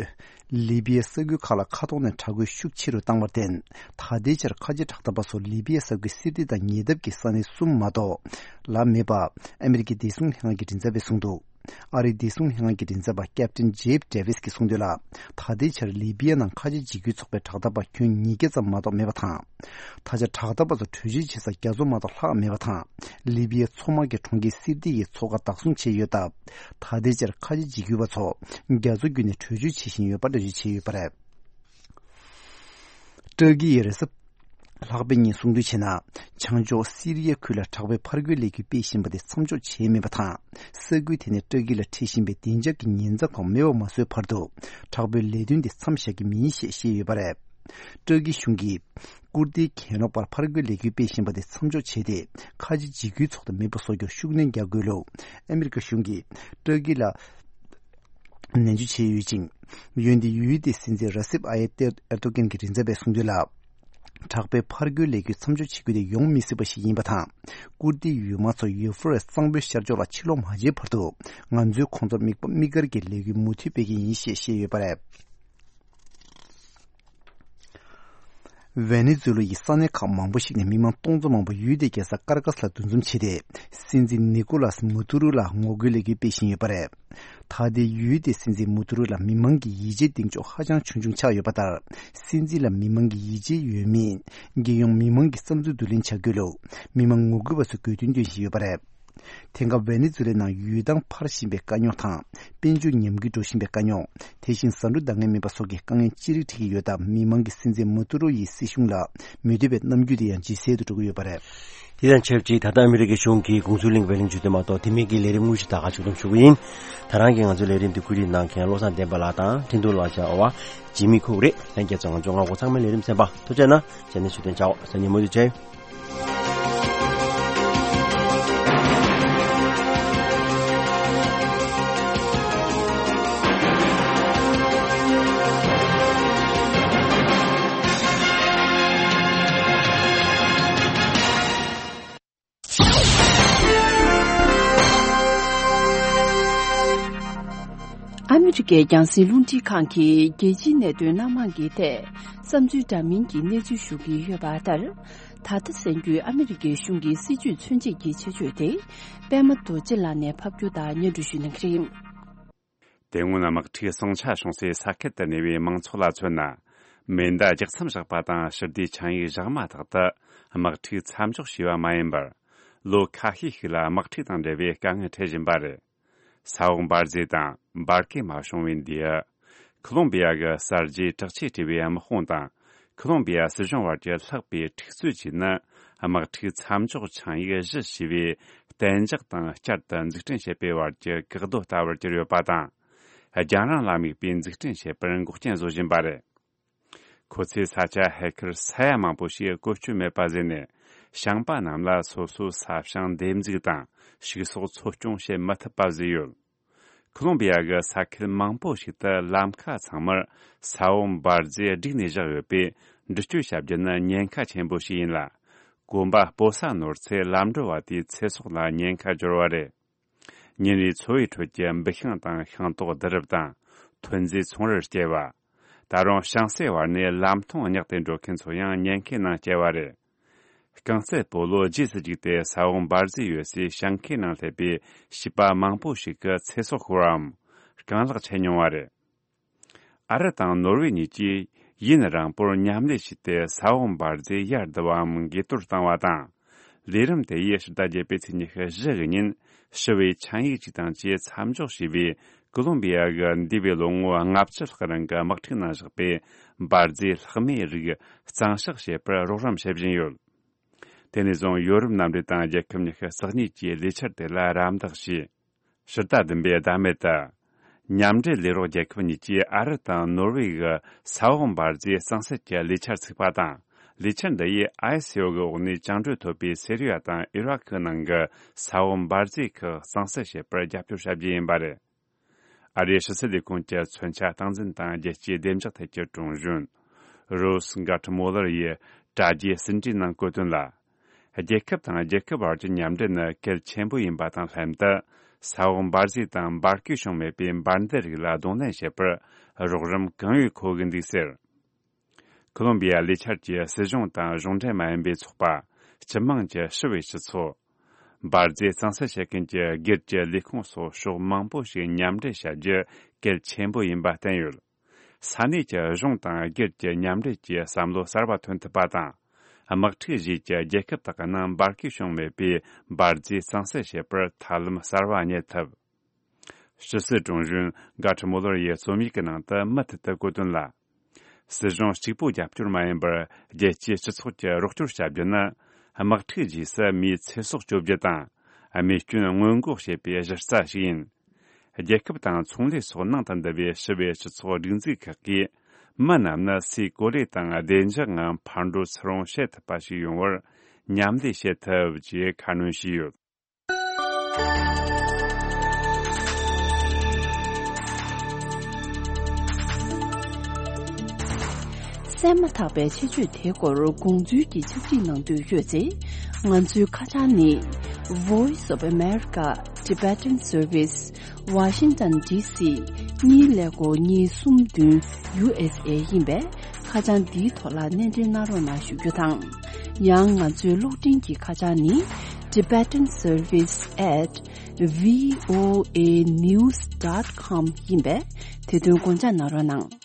ལི་བི་ཡའི་ས་ཁུལ་ཁག་ལ་མཁའ་ཐོག་ནས་དྲག་རྒོལ་ཤུགས་ཆེ་རུ་བཏང་བར་བརྟེན། ད་ལྟའི་ཆར་ཁ་ཆེ་དྲག་འཐབ་པ་ཚོ་ལི་བི་ཡའི་ས་ཁུལ་སིར་ཏི་དང་ཉེ་འདབས་ཀྱི་ས་གནས་གསུམ་མ་གཏོགས་ལ་མེད་པ་ཨ་མི་རི་ཀའི་བདེ་སྲུང་ལྷན་ཁང་གི་མགྲིན་ཚབ་པས་གསུངས་འདུག་ཨ་རིའི་བདེ་སྲུང་ལྷན་ཁང་གི་མགྲིན་ཚབ་པ་ཀེབ་ཏིན་ཇེབ་ཌེ་ཝིས་ཀྱིས་གསུངས་དོན་ལ། ད་ལྟའི་ཆར་ལི་བི་ཡ་ནང་ཁ་ཆེ་འཇིགས་སྐུལ་ཚོགས་པའི་དྲག་འཐབ་པ་ཁྱོན་ཉིས་བརྒྱ་ཙམ་མ་གཏོགས་མེད་པ་དང་། ད་ཆ་དྲག་འཐབ་པ་ཚོ་བྲོས་བྱོལ་བྱེད་ས་རྒྱ་མཚོ་མ་གཏོགས་ལྷག་མེད་པ་དང་། ལི་བི་ཡའི་མཚོ་དམག་གིས་གྲོང་ཁྱེར་སིར་ཏི་ཡི་མཚོ་ཁ་བདག་བཟུང་བྱས་ཡོད་སྟབས། ད་ལྟའི་ཆར་ཁ་ཆེ་འཇིགས་སྐུལ་བ་ཚོ་རྒྱ་མཚོ་བརྒྱུད་ནས་བྲོས་བྱོལ་བྱེད་བཞིན་ཡོད་པ་འགྲེལ་བརྗོད་བྱས་ཡོད་པ་རེད། ཏུར་ཀི་ཡིས་རེས་གཟའ་ལྷག་པའི་ཉིན་གསུངས་དོན་བྱས་ན། བྱང་ཕྱོགས་སི་རི་ཡའི་ཁུལ་ལ་དྲག་པོའི་ཕར་རྒོལ་ལས་འགུལ་སྤེལ་བཞིན་པ་དེ་མཚམས་འཇོག་བྱས་མེད་པ་དང་། ས་ཁུལ་དེ་ནས་ཏུར་ཀི་ལ་འཁྲིད་བཞིན་པའི་བདེ་འཇགས་ཀྱི་ཉེན་ཚབས་ཁག་མེད་པ་མ་བཟོས་བར་དུ། དྲག་པོའི་ལས་དོན་དེ་མཚམས་བཞག་གི་མིན་ཞེས་བཤད་ཡོད་པ་རེད། ཏུར་ཀི་གཞུང་གིས། ཀུར་ཏིའི་གྱེན་ལོག་པར་ཕར་རྒོལ་ལས་འགུལ་སྤེལ་བཞིན་པ་དེ་མཚམས་འཇོག་བྱས་ཏེ། ཁ་ཆེ་འཇིགས་སྐུལ་ཚོགས་དང་མེད་པ་བཟོ་རྒྱུར་ཤུགས་སྣོན་རྒྱག་དགོས་ལུགས། ཨ་མི་རི་ཀ་གཞུང་གིས་ཏུར་ཀི་ལ་ནན་བརྗོད་བྱས་ཡོད་ཅིང་། འོན་ཏེ་ཡུལ་དེའི་སྲིད་འཛིན་ར་སེབ་ཨ་ཡེབ་ཏེ་ཨེར་ཏོ་གྷན་གྱི་མགྲིན་ཚབ་པས་གསུངས་དོན་ལ། དྲག་པོའི་ཕར་རྒོལ་ལས་འགུལ་མཚམས་འཇོག་བྱེད་རྒྱུ་དེ་ཡོང་མི་སྲིད་པ་ཞིག་ཡིན་པ་དང་། ཀུར་ཏིའི་ཡུལ་དམག་ཚོ་ཡུ་ཕུ་རེ་སི་གཙང་པོའི་ཤར་ཕྱོགས་ལ་ཕྱིར་ལོག་མ་བྱས་བར་དུ། ང་ཚོས་ཁོང་ཚོར་དམིགས་པ་དམིགས་བཀར་གྱི་ལས་འགུལ་མུ་མཐུད་སྤེལ་གྱི་ཡིན་ཞེས་བཤད་ཡོད་པ་རེད། ཝེ་ནེ་ཛུ་ལ་ཡི་ས་གནས་ཁག་མང་པོ་ཞིག་ནས་མི་མང་སྟོང་ཚོ་མང་པོ་ཡུལ་དེའི་རྒྱལ་ས་ཀར་ཀ་སི་ལ་འདུ་འཛོམས་བྱས་ཏེ། སྲིད་འཛིན་ནི་ཀོ་ལ་སི་མུ་ཏུ་རུ་ལ་ངོ་རྒོལ་ལས་འགུལ་སྤེལ་བཞིན་ཡོད་པ་རེད། ད་ལྟའི་ཡུལ་དེའི་སྲིད་འཛིན་མུ་ཏུ་རུ་ལ་མི་མང་གི་ཡིད་ཆེས་གདེང་འཇོག་ཧ་ཅང་ཆུང་ཆུང་ཆགས་ཡོད་པ་ལྟར། སྲིད་འཛིན་ལ་མི་མང་གི་ཡིད་ཆེས་ཡོད་མེད། རྒྱལ་ཡོངས་མི་མང་གི་བསམ་ཚུལ་བསྡུ་ལེན་བྱ་དགོས་ལུགས། མི་མང་ངོ་རྒོལ་བ་ཚོས་དགོས་འདུན་འདོན་བཞིན་ཡོད་པ་རེད། དེང་སྐབས་ཝེ་ནེ་ཛུ་ལའི་ནང་ཡུལ་ཐང་འཕར་བཞིན་པའི་དཀའ་རྙོག་དང་། དཔལ་འབྱོར་ཉམས་རྒུད་འགྲོ་བཞིན་པའི་དཀའ་རྙོག་དེ་བཞིན་ཟ་འབྲུ་འདང་ངེས་མེད་པ་སོགས་ཀྱི་དཀའ་ངལ་ཅི་རིགས་འཕྲད་ཀྱི་ཡོད་སྟབས། མི་མང་གིས་སྲིད་འཛིན་མུ་ཏུ་རུ་ཡི་སྲིད་གཞུང་ལ་མོས་མཐུན་པའི་རྣམ་འགྱུར་དེ་ཡང་ཇེ་གསལ་དུ་འགྲོ་གི་ཡོད་པ་རེད། དེ་དང་ཆབས་ཅིག་ད་ལྟ་ཨ་མི་རི་ཀའི་གཞུང་གིས་དགོངས་ཚུལ་གླེང་བའི་གླེང་བརྗོད་དེ་མ་གཏོགས་དེ་མིན་གྱི་ལས་རིམ་དངོས་གཞི་ད་ག་ཞིག་སྡོམ་ཞུ་གི་ཡིན། ད་རང་གིས་ང་ཚོའི་ལས་རིམ་དེ་བཀོད་སྒྲིག་གནང་མཁན་བློ་བཟང་བསྟན་པ་ལགས་དང་འཕྲིན་གཏོང་ལག་ཆ་འོ་བ་འཇིགས་མེད་ཁུག་རེད། ལྷན་རྒྱས་ཚོ་ང་ཚོ་ང་གོ་ཚང་མའི་ལས་རིམ་གསན་པ་ཐུགས་རྗེ་གནང་། རྗེས་ནས་ཞུ་དོན་བྱའོ། སང་ཉིན་མུ་མཐུད་བྱས། ཨ་མི་རི་ཀའི་རྒྱང་སྲིང་རླུང་འཕྲིན་ཁང་གིས་རྒྱལ་སྤྱིའི་གནད་དོན་སྣ་མང་གི་ཐད་བསམ་ཚུལ་འདྲ་མིན་གྱི་གནས་ཚུལ་ཞུ་གི་ཡོད་པ་ལྟར། ད་ལྟ་གསན་རྒྱུའི་ཨ་མི་རི་ཀའི་གཞུང་གི་སྲིད་བྱུས་མཚོན་བྱེད་ཀྱི་ཆེད་བརྗོད་དེ། པད་མ་རྡོ་རྗེ་ལགས་ནས་ཕབ་སྒྱུར་དང་སྙན་སྒྲོན་ཞུ་གནང་གི་རེད། དེ་སྔོན་དམག་འཁྲུག་ཟིང་ཆ་བྱུང་སའི་ས་ཁུལ་དུ་གནས་པའི་མང་ཚོགས་ལ་མཚོན་ན། མེ་མདའ་ལྗགས་མཚམས་བཞག་པ་དང་ཞི་བདེའི་ཆིངས་ཡིག་བཞག་མ་ཐག་ཏུ་དམག་འཁྲུག་མཚམས་འཇོག་བྱས་པ་མ་ཡིན་པར། ལོ་ཁ་ཤས་ཤིག་ལ་དམག་འཁྲུག་དང་འབྲེལ་བའི་དཀའ་ངལ་འཕྲད་བཞིན་པ་རེད། ས་འོག་འབར་རྫས་དང་འབར་གས་མ་བྱུང་བའི་འདི་ཡི། ཁོ་ལོམ་བི་ཡ་གི་གསར་བརྗེའི་དྲག་ཆས་སྤྲས་པའི་དམག་དཔུང་དང་། ཁོ་ལོམ་བི་ཡ་སྲིད་གཞུང་བར་གྱི་ལྷག་པའི་འཁྲུག་རྩོད་ཀྱིས་ནི། དམག་འཁྲུག་མཚམས་འཇོག་ཆིངས་ཡིག་བཞི་ཞེས་པའི་གཏན་འཇགས་དང་བསྐྱར་དུ་འཛུགས་སྐྲུན་བྱེད་པའི་བར་གྱི་བཀག་རྡོ་ལྟ་བུར་གྱུར་ཡོད་པ་དང་། རྒྱང་རིང་ལ་དམིགས་པའི་འཛུགས་སྐྲུན་བྱེད་པར་འགོག་རྐྱེན་བཟོ་བཞིན་པ་རེད། ཁོ་ཚོས་ས་ཆ་ཧེ་ཁར་ས་ཡ་མང་པོ་ཞིག་བཀོལ་སྤྱོད་མེད་པ་བཟོས་ནས། ཞིང་པ་རྣམས་ལ་སོ་སོའི་ས་ཞིང་འདེབས་འཛུགས་དང་ཕྱུགས་ཟོག་འཚོ་སྐྱོང་བྱེད་མི་ཐུབ་པ་བཟོས་ཡོད། ཁོ་ལོམ་བི་ཡ་གི་ས་ཁུལ་མང་པོ་ཞིག་ཏུ་ལམ་ཁ་ཚང་མར་ས་འོག་འབར་རྫས་བསྒྲིགས་ནས་བཞག་ཡོད་པས། འགྲུལ་སྐྱོད་བྱ་རྒྱུ་ནི་ཉེན་ཁ་ཆེན་པོ་ཞིག་ཡིན་ལ། གོམ་པ་སྤོ་ས་ནོར་ཚེ་ལམ་འགྲོ་བ་དེའི་ཚེ་སྲོག་ལ་ཉེན་ཁ་འབྱོར་བ་རེད། ཉིན་རེའི་འཚོ་བའི་ཁྲོད་ཀྱི་འབུད་ཤིང་དང་ཤིང་ཏོག་བསྡུ་རུབ་དང་ཐོན་རྫས་ཚོང་རར་བསྐྱལ་བ། ད་རུང་ཞིང་སའི་བར་ནས་ལམ་མཐོང་བསྙེགས་ཏེ་འགྲོ་མཁན་ཚོ་ཡང་ཉེན་ཁའི་ནང་སྐྱེལ་བ་རེད། རྐང་རྩེད་སྤོ་ལོ་རྗེས་སུ་བརྒྱུགས་ཏེ་ས་འོག་འབར་རྫས་ཡོད་སའི་ཞིང་ཁའི་ནང་སླེབས་པའི་བྱིས་པ་མང་པོ་ཞིག་གི་ཚེ་སྲོག་ཤོར་བའམ་རྐང་ལག་ཆད་མྱོང་བ་རེད། ཨ་རི་དང་ནོར་ཝེ་གཉིས་ཀྱིས་ཡུན་རིང་པོར་མཉམ་ལས་བྱས་ཏེ་ས་འོག་འབར་རྫས་ཡར་བསྡུ་བའམ་འགས་གཏོར་བཏང་བ་དང་། ལས་རིམ་དེ་ཡིས་ཕྱི་ཟླ་བརྒྱད་པའི་ཚེས་ཉི་ཤུ་བཞི་གི་ཉིན་ཞི་བའི་ཆིངས་ཡིག་ཅིག་དང་བཅས་མཚམས་འཇོག་བྱས་པའི་ཀོ་ལོམ་བི་ཡ་གི་འདས་པའི་ལོ་ངོ་ལྔ་བཅུ་ལྷག་རིང་གི་དམག་འཁྲུག་ནང་བཞག་པའི་འབར་རྫས་ལྷག་མེད་རིགས་གཙང་བཤགས་བྱེད་པར་རོགས་རམ་བྱེད་བཞིན་ཡོད། དེ་ནས་བཟུང་ཡོ་རོབ་མནའ་འབྲེལ་དང་རྒྱལ་ཁབ་ཉི་ཤུ་རྩ་གཉིས་ཀྱིས་ལས་འཆར་དེ་ལ་རམ་འདེགས་བྱས། ཕྱི་ཟླ་བདུན་པའི་ཟླ་སྨད་དུ། མཉམ་འབྲེལ་ལས་རོགས་རྒྱལ་ཁབ་གཉིས་ཀྱིས་ཨ་རི་དང་ནོར་ཝེ་ཡི་ས་འོག་འབར་རྫས་གཙང་སེལ་གྱི་ལས་འཆར་ཚུགས་པ་དང་། ལས་འཆར་འདི་ཡིས་ཨའི་སི་ཡོ་གི་འོག་ནས་བཅིངས་འགྲོལ་ཐོབ་པའི་སི་རི་ཡ་དང་ཨི་རག་གི་ནང་གི་ས་འོག་འབར་རྫས་ཁག་གཙང་སེལ་བྱེད་པར་རྒྱབ་སྐྱོར་བྱ་རྒྱུ་ཡིན་པ་རེད། ཨ་རིའི་ཕྱི་སྲིད་ལས་ཁུངས་ཀྱི་མཚོན་ཆ་སྟངས་འཛིན་དང་རྒྱལ་སྤྱིའི་བདེ་འཇགས་ཐད་ཀྱི་དྲུང་གཞོན། རོས་གྷ་ཏི་མོ་ལར་ཡིས་དྲ་རྒྱའི་ཟིན་བྲིས་ནང་བཀོད་དོན་ལ། རྒྱལ་ཁབ་དང་རྒྱལ་ཁབ་བར་གྱི་མཉམ་འབྲེལ་ནི་གལ་ཆེན་པོ་ཡིན་པ་དང་ལྷན་དུ། ས་འོག་འབར་རྫས་དང་འབར་གས་བྱུང་མེད་པའི་འབར་མདེལ་རིགས་ལ་གདོང་ལེན་བྱེད་པར་རོགས་རམ་གང་ཡོད་མཁོ་གི་འདུག་ཟེར། ཁོ་ལོམ་བི་ཡ་ལས་འཆར་གྱིས་སྲིད་གཞུང་དང་གཞུང་འབྲེལ་མ་ཡིན་པའི་ཚོགས་པ། སྤྱི་དམངས་ཀྱི་ཞི་བའི་སྤྱི་ཚོགས། འབར་རྫས་གཙང་སེལ་བྱེད་མཁན་གྱི་སྒེར་གྱི་ལས་ཁུངས་སོགས་ཕྱོགས་མང་པོ་ཞིག་མཉམ་འབྲེལ་བྱ་རྒྱུ་གལ་ཆེན་པོ་ཡིན་པ་བསྟན་ཡོད། ས་གནས་ཀྱི་གཞུང་དང་སྒེར་གྱི་མཉམ་འབྲེལ་གྱིས་བསམ་བློ་གསར་བ་ཐོན་ཐུབ་པ་དང་། དམག་འཁྲུག་རྗེས་ཀྱི་རྒྱལ་ཁབ་དག་གི་ནང་འབར་གས་བྱུང་མེད་པའི་འབར་རྫས་གཙང་སེལ་བྱེད་པར་ཐབས་ལམ་གསར་བ་རྙེད་ཐུབ། ཕྱི་སྲིད་དྲུང་གཞོན་གྷ་ཏི་མོ་ལར་ཡིས་རྩོམ་ཡིག་གི་ནང་དུ་མུ་མཐུད་དུ་བཀོད་དོན་ལ། སྲིད་གཞུང་གཅིག་པུ་རྒྱབ་སྐྱོར་མ་ཡིན་པར་རྒྱལ་སྤྱིའི་སྤྱི་ཚོགས་ཀྱིས་རོགས་སྐྱོར་བྱ་རྒྱུ་ནི། དམག་འཁྲུག་རྗེས་སུ་མིའི་ཚེ་སྲོག་གཅོད་རྒྱུ་དང་། རྨས་སྐྱོན་སྔོན་འགོག་བྱེད་པའི་གཞི་རྩ་ཞིག་ཡིན། རྒྱལ་ཁབ་དང་ཚོང་ལས་སོགས་ནང་དུ་འདུ་བའི་ཞི་བའི་སྤྱི་ཚོགས་སྒྲིག་འཛུགས་ཁག་གིས། མི་རྣམས་ནི་སའི་གོ་ལའི་སྟེང་བདེ་འཇགས་ངང་ཕར་འགྲོ་ཚུར་འོང་བྱེད་ཐུབ་པ་ཞིག་ཡོང་བར་མཉམ་ལས་བྱེད་ཐུབ་ཅེས་ཁ་སྣོན་བྱས་ཡོད། གསན་མ་ཐག་པའི་ཆེད་བརྗོད་དེའི་སྐོར་དགོངས་ཚུལ་གྱི་ཕྱག་བྲིས་གནང་འདོད་ཡོད་ཚེ། ང་ཚོའི་ཁ་བྱང་ནི། Voice of America Tibetan Service, Washington D C གཉིས་ཀླད་ཀོར་གཉིས་གསུམ་བདུན་U S A ཡིན་པས། ཁ་བྱང་འདིའི་ཐོག་ལ་སྣེ་འདྲེན་གནང་རོགས་གནང་ཞུ་རྒྱུ་དང་། ཡང་ང་ཚོའི་གློག་འཕྲིན་གྱི་ཁ་བྱང་ནི། Tibetan Service at V O A news dot com ཡིན་པས། དེ་དོན་དགོངས་འཇགས་གནང་རོགས་གནང་།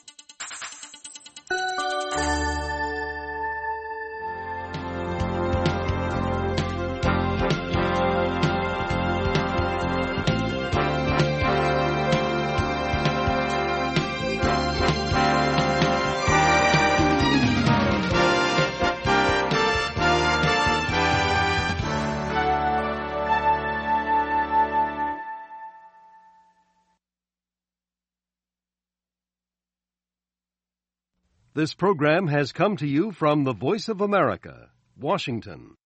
This program has come to you from the Voice of America, Washington.